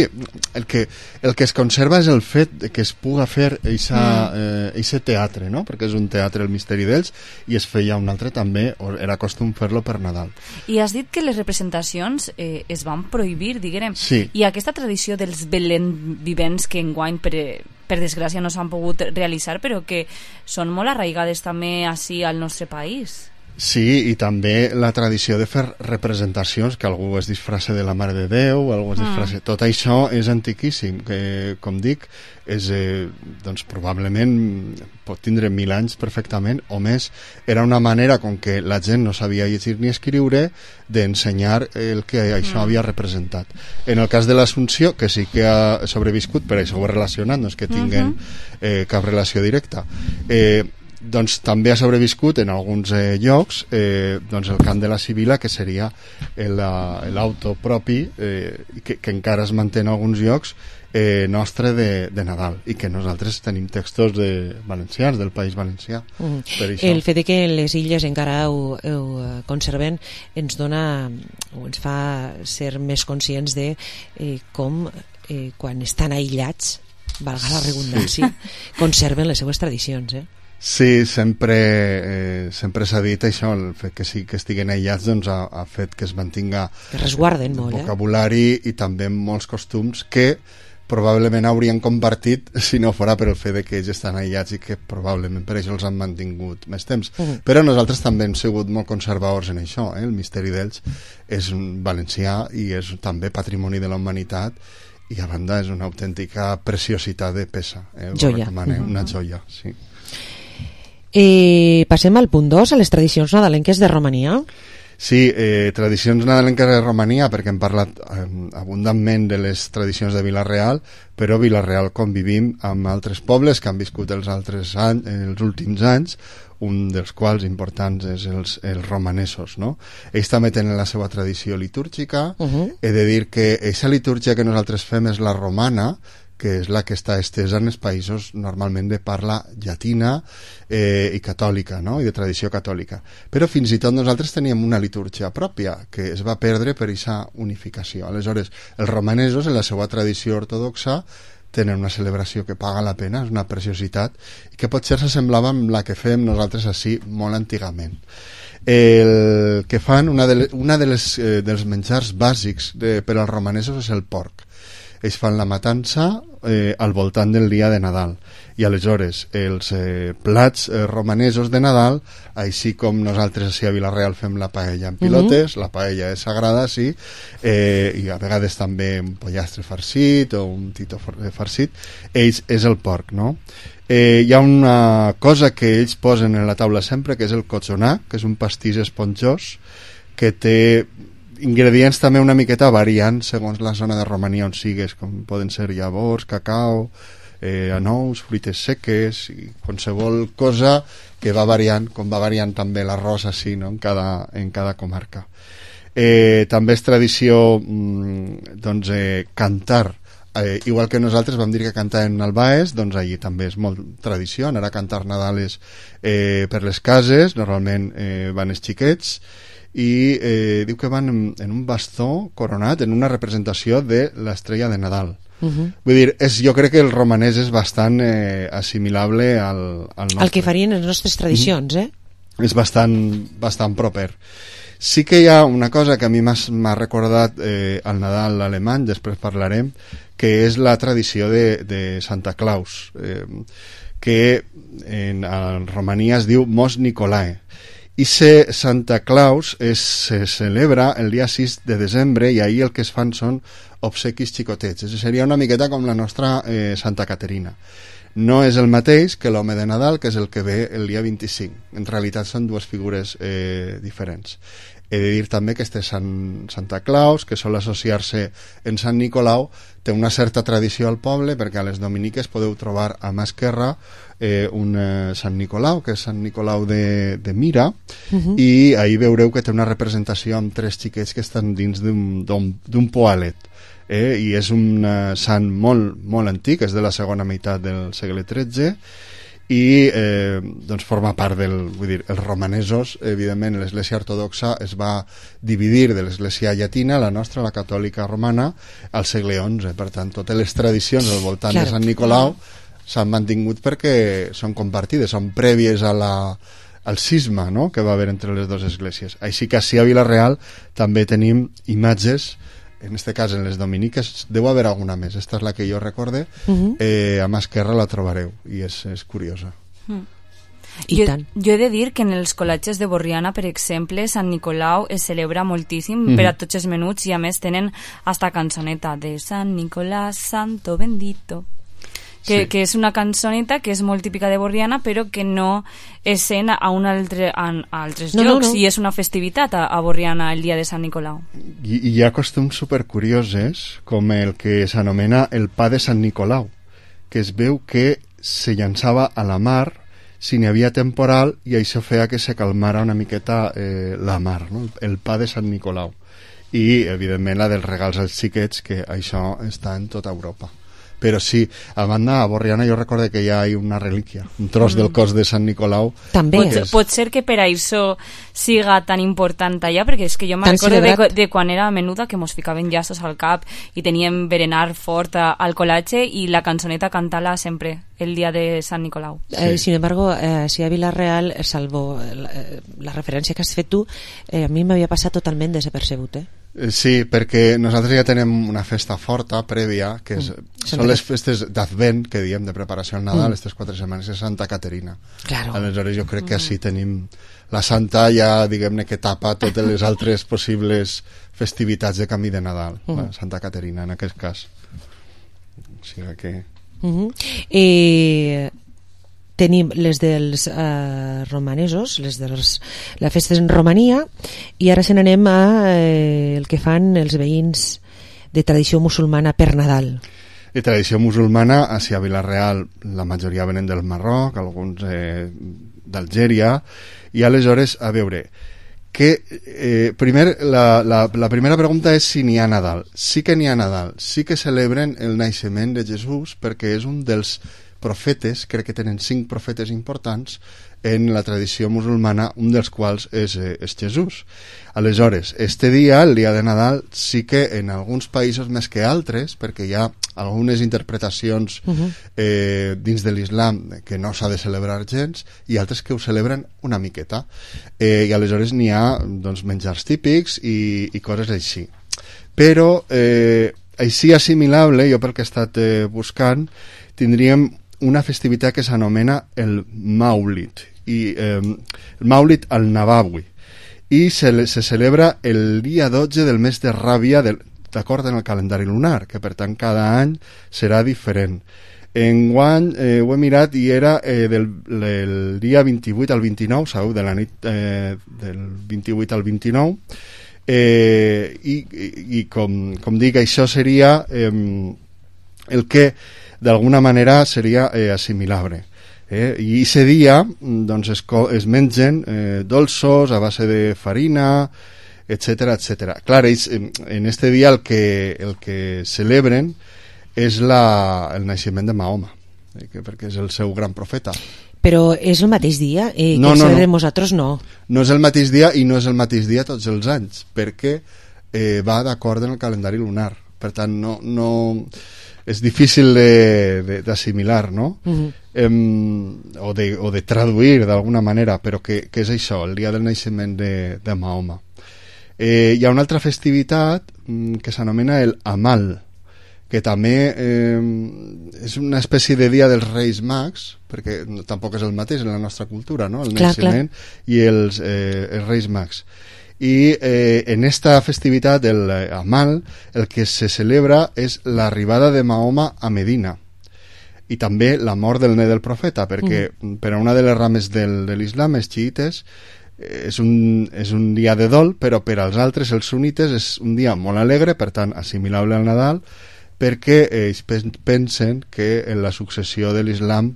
El, que, el que es conserva és el fet de que es puga fer eixa, mm. eh, eixe teatre, no? Perquè és un teatre, el misteri d'Elx, i es feia un altre també, era costum fer-lo per Nadal. I has dit que les representacions eh, es van prohibir, diguem, sí. I aquesta tradició dels Belén vivents que enguany per, per desgràcia no s'han pogut realitzar, però que són molt arraigades també així al nostre país. Sí, i també la tradició de fer representacions, que algú es disfraça de la Mare de Déu, algú es disfraça... Mm. Tot això és antiquíssim, que, com dic, és, eh, doncs, probablement pot tindre mil anys perfectament, o més. Era una manera, com que la gent no sabia llegir ni escriure, d'ensenyar el que això mm. havia representat. En el cas de l'Assumpció, que sí que ha sobreviscut, per això ho he relacionat, no és que tinguin eh, cap relació directa, eh, doncs també ha sobreviscut en alguns eh, llocs eh, doncs el cant de la Sibila, que seria l'auto propi eh, que, que encara es manté en alguns llocs eh, nostre de, de Nadal, i que nosaltres tenim textos de valencians, del País Valencià. Mm. Per això. El fet de que les illes encara ho, ho conserven ens dona, o ens fa ser més conscients de eh, com eh, quan estan aïllats valga la redundància, sí. conserven les seues tradicions, eh? Sí, sempre, eh, sempre s'ha dit això, el fet que sí que estiguen aïllats doncs, ha, ha fet que es mantinga que resguarden molt, vocabulari eh? i també molts costums que probablement haurien compartit si no fora per el fet de que ells estan aïllats i que probablement per això els han mantingut més temps. Uh -huh. Però nosaltres també hem sigut molt conservadors en això, eh? El misteri d'ells és un valencià i és també patrimoni de la humanitat i a banda és una autèntica preciositat de peça. Eh? Joia. Uh -huh. Una joia, sí. Eh, passem al punt dos, a les tradicions nadalenques de Romania. Sí, eh, tradicions nadalenques de Romania, perquè hem parlat eh, abundantment de les tradicions de Vila-real, però Vila-real convivim amb altres pobles que han viscut els altres anys, els últims anys, un dels quals importants és els, els romanesos, no? Ells també tenen la seva tradició litúrgica. Uh-huh. He de dir que aquesta litúrgia que nosaltres fem és la romana, que és la que està estesa en els països normalment de parla llatina eh, i catòlica, no? I de tradició catòlica. Però fins i tot nosaltres teníem una litúrgia pròpia que es va perdre per aquesta unificació. Aleshores, els romanesos, en la seva tradició ortodoxa, tenen una celebració que paga la pena, és una preciositat, i que potser s'assemblava amb la que fem nosaltres així molt antigament. El que fan, una de les, una de les, eh, dels menjars bàsics de, per als romanesos és el porc. Ells fan la matança eh, al voltant del dia de Nadal i aleshores els eh, plats eh, romanesos de Nadal, així com nosaltres així a Vila-real fem la paella en pilotes, uh-huh. La paella és sagrada, sí, eh, i a vegades també un pollastre farcit o un tito farcit, ells és el porc, no? Eh, hi ha una cosa que ells posen en la taula sempre, que és el cochonà, que és un pastís esponjós que té ingredients també una miqueta variant segons la zona de Romania on sigues, com poden ser llavors, cacau, eh, anous, fruites seques i qualsevol cosa que va variant, com va variant també l'arròs així, no? en, cada, en cada comarca. Eh, també és tradició mm, doncs, eh, cantar, eh, igual que nosaltres vam dir que cantaven al Baes, doncs allí també és molt tradició anar a cantar Nadales eh, per les cases, normalment eh, van els xiquets, i eh, diu que van en, en un bastó coronat en una representació de l'estrella de Nadal. Uh-huh. Vull dir, és, jo crec que el romanès és bastant eh, assimilable al, al nostre. El que farien les nostres tradicions, eh? És bastant, bastant proper. Sí que hi ha una cosa que a mi m'ha recordat eh, el Nadal alemany, després parlarem, que és la tradició de, de Santa Claus, eh, que en, en Romania es diu Mos Nicolae. I se Santa Claus es, se celebra el dia sis de desembre i ahir el que es fan són obsequis xicotets. És, seria una miqueta com la nostra eh, Santa Caterina. No és el mateix que l'home de Nadal, que és el que ve el dia vint-i-cinc. En realitat són dues figures eh, diferents. He de dir també que este Sant, Santa Claus, que sol associar-se en Sant Nicolau, té una certa tradició al poble, perquè a les dominiques podeu trobar a mà esquerra eh, un eh, Sant Nicolau, que és Sant Nicolau de, de Mira, uh-huh. i ahir veureu que té una representació amb tres xiquets que estan dins d'un poalet. Eh, I és un eh, sant molt, molt antic, és de la segona meitat del segle tretze, i eh, doncs forma part del, vull dir, els romanesos, evidentment l'església ortodoxa es va dividir de l'església llatina, la nostra, la catòlica romana, al segle onze. Per tant, totes les tradicions al voltant claro. de Sant Nicolau s'han mantingut perquè són compartides, són prèvies a la, al cisma, no?, que va haver entre les dues esglésies. Així que així a Vila-real també tenim imatges, en este cas en les dominiques, deu haver alguna més, esta és la que jo recorde, uh-huh. eh, a mà esquerra la trobareu i és, és curiosa. Mm. I jo, tant. Jo he de dir que en els col·legis de Borriana, per exemple, Sant Nicolau es celebra moltíssim mm-hmm. per a tots els menuts i a més tenen hasta cançoneta de Sant Nicolás Santo Bendito, que, sí. que és una cançoneta que és molt típica de Borriana però que no és sent a, un altre, a, a altres no, llocs no, no. i és una festivitat a, a Borriana el dia de Sant Nicolau. I, i hi ha costums supercuriosos com el que s'anomena el pa de Sant Nicolau, que es veu que se llançava a la mar si n'hi havia temporal i això feia que se calmara una miqueta eh, la mar, no? El pa de Sant Nicolau. I evidentment la dels regals als xiquets, que això està en tota Europa. però sí, a banda, a Borriana jo recordo que hi ha una relíquia, un tros mm. del cos de Sant Nicolau. També. Pot, és... pot ser que per això siga tan important allà, perquè és que jo me'n recordo de, de quan era menuda que mos ficaven llaços al cap i teníem berenar fort al col·latge i la cançoneta cantar-la sempre el dia de Sant Nicolau. Sí. Eh, sin embargo, eh, si a Vila-real, salvo la, la referència que has fet tu, eh, a mi m'havia passat totalment desapercebut, eh? Sí, perquè nosaltres ja tenem una festa forta prèvia, que és, mm. són les festes d'Advent, que diem, de preparació al Nadal, mm. aquestes quatre setmanes de Santa Caterina. Claro. Aleshores jo crec que així tenim la Santa ja, diguem-ne, que tapa totes les altres possibles festivitats de canvi de Nadal, mm. la Santa Caterina, en aquest cas. O sigui que... Mm-hmm. Eh... tenim les dels eh, romanesos, les de les festes en Romania, i ara se n'anem a eh, el que fan els veïns de tradició musulmana per Nadal. De tradició musulmana, a Vila-real la majoria venen del Marroc, alguns eh, d'Algèria, i aleshores, a veure, que eh, primer, la, la, la primera pregunta és si n'hi ha Nadal. Sí que n'hi ha Nadal, sí que celebren el naixement de Jesús, perquè és un dels profetes, crec que tenen cinc profetes importants en la tradició musulmana, un dels quals és, eh, és Jesús. Aleshores, este dia, el dia de Nadal, sí que en alguns països més que altres, perquè hi ha algunes interpretacions uh-huh. eh, dins de l'islam que no s'ha de celebrar gens, i altres que ho celebren una miqueta. Eh, I aleshores n'hi ha doncs, menjars típics i, i coses així. Però, eh, així assimilable, jo pel que he estat eh, buscant, tindríem una festivitat que s'anomena el Maulid, i, eh, el Maulid al-Nabawi, i se, se celebra el dia dotze del mes de Ràbia, d'acord amb el calendari lunar, que per tant cada any serà diferent. Enguany eh, ho he mirat i era eh, del el dia vint-i-vuit al vint-i-nou, sabeu, de la nit eh, del vint-i-vuit al vint-i-nou, eh, i, i, i com, com dic, això seria eh, el que d'alguna manera seria eh, assimilable. Eh? I aquest dia doncs, es, es mengen eh, dolços a base de farina, etcètera, etcètera. Clar, ells, en este dia el que, el que celebren és la, el naixement de Mahoma, eh, que, perquè és el seu gran profeta. Però és el mateix dia? Eh, no, que no, celebrem no. nosaltres no. No és el mateix dia i no és el mateix dia tots els anys, perquè eh, va d'acord amb el calendari lunar. Per tant, no... no és difícil d'assimilar, no? Uh-huh. eh, o, de, o de traduir d'alguna manera, però que, que és això, el dia del naixement de, de Mahoma. Eh, hi ha una altra festivitat mm, que s'anomena el Amal, que també eh, és una espècie de dia dels Reis Mags, perquè no, tampoc és el mateix en la nostra cultura, no? El clar, naixement clar. I els, eh, els Reis Mags. I eh, en esta festivitat del Amal el que se celebra és l'arribada de Mahoma a Medina i també la mort del net del profeta, perquè mm. per a una de les rames del, de l'islam, els xiites, és un, és un dia de dol, però per als altres, els sunnites, és un dia molt alegre, per tant assimilable al Nadal, perquè ells pensen que en la successió de l'islam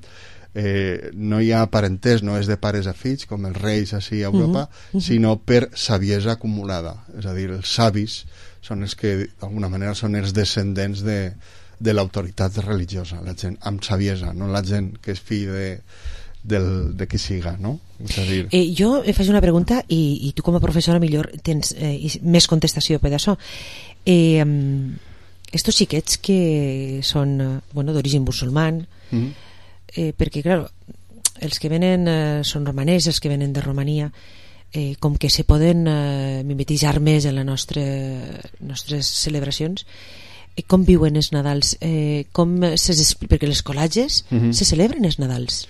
Eh, no hi ha parentès, no és de pares a fills com els reis així a Europa, uh-huh. sinó per saviesa acumulada, és a dir, els savis són els que d'alguna manera són els descendents de, de l'autoritat religiosa, la gent amb saviesa, no la gent que és fill de, del, de qui siga, no? És a dir... eh, jo em faig una pregunta i, i tu com a professora millor tens eh, més contestació per això. Eh, estos xiquets que són bueno, d'origen musulman, uh-huh. Eh, perquè, clar, els que venen eh, són romanès, els que venen de Romania, eh, com que se poden eh, mimetitzar més en les nostre, nostres celebracions, eh, com viuen els Nadals? Eh, com ses, perquè les col·latges uh-huh. se celebren els Nadals?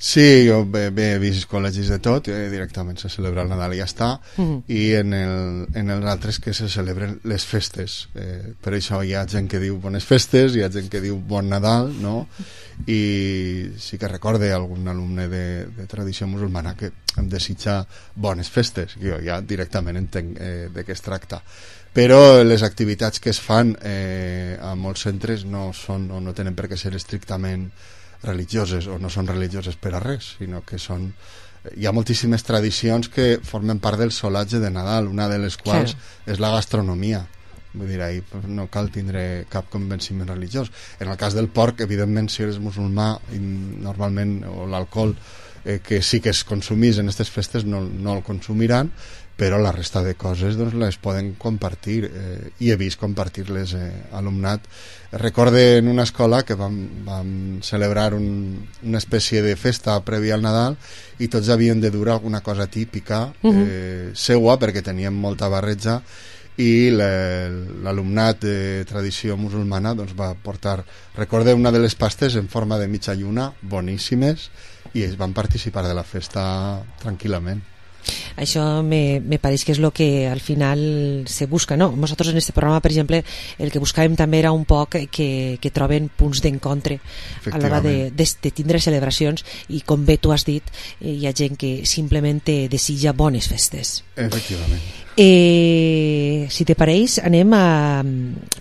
Sí, jo bé, bé, he vist col·legis de tot, eh, directament se celebra el Nadal i ja està, uh-huh. i en, el, en els altres que se celebren les festes. Eh, per això hi ha gent que diu bones festes, hi ha gent que diu bon Nadal, no? I sí que recorde algun alumne de, de tradició musulmana que em desitja bones festes, jo ja directament entenc eh, de què es tracta. Però les activitats que es fan eh, a molts centres no, són, o no tenen per què ser estrictament religioses o no són religioses per a res, sinó que són... Hi ha moltíssimes tradicions que formen part del solatge de Nadal, una de les quals sí. és la gastronomia, vull dir, ahir no cal tindre cap convenciment religiós. En el cas del porc, evidentment, si eres musulmà, normalment, o l'alcohol, eh, que sí que es consumís en aquestes festes, no, no el consumiran, però la resta de coses doncs, les poden compartir, eh, i he vist compartir-les eh, alumnat. Recorde en una escola que vam, vam celebrar un, una espècie de festa prèvia al Nadal i tots havien de dur alguna cosa típica eh, uh-huh. seua, perquè teníem molta barreja, i l'alumnat de tradició musulmana doncs, va portar, recorde, una de les pastes en forma de mitja lluna, boníssimes, i ells van participar de la festa tranquil·lament. Això me, me pareix que és el que al final se busca, no? Nosaltres en este programa, per exemple, el que buscàvem també era un poc que, que troben punts d'encontre a l'hora de, de, de tindre celebracions, i com bé tu has dit, eh, hi ha gent que simplement te desitja bones festes. Efectivament. Eh, si te pareix, anem a,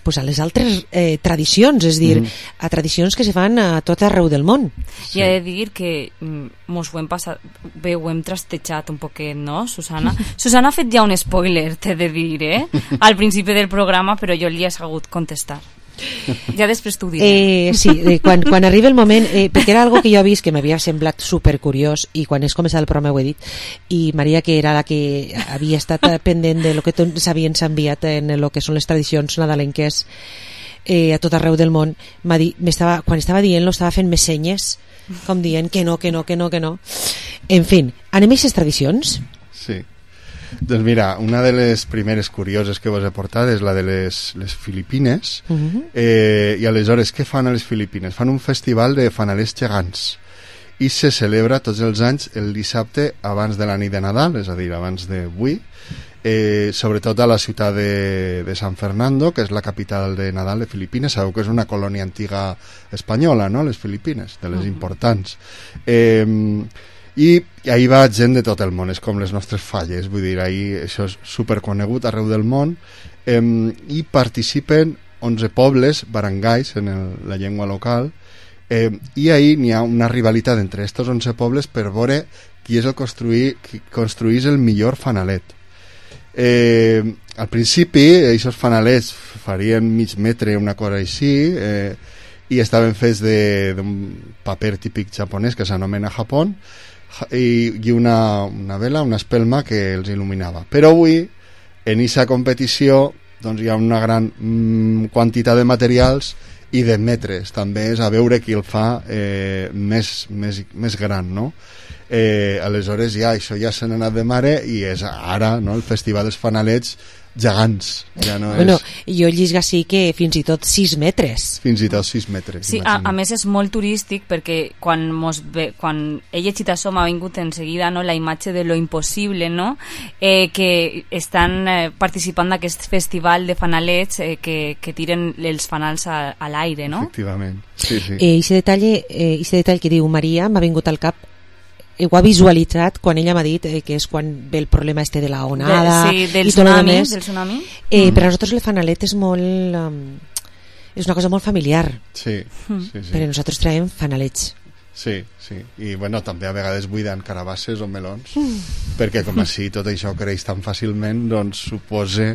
pues a les altres eh, tradicions, és dir, mm. a tradicions que se fan a tot arreu del món. Sí. I he de dir que mos ho hem passat bé, ho hem trastejat un poquet, no, Susana? Susana ha fet ja un spoiler, t'he de dir, eh? Al principi del programa, però jo li he sabut contestar. Ja després t'ho diré. Eh, sí, eh, quan, quan arriba el moment, eh, perquè era algo que jo he vist que m'havia semblat supercuriós, i quan és començat el programa ho he dit, i Maria, que era la que havia estat pendent de lo que s'havien enviat en el que són les tradicions nadalenques eh, a tot arreu del món, m'ha dit, m'estava, quan estava dient-lo estava fent més senyes, com dient que no, que no, que no, que no. En fi, anem a aquestes tradicions? Sí. Doncs mira, una de les primeres curioses que vos he portat és la de les, les Filipines. Uh-huh. eh, i aleshores què fan a les Filipines? Fan un festival de fanalers gegants i se celebra tots els anys el dissabte abans de la nit de Nadal, és a dir, abans d'avui, eh, sobretot a la ciutat de, de San Fernando, que és la capital de Nadal de Filipines. Sabeu que és una colònia antiga espanyola, no?, les Filipines, de les uh-huh. importants. Eh, i ahir va gent de tot el món, és com les nostres falles, vull dir, ahir això és superconegut arreu del món, eh, i participen onze pobles, barangays en el, la llengua local, eh, i ahir n'hi ha una rivalitat entre estos onze pobles per veure qui és el construir, qui construís el millor fanalet. Eh, al principi aquests fanalets farien mig metre, una cosa així, eh, i estaven fets d'un paper típic japonès que s'anomena Japón, i, i una, una vela, una espelma que els il·luminava. Però avui, en aquesta competició, doncs hi ha una gran mm, quantitat de materials i de metres. També és a veure qui el fa eh, més, més, més gran, no? Eh, aleshores ja això ja se n'ha anat de mare, i és ara, no?, el Festival dels Fanalets gegants, ja no és... Bueno, jo llisga sí que fins i tot sis metres. Fins i tot sis metres. Sí, a, a més és molt turístic, perquè quan, mos ve, quan he llegit això m'ha vingut en seguida, no?, la imatge de lo impossible, no?, eh, que estan eh, participant d'aquest festival de fanalets eh, que, que tiren els fanals a, a l'aire, no? Efectivament, sí, sí. Eh, ese detall, eh, ese detall que diu Maria m'ha vingut al cap, ho ha visualitzat quan ella m'ha dit eh, que és quan ve el problema este de la onada, de, sí, del i tsunami, del tsunami. Eh, mm. Per a nosaltres el fanalet és molt um, és una cosa molt familiar. Sí, mm. sí, sí. Però nosaltres traiem fanalets. Sí, sí, i bueno, també a vegades buiden carabasses o melons, mm. perquè com així tot això creix tan fàcilment, doncs supose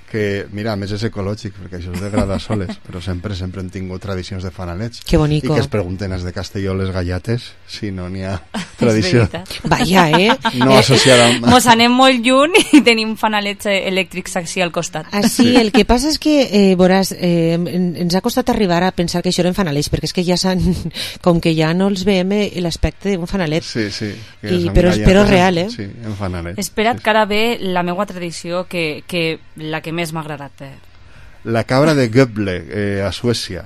que, mira, a més és ecològic, perquè això es degrada soles, però sempre sempre hem tingut tradicions de fanalets. Que bonico. I que es pregunten els de Castelló les gallates, si no n'hi ha tradició. Vaya, eh? No associada amb... Mos anem molt lluny i tenim fanalets elèctrics així al costat. Ah, sí, el que passa és que, eh, veuràs, eh, ens ha costat arribar a pensar que això eren fanalets, perquè és que ja s'han, com que ja no els veiem l'aspecte d'un fanalet. Sí, sí. I, però, però real, eh? Sí, en fanalet. Espera't sí, que ara ve la meva tradició, que, que la que més m'ha agradat. La cabra de Göbble, eh, a Suècia,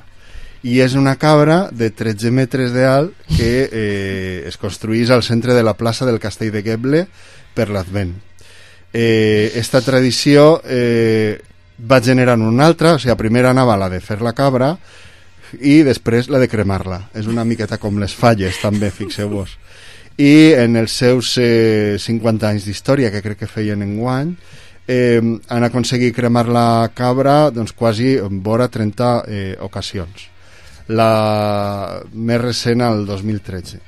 i és una cabra de tretze metres d'alt que eh, es construís al centre de la plaça del castell de Göbble per l'Advent. Eh, esta tradició eh, va generar una altra, o sigui, primer anava la de fer la cabra i després la de cremar-la. És una miqueta com les falles, també, fixeu-vos. I en els seus eh, cinquanta anys d'història, que crec que feien enguany, Eh, han aconseguit cremar la cabra doncs quasi en vora trenta eh, ocasions, la més recent al dos mil tretze.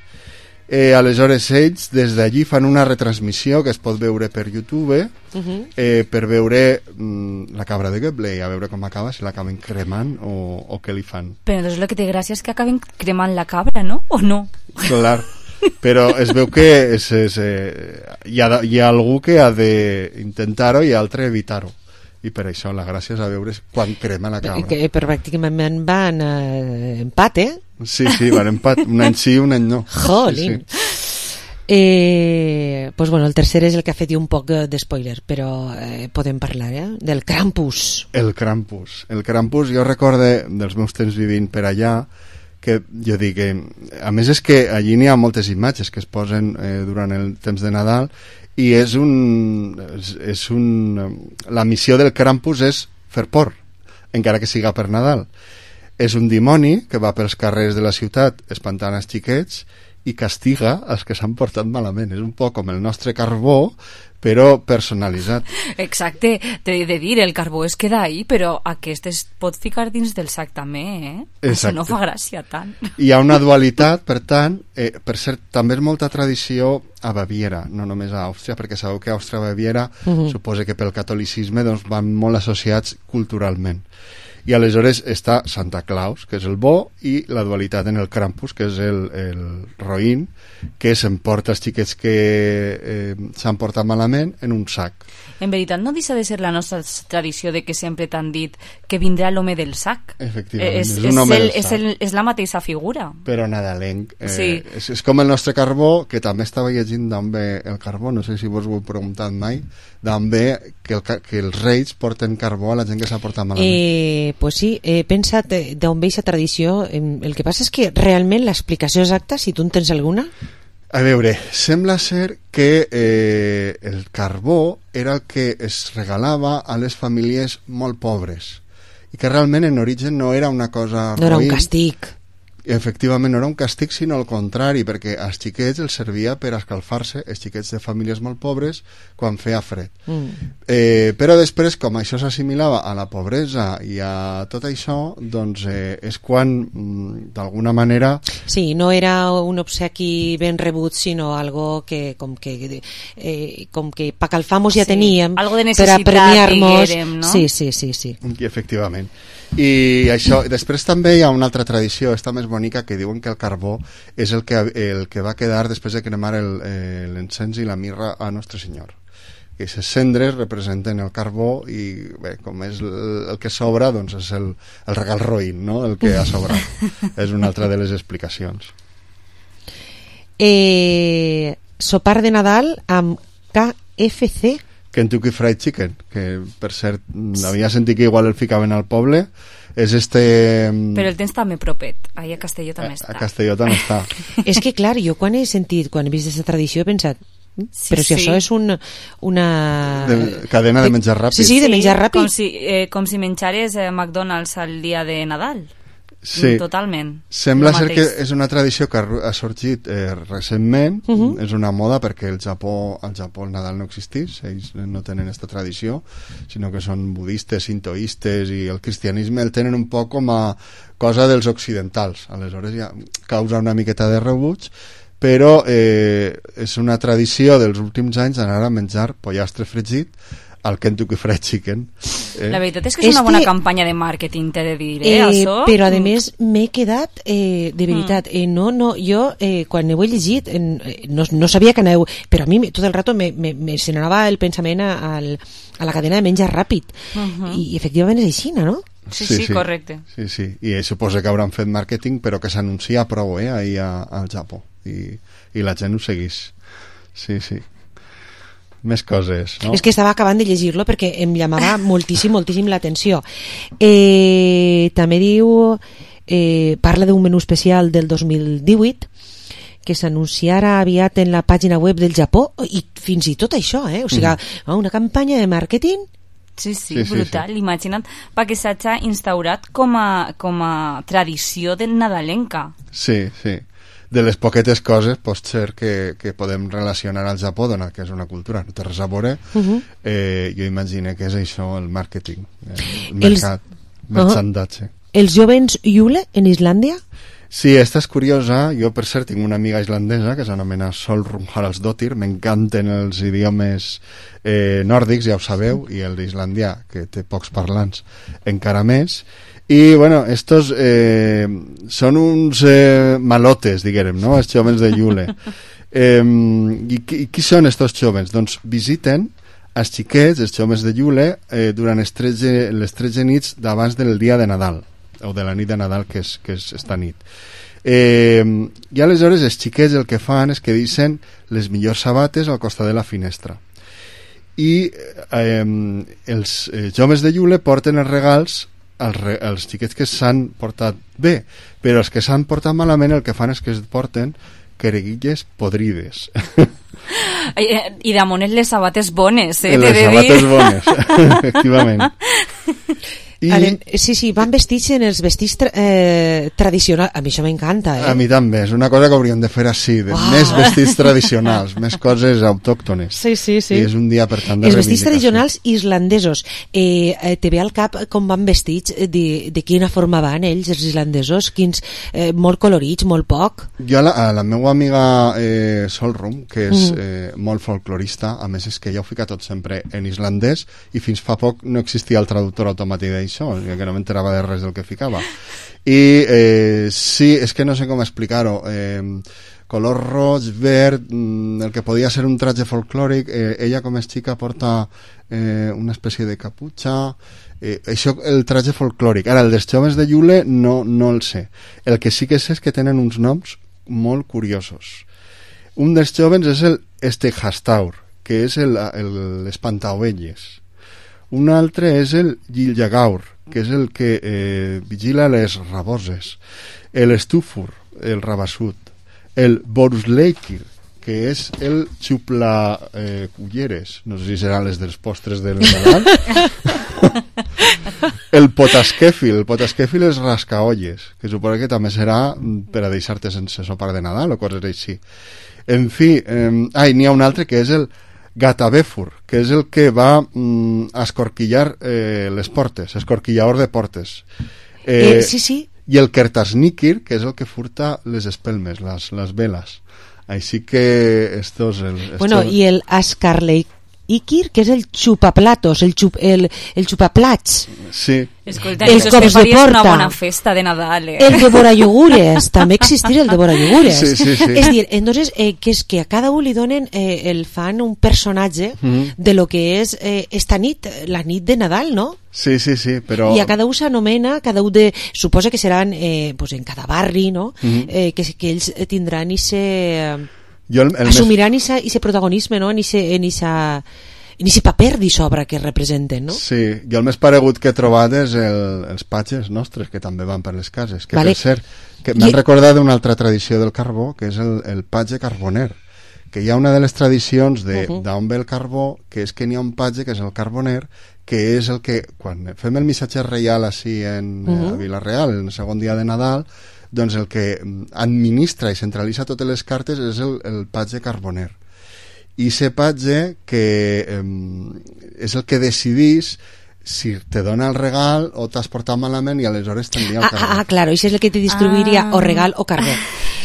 Eh, aleshores ells des d'allí fan una retransmissió que es pot veure per YouTube, Uh-huh. eh, per veure mm, la cabra de Göble, a veure com acaba, si l'acaben cremant o, o què li fan. Però entonces lo que té gràcia és que acaben cremant la cabra, no? O no? Clar, però es veu que és, és, eh, hi, ha, hi ha algú que ha d'intentar-ho i altre evitar-ho, i per això la gràcia és a veure quan crema la cabra. Que, però pràcticament van eh, empat, eh? Sí, sí, van empat, un any sí, un any no. Jolín. Sí, sí. Eh, pues bueno, el tercer és el que ha fet un poc de spoiler, però eh, podem parlar, eh? Del Krampus. El Krampus. El Krampus, jo recorde dels meus temps vivint per allà, que jo dic que, a més és que allí n'hi ha moltes imatges que es posen eh, durant el temps de Nadal, i és un, és, és un la missió del Krampus és fer por, encara que siga per Nadal. És un dimoni que va pels carrers de la ciutat espantant els xiquets i castiga els que s'han portat malament. És un poc com el nostre carbó, però personalitzat. Exacte, t'he de dir, el carbó es queda ahí, però aquest es pot ficar dins del sac també, eh? Això no fa gràcia tant. Hi ha una dualitat, per tant, eh, per cert, també és molta tradició a Baviera, no només a Àustria, perquè sabeu que Àustria i Baviera, uh-huh. suposa que pel catolicisme doncs, van molt associats culturalment. I aleshores està Santa Claus, que és el bo, i la dualitat en el Krampus, que és el, el roïn, que s'emporta els xiquets que eh, s'han portat malament en un sac. En veritat no deixa de ser la nostra tradició de que sempre t'han dit que vindrà l'home del sac. Efectivament, és, és un home el, del és, sac. el, és la mateixa figura. Però nadalenc. Eh, sí. és, és com el nostre carbó, que també estava llegint d'on ve el carbó, no sé si vos ho heu preguntat mai, d'on ve que, el, que els reis porten carbó a la gent que s'ha portat malament. Eh, pues sí, he pensat d'on ve aquesta tradició. El que passa és que realment l'explicació exacta, si tu en tens alguna... A veure, sembla ser que eh, el carbó era el que es regalava a les famílies molt pobres i que realment en origen no era una cosa no era roïn. Un càstig. Efectivament, no era un càstig, sinó al contrari, perquè als xiquets els servia per escalfar-se, els xiquets de famílies molt pobres, quan feia fred. Mm. Eh, però després, com això s'assimilava a la pobresa i a tot això, doncs eh, és quan, mm, d'alguna manera... Sí, no era un obsequi ben rebut, sinó algo que, com que, eh, com que pa calfamos ja sí, teníem, algo de per a premiar-nos... Diguérem, no? Sí, sí, sí, sí. I efectivament. I això, després també hi ha una altra tradició, esta més bonica, que diuen que el carbó és el que, el que va quedar després de cremar l'encens i la mirra a Nostre Senyor. Que aquestes cendres representen el carbó i bé, com és el, el que sobra, doncs és el, el regal roïn, no? El que ha sobrat. És una altra de les explicacions. Eh, sopar de Nadal amb K F C. Kentucky Fried Chicken, que per cert havia sentit que igual el ficaven al poble. És este... Però el tens també propet, ahí a Castelló també a, està. A Castelló també està. És que clar, jo quan he sentit, quan he vist aquesta tradició he pensat, sí, però si sí. això és un, una... De, cadena de menjar ràpid. Sí, sí, de menjar ràpid. Com si, eh, com si menjares eh, McDonald's al dia de Nadal. Sí. Totalment. Sembla ser que és una tradició que ha sorgit eh, recentment, uh -huh. és una moda perquè el Japó, al Japó el Nadal no existís, ells no tenen aquesta tradició, sinó que són budistes, sintoistes, i el cristianisme el tenen un poc com a cosa dels occidentals, aleshores ja causa una miqueta de rebuig, però eh, és una tradició dels últims anys anar a menjar pollastre fregit al Kentucky Fried Chicken. Eh? La veritat és que és este... una bona campanya de màrqueting, t'he de dir, eh, eh això. Però, a més, m'he quedat, eh, de veritat, eh, no, no, jo, eh, quan ho he llegit, eh, no, no sabia que aneu, però a mi tot el rato me, me, me se n'anava el pensament a, a la cadena de menjar ràpid. Uh -huh. I, i efectivament és així, no? Sí, sí, sí, correcte. Sí, sí, i suposa que hauran fet màrqueting, però que s'anuncia prou, eh, ahir a, al Japó, i, i la gent ho seguís. Sí, sí. Més coses, no? És que estava acabant de llegir-lo perquè em llamava moltíssim, moltíssim l'atenció. Eh, també diu, eh, parla d'un menú especial del dos mil divuit que s'anunciarà aviat en la pàgina web del Japó, i fins i tot això, eh? O sigui, mm. una campanya de màrqueting. Sí, sí, sí, brutal, sí, sí. Imagina't, perquè s'ha instaurat com a, com a tradició de nadalenca. Sí, sí. De les poquetes coses pot ser que, que podem relacionar al Japó, donat que és una cultura, no té res a veure. Uh -huh. eh, jo imagino que és això, el màrqueting, el mercat, el merchandatge. Uh -huh. Els jovens Yule en Islàndia? Sí, esta és curiosa. Jo, per cert, tinc una amiga islandesa que s'anomena Solrun Haraldsdóttir. M'encanten els idiomes eh, nòrdics, ja ho sabeu, i el d'islandià, que té pocs parlants, encara més. I, bueno, estos eh, són uns eh, malotes, diguem, no?, els jóvens de Yule. Eh, i, I qui són estos jóvens? Doncs visiten els xiquets, els jóvens de Yule, eh, durant les tretze, les tretze nits d'abans del dia de Nadal, o de la nit de Nadal, que és, que és esta nit. Eh, I aleshores els xiquets el que fan és que deixen les millors sabates al costat de la finestra. I eh, els eh, joves de Yule porten els regals als, re, als xiquets que s'han portat bé, però els que s'han portat malament el que fan és que es porten quereguilles podrides. I damunt les sabates bones, eh? Les sabates bones, efectivament. I... Ale, sí, sí, van vestits en els vestits tra eh, tradicionals. A mi això m'encanta, eh? A mi també, és una cosa que hauríem de fer així, de oh. més vestits tradicionals, més coses autòctones. Sí, sí, sí. I és un dia per tant de els vestits tradicionals islandesos. Eh, eh, te ve al cap com van vestits, de, de quina forma van ells, els islandesos, quins, eh, molt colorits, molt poc. Jo a la, a la meva amiga eh, Solrun, que és mm. eh, molt folclorista, a més és que ella ho fica tot sempre en islandès, i fins fa poc no existia el traductor automàtic d'això, que no m'enterava de res del que ficava. I eh, sí, és que no sé com explicar-ho. Eh, color roig, verd, el que podia ser un traje folclòric, eh, ella com és xica porta eh, una espècie de caputxa, eh, això, el traje folclòric. Ara, el dels joves de Yule no, no el sé. El que sí que sé és que tenen uns noms molt curiosos. Un dels joves és el Steghastur, que és l'espantaovelles. Un altre és el Gilljagaur, que és el que eh, vigila les raboses. El Stufur, el rabassut. El Borusleikir, que és el xupla eh, culleres, no sé si seran les dels postres del Nadal. El Potaskefil, el Potaskefil és rascaolles, que suposo que també serà per a deixar-te sense sopar de Nadal o coses així. En fi, eh, ah, n'hi ha un altre que és el Gatavefur, que és el que va mm, a escorquillar eh, les portes, escorquillador de portes. Eh, eh, sí, sí. I el Kertasnikir, que és el que furta les espelmes, les, les veles. Així que estos... El, estos... Bueno, i el Askarleikir, que és el xupaplatos, el, xup, el, el xupaplats. Sí. Escolta, el cops de porta. Una bona festa de Nadal, eh? El devorayogures, també existir el devorayogures. Sí, sí, sí. És dir, entonces, eh, que és que a cada un li donen, eh, el fan un personatge mm-hmm. de lo que és eh, esta nit, la nit de Nadal, no? Sí, sí, sí, però... I a cada un s'anomena, cada un de... Suposa que seran eh, pues en cada barri, no? Mm-hmm. eh, que, que ells tindran i se... Jo el, el assumiran i més... ese protagonisme, no? En ese... En esa... en aquest paper d'obra que representen, no? Sí, jo el més paregut que he trobat és el, els patges nostres, que també van per les cases, que vale. Per cert, que m'han I... recordat d'una altra tradició del carbó, que és el, el patge carboner, que hi ha una de les tradicions de, uh -huh. d'on ve el carbó, que és que n'hi ha un patge, que és el carboner, que és el que, quan fem el missatge reial així en, uh -huh. a Vila-real, en el segon dia de Nadal, doncs el que administra i centralitza totes les cartes és el, el patge carboner. I ese patge que eh, és el que decidís si te dona el regal o t'has portat malament i aleshores t'envia el ah, carbó. Ah, claro, això és el que te distribuiria ah. o regal o carbó.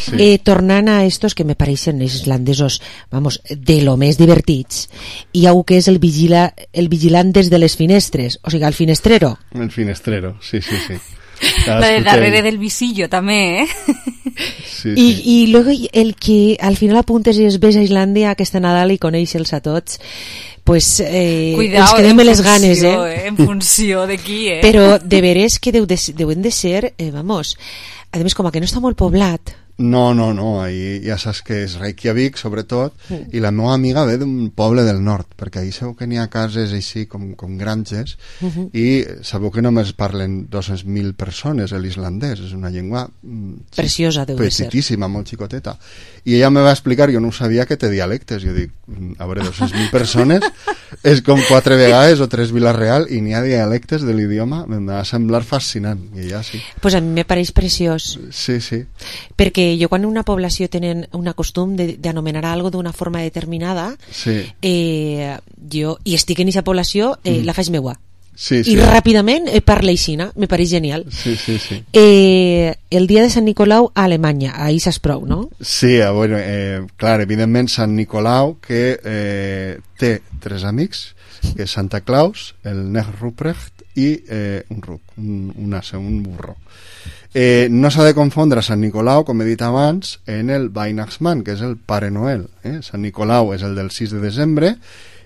Sí. Eh, tornant a estos que me pareixen islandesos, vamos, de lo més divertits, hi ha un que és el, vigila, el vigilant des de les finestres, o sigui, el finestrero. El finestrero, sí, sí, sí. La de darrere del visillo també, eh? Sí, sí. I, i luego el que al final apuntes i es ves a Islàndia aquesta Nadal i coneix-los a tots, pues eh, Cuidao, ens quedem en les funció, ganes, eh? eh? En funció de qui, eh? Però de veres que deu de, deuen de ser, eh, vamos, a més com que no està molt poblat. No, no, no, ahí ja saps que és Reykjavik, sobretot, mm. i la meva amiga ve d'un poble del nord, perquè ahí sabeu que n'hi ha cases així com, com granges, mm -hmm. i sabeu que només parlen dos-centes mil persones l'islandès, és una llengua mm, preciosa, deu de ser. Petitíssima, molt xicoteta. I ella me va explicar, jo no ho sabia, que té dialectes. Jo dic, a veure, dos-centes mil persones és com quatre vegades o tres Vila-real i n'hi ha dialectes de l'idioma, em va semblar fascinant, i ella sí. Pues a mi me pareix preciós. Sí, sí. Perquè jo quan una població tenen un costum d'anomenar algo d'una forma determinada, sí. eh, jo, i estic en aquesta població, eh, mm. la faig meua. Sí, sí. I ràpidament eh, parla aixina, me pareix genial. Sí, sí, sí. Eh, el dia de Sant Nicolau a Alemanya, ahí saps prou, no? Sí, eh, bueno, eh, clar, evidentment Sant Nicolau que eh, té tres amics, que és Santa Claus, el Nech Ruprecht i eh, un ruc, un, un ase, un burro. Eh, no s'ha de confondre Sant Nicolau, com he dit abans, en el Weihnachtsmann, que és el Pare Noel. Eh? Sant Nicolau és el del sis de desembre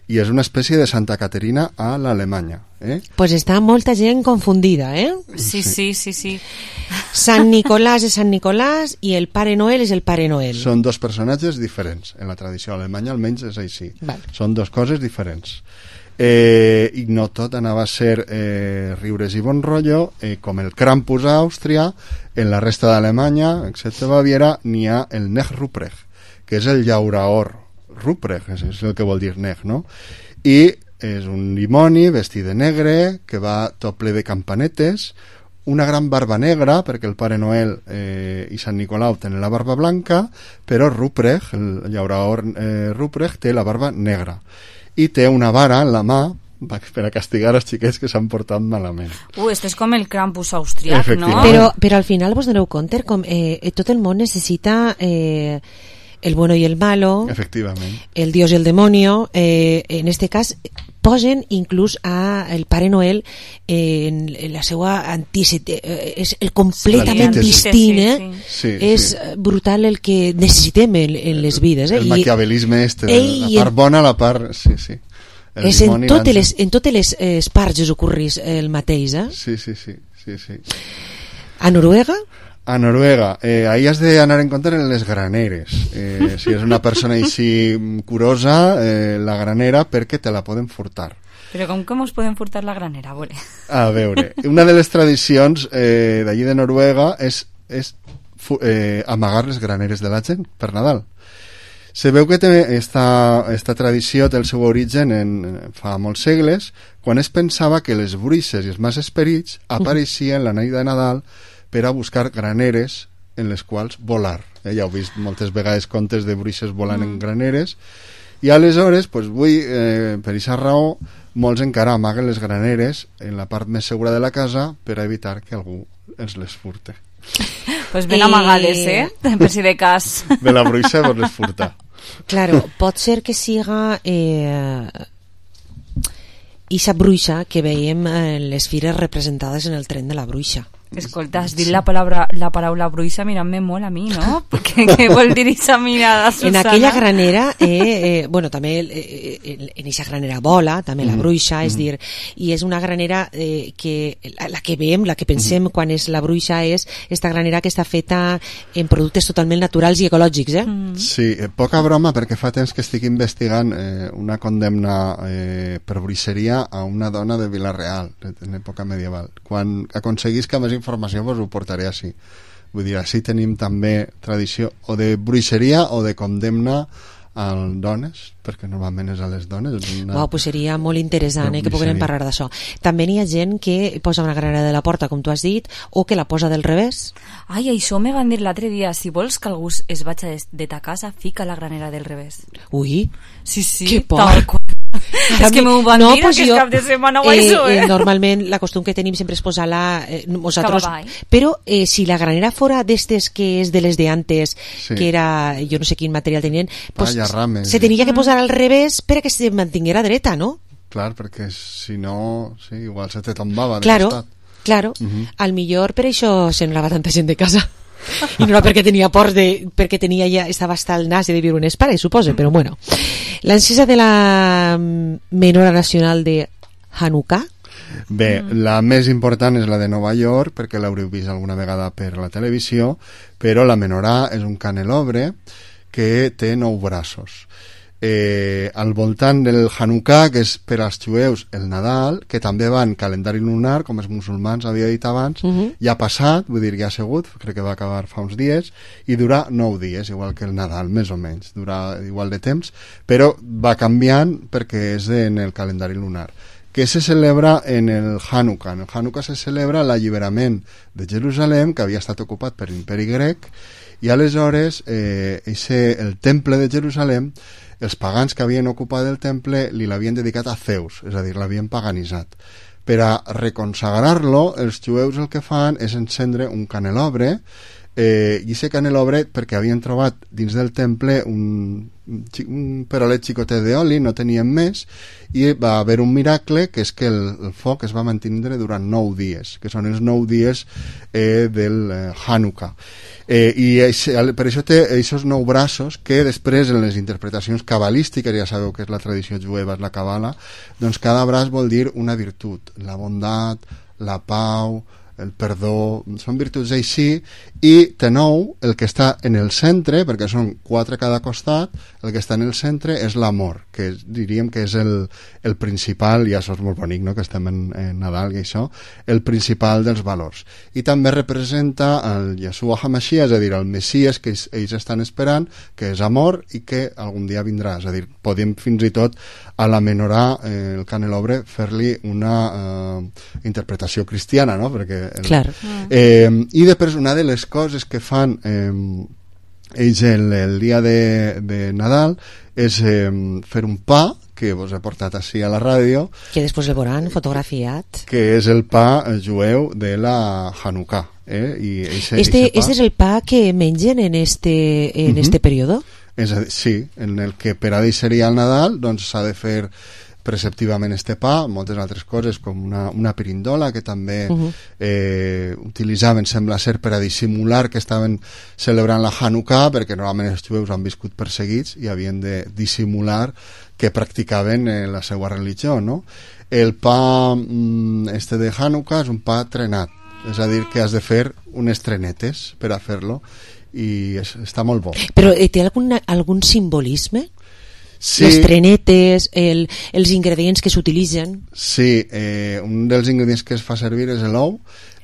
i és una espècie de Santa Caterina a l'Alemanya. Eh? Pues està molta gent confundida, eh? Sí, sí, sí, sí. Sant Nicolàs és Sant Nicolàs i el Pare Noel és el Pare Noel. Són dos personatges diferents. En la tradició alemanya almenys és així. Vale. Són dos coses diferents. Eh, i no tot anava a ser eh, riures i bon rotllo, eh, com el Krampus a Àustria. En la resta d'Alemanya, excepte Baviera, n'hi ha el Nech Ruprecht, que és el llauraor Ruprecht, és, és el que vol dir Nech, no? I és un dimoni vestit de negre que va tot ple de campanetes, una gran barba negra, perquè el Pare Noel eh, i Sant Nicolau tenen la barba blanca, però Ruprecht, el llauraor eh, Ruprecht, té la barba negra i té una vara en la mà per a castigar els xiquets que s'han portat malament. Uh, este és com el Krampus austriac, no? Però, però al final vos doneu compte com eh, tot el món necessita eh, el bueno y el malo, efectivament, el Dios y el demonio. Eh, en este cas posen inclús a el Pare Noel eh, en, en la seva antícete, eh, és el completament distint, eh? Sí, sí, és sí. brutal el que necessitem en, en les vides, eh? El maquiavelisme este, Ei, la part bona, la part... Sí, sí. El és en totes les, en totes les eh, parts us ocorrís el mateix, eh? Sí, sí, sí, sí, sí. A Noruega? A Noruega, eh, ahí has de anar en compte en les graneres. Eh, si és una persona així curosa, eh, la granera, perquè te la poden furtar. Però com que mos poden furtar la granera, a veure? A veure, una de les tradicions eh, d'allí de Noruega és, és eh, amagar les graneres de la gent per Nadal. Se veu que té esta, esta tradició té el seu origen en, fa molts segles, quan es pensava que les bruixes i els mals esperits apareixien la nit de Nadal per a buscar graneres en les quals volar. Eh, ja heu vist moltes vegades contes de bruixes volant mm. en graneres, i aleshores, pues, vull, eh, per aquesta raó, molts encara amaguen les graneres en la part més segura de la casa per a evitar que algú els les furte. Pues ben amagades, eh? Per si de cas. De la bruixa vos les furta. Claro, pot ser que siga eh, ixa bruixa que veiem en les fires representades en el tren de la bruixa. Escolta, has dit la paraula, la paraula bruixa mirant-me molt a mi, no? Què, què vol dir aquesta mirada, Susana? En aquella granera, eh, eh, bueno, també eh, en aquesta granera vola, també la bruixa, mm. és dir, i és una granera eh, que la, la que veiem, la que pensem mm. quan és la bruixa és esta granera que està feta en productes totalment naturals i ecològics, eh? Mm. Sí, eh, poca broma, perquè fa temps que estic investigant eh, una condemna eh, per bruixeria a una dona de Vila-real, en època medieval. Quan aconseguisca més informació vos ho portaré així. Vull dir, així tenim també tradició o de bruixeria o de condemna a dones, perquè normalment és a les dones. Una... Wow, pues seria molt interessant eh, que puguem parlar d'això. També n'hi ha gent que posa una granera de la porta, com tu has dit, o que la posa del revés. Ai, això me van dir l'altre dia, si vols que algú es vaig de ta casa, fica la granera del revés. Ui, sí, sí, que por. És que m'ho van no, dir pues aquest jo, cap de setmana o eh, això, eh? eh? Normalment la costum que tenim sempre és posar-la eh, nosaltres, Cabavall. però eh, si la granera fora d'estes que és de les de antes, sí. que era, jo no sé quin material tenien, pues, Palla, rames, se tenia que posar al revés per a que se mantinguera dreta, no? Clar, perquè si no, sí, igual se te tombava de claro, costat. Claro, uh -huh. al millor per això se n'anava tanta gent de casa. I no era perquè tenia por de, perquè tenia ja, estava hasta el nas de viure un espare, suposo, però bueno. L'encesa de la menora nacional de Hanukkah. Bé, mm. la més important és la de Nova York, perquè l'haureu vist alguna vegada per la televisió, però la menorà és un canelobre que té nou braços. Eh, al voltant del Hanukkah, que és per als jueus el Nadal, que també va en calendari lunar, com els musulmans havia dit abans, uh -huh. ja ha passat, vull dir, ja ha sigut, crec que va acabar fa uns dies, i dura nou dies, igual que el Nadal, més o menys, dura igual de temps, però va canviant perquè és en el calendari lunar. Que se celebra en el Hanukkah. En el Hanukkah se celebra l'alliberament de Jerusalem, que havia estat ocupat per l'imperi grec, i aleshores eh, ese, el temple de Jerusalem, els pagans que havien ocupat el temple li l'havien dedicat a Zeus, és a dir, l'havien paganitzat. Per a reconsagrar-lo, els jueus el que fan és encendre un canelobre, eh, i aquest canelobre, perquè havien trobat dins del temple un, un perolet xicotet d'oli, no tenien més, i va haver un miracle, que és que el, el foc es va mantenir durant nou dies, que són els nou dies eh, del eh, Hanukkah. Eh, i eixe, per això té aquests nou braços que després en les interpretacions cabalístiques, ja sabeu que és la tradició jueva, és la cabala, doncs cada braç vol dir una virtut, la bondat, la pau, el perdó, són virtuts així, i de nou el que està en el centre, perquè són quatre a cada costat, el que està en el centre és l'amor, que diríem que és el, el principal, i això és molt bonic, no?, que estem en, en Nadal i això, el principal dels valors. I també representa el Yeshua HaMashiach, és a dir, el Messies que ells, ells estan esperant, que és amor i que algun dia vindrà, és a dir, podem fins i tot a la menorà, eh, el canelobre, fer-li una eh, interpretació cristiana, no?, perquè el, claro. eh, i després una de les coses que fan eh, ells el, el dia de, de Nadal és eh, fer un pa que vos he portat així a la ràdio, que després el veuran fotografiat, que és el pa jueu de la Hanukkah, eh? I eixe, este, eixe pa, este és el pa que mengen en este, en uh-huh. este període? És a dir, sí, en el que per a deixaria el Nadal doncs s'ha de fer preceptivament este pa, moltes altres coses com una, una pirindola que també uh-huh. eh, utilitzaven, sembla ser, per a dissimular que estaven celebrant la Hanukkah, perquè normalment els jueus han viscut perseguits i havien de dissimular que practicaven eh, la seva religió, no? El pa mm, este de Hanukkah és un pa trenat, és a dir, que has de fer unes trenetes per a fer-lo, i és, està molt bo. Però eh, té algun, algun simbolisme? Sí. Les trenetes, el, els ingredients que s'utilitzen? Sí, eh, un dels ingredients que es fa servir és l'ou,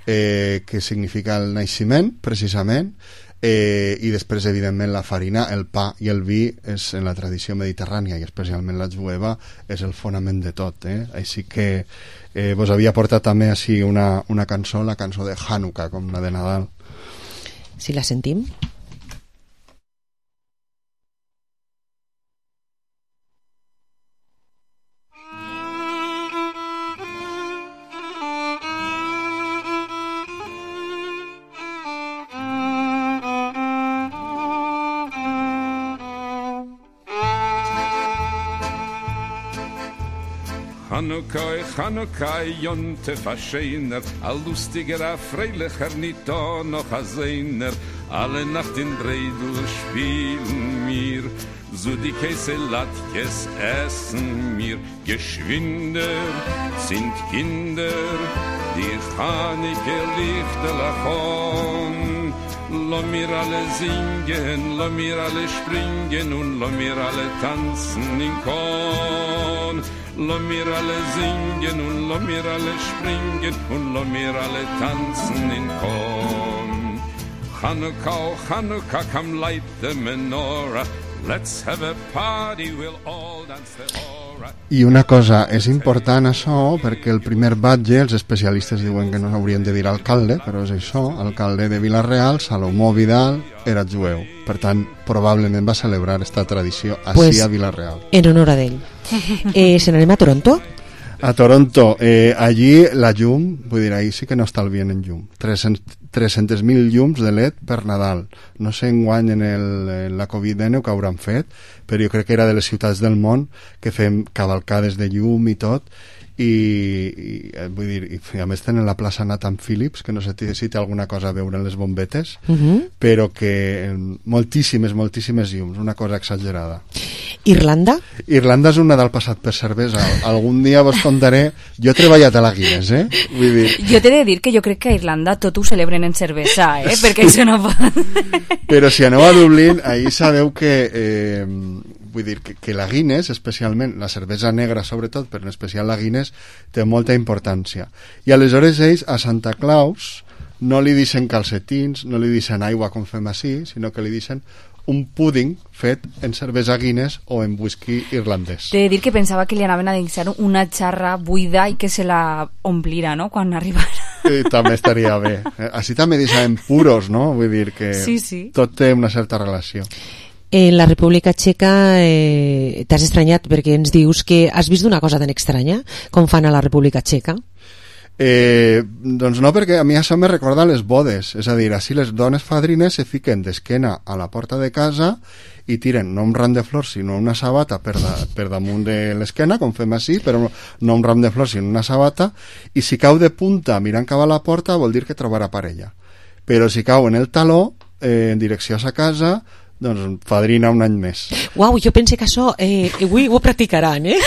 eh, que significa el naixement, precisament, eh, i després, evidentment, la farina, el pa i el vi és en la tradició mediterrània, i especialment la jueva, és el fonament de tot. Eh? Així que eh, vos havia portat també així una, una cançó, la cançó de Hanukkah, com la de Nadal. Si la sentim? Hanukkah, Hanukkah, Jontef Ascheiner, a lustiger, a freilicher, nicht da noch a Seiner, alle Nacht in Breidel spielen mir, so die Käse Latkes essen mir, geschwinder sind Kinder, die Chanike Lichter lachon, lo mir alle singen, lo mir alle springen und lo mir alle tanzen in Korn. Lo mir alle singen und lo mir alle springen und lo mir alle tanzen in Korn. Hanukkah, Hanukkah, come light the menorah. Let's have a party, we'll all dance the hora. I una cosa, és important això perquè el primer batlle, els especialistes diuen que no haurien de dir alcalde, però és això, alcalde de Vila-real, Salomó Vidal, era jueu. Per tant, probablement va celebrar esta tradició així pues, a Vila-real. En honor a d'ell. Eh, se n'anem a Toronto? A Toronto, eh, allí la llum, vull dir, ahí sí que no estalvien en llum. tres-cents mil llums de L E D per Nadal. No sé enguany en, el, en la covid dinou que hauran fet, però jo crec que era de les ciutats del món que fem cavalcades de llum i tot, i, i vull dir, i a més tenen la plaça Nathan Phillips, que no sé si té alguna cosa a veure en les bombetes, uh-huh. però que moltíssimes, moltíssimes llums, una cosa exagerada. Irlanda? Irlanda és una del passat per cervesa. Algun dia vos contaré. Jo he treballat a la Guinness, eh? Vull dir... Jo t'he de dir que jo crec que a Irlanda tot ho celebren en cervesa, eh? Perquè això no pot... Però si aneu a Dublín, ahí sabeu que... Eh, vull dir que, que la Guinness, especialment la cervesa negra sobretot, però en especial la Guinness, té molta importància. I aleshores ells a Santa Claus no li deixen calcetins, no li deixen aigua com fem així, sinó que li deixen un púding fet en cervesa Guinness o en whisky irlandès. T'he de dir que pensava que li anaven a deixar una xarra buida i que se la omplira, no?, quan arribara. Sí, també estaria bé. Així també deixaven puros, no? Vull dir que sí, sí. tot té una certa relació. En la República Txeca eh, t'has estranyat perquè ens dius que has vist una cosa tan estranya com fan a la República Txeca? Eh, doncs no, perquè a mi això me recorda les bodes, és a dir, així les dones fadrines se fiquen d'esquena a la porta de casa i tiren no un ram de flors sinó una sabata per, da, per damunt de l'esquena, com fem així, però no un ram de flors sinó una sabata, i si cau de punta mirant cap a la porta vol dir que trobarà parella, però si cau en el taló eh, en direcció a sa casa, doncs fadrina un any més. Uau, jo pense que això eh, avui ho practicaran, eh?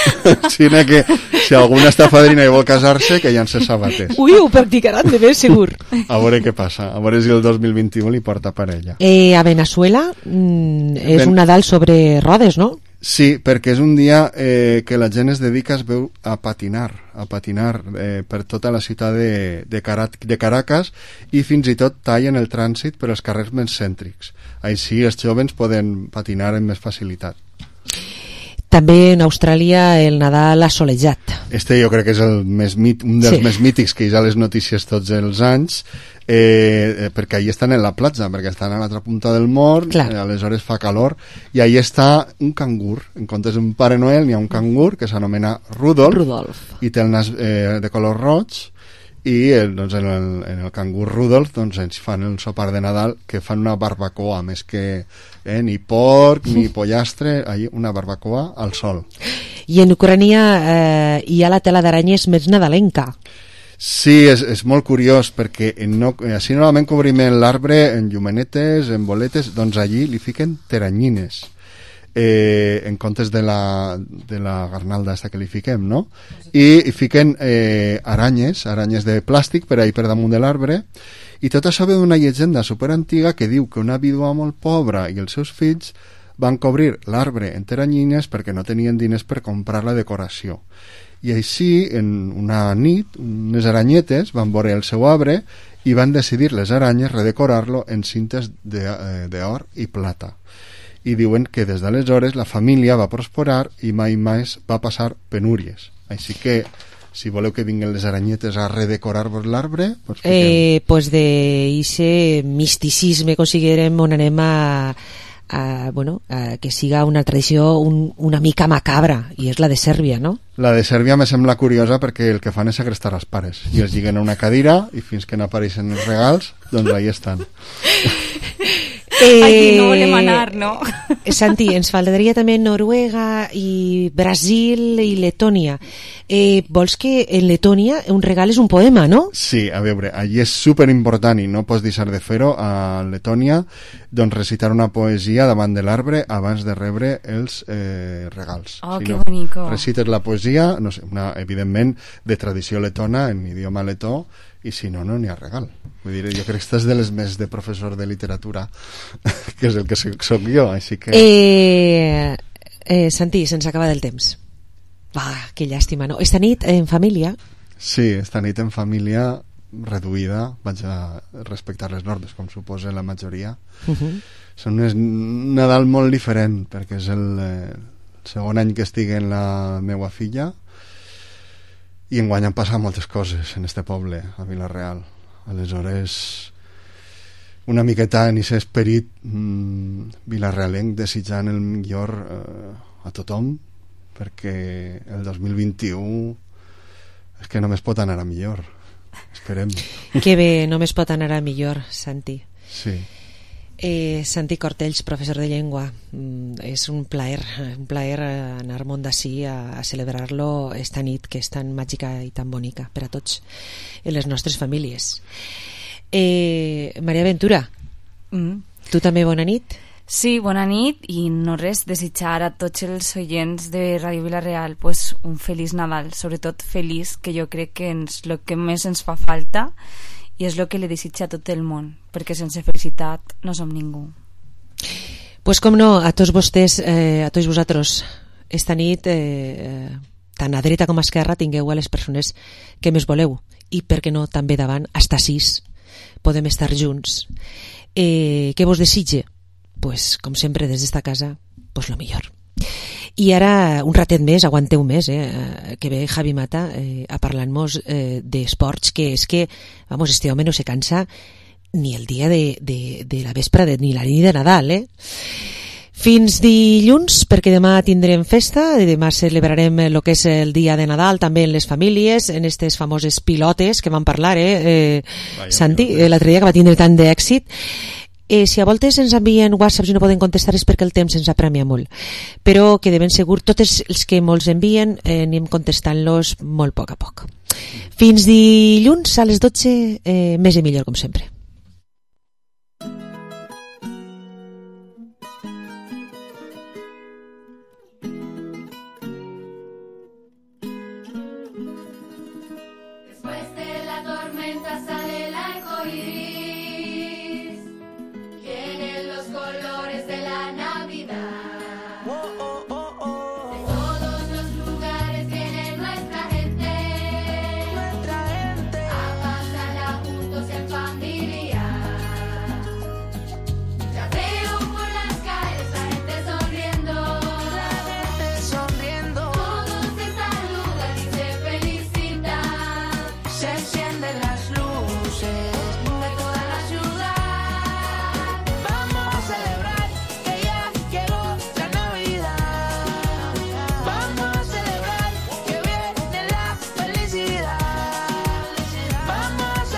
Sí, que si alguna està fadrina i vol casar-se, que llança sabates. Ui, ho practicaran de ben segur. A veure què passa, a veure si el dos mil vint-i-u li porta parella. Eh, a Venezuela mm, és ben... un Nadal sobre rodes, no? Sí, perquè és un dia eh, que la gent es dedica, es veu, a patinar, a patinar eh, per tota la ciutat de, de, Carat, de Caracas, i fins i tot tallen el trànsit per als carrers més cèntrics. Així els joves poden patinar amb més facilitat. També en Austràlia el Nadal assolejat. Este jo crec que és el més mit, un dels sí. més mítics que hi ha les notícies tots els anys, eh, perquè allí estan en la platja, perquè estan a l'altra punta del món, eh, aleshores fa calor, i allí està un cangur, en comptes d'un Pare Noel n'hi ha un cangur que s'anomena Rudolf, Rudolf, i té el nas eh, de color roig, i el, doncs, en, el, en el cangur Rudolf doncs, ens fan el sopar de Nadal, que fan una barbacoa, més que eh, ni porc ni pollastre, allí una barbacoa al sol. I en Ucrània eh, hi ha la tela d'aranyes més nadalenca. Sí, és, és molt curiós, perquè en no, així normalment cobrim l'arbre en llumenetes, en boletes, doncs allí li fiquen teranyines. Eh, en comptes de la, de la garnalda esta que li fiquem, no? I, i fiquen eh, aranyes, aranyes de plàstic per ahí per damunt de l'arbre, i tot això ve d'una llegenda superantiga que diu que una vídua molt pobra i els seus fills van cobrir l'arbre en teranyines perquè no tenien diners per comprar la decoració. I així, en una nit, unes aranyetes van veure el seu arbre i van decidir les aranyes redecorar-lo en cintes d'or i plata. I diuen que des d'aleshores la família va prosperar i mai més va passar penúries. Així que, si voleu que vinguin les aranyetes a redecorar-vos l'arbre, pues eh, pues de ese misticisme considerem on anem a, a, bueno, a que siga una tradició un, una mica macabra, i és la de Sèrbia, no? La de Sèrbia me sembla curiosa perquè el que fan és segrestar els pares i els lliguen a una cadira i fins que no apareixen els regals, doncs ahí estan. Eh, Aquí no volem anar, no? Santi, ens faltaria també Noruega i Brasil i Letònia. Eh, vols que en Letònia un regal és un poema, no? Sí, a veure, allí és superimportant i no pots deixar de fer-ho a Letònia, doncs recitar una poesia davant de l'arbre abans de rebre els eh, regals. Oh, si que no, bonico. Recites la poesia, no sé, una, evidentment de tradició letona en idioma letó, i si no, no n'hi ha regal. Vull dir, jo crec que estàs de les més de professor de literatura, que és el que soc jo, així que... Eh, eh, Santi, se'ns acaba del temps. Va, que llàstima, no? Esta nit en família? Sí, esta nit en família reduïda, vaig a respectar les normes, com suposa la majoria. Uh-huh. Són un Nadal molt diferent, perquè és el eh, segon any que estic en la meua filla, i enguany han passat moltes coses en este poble, a Vila-real. Aleshores, una miqueta en aquest esperit mmm, vilarrealenc, desitjant el millor eh, a tothom, perquè el dos mil vint-i-u és que només pot anar a millor. Esperem. Que bé, només pot anar a millor, Santi. Sí. Eh, Santi Cortells, professor de llengua, mm, és un plaer un plaer anar món d'ací a, a celebrar-lo esta nit que és tan màgica i tan bonica per a tots i les nostres famílies. eh, Maria Ventura, mm. tu també bona nit? Sí, bona nit, i no res, desitjar a tots els oients de Ràdio Vila-real pues, un feliç Nadal, sobretot feliç, que jo crec que és el que més ens fa falta i és el que li desitja a tot el món, perquè sense felicitat no som ningú. Pues com no, a tots vostès, eh, a tots vosaltres, esta nit, eh, tant a dreta com a esquerra, tingueu a les persones que més voleu, i per què no també davant, hasta sis, podem estar junts. Eh, què vos desitge? Pues, com sempre, des d'esta casa, pues lo millor. I ara, un ratet més, aguanteu més, eh, que ve Javi Mata eh, a parlar-nos eh, d'esports, que és que, vamos, este home no se cansa ni el dia de, de, de la vespre de, ni la nit de Nadal, eh? Fins dilluns, perquè demà tindrem festa, i demà celebrarem el que és el dia de Nadal, també en les famílies, en aquestes famoses pilotes que vam parlar, eh, eh Santi, eh, l'altre dia que va tindre tant d'èxit. Eh, si a voltes ens envien whatsapps i no poden contestar és perquè el temps ens apremia molt, però que de ben segur tots els que molts envien eh, anem contestant-los molt a poc a poc. Fins dilluns a les dotze, eh, més i millor com sempre.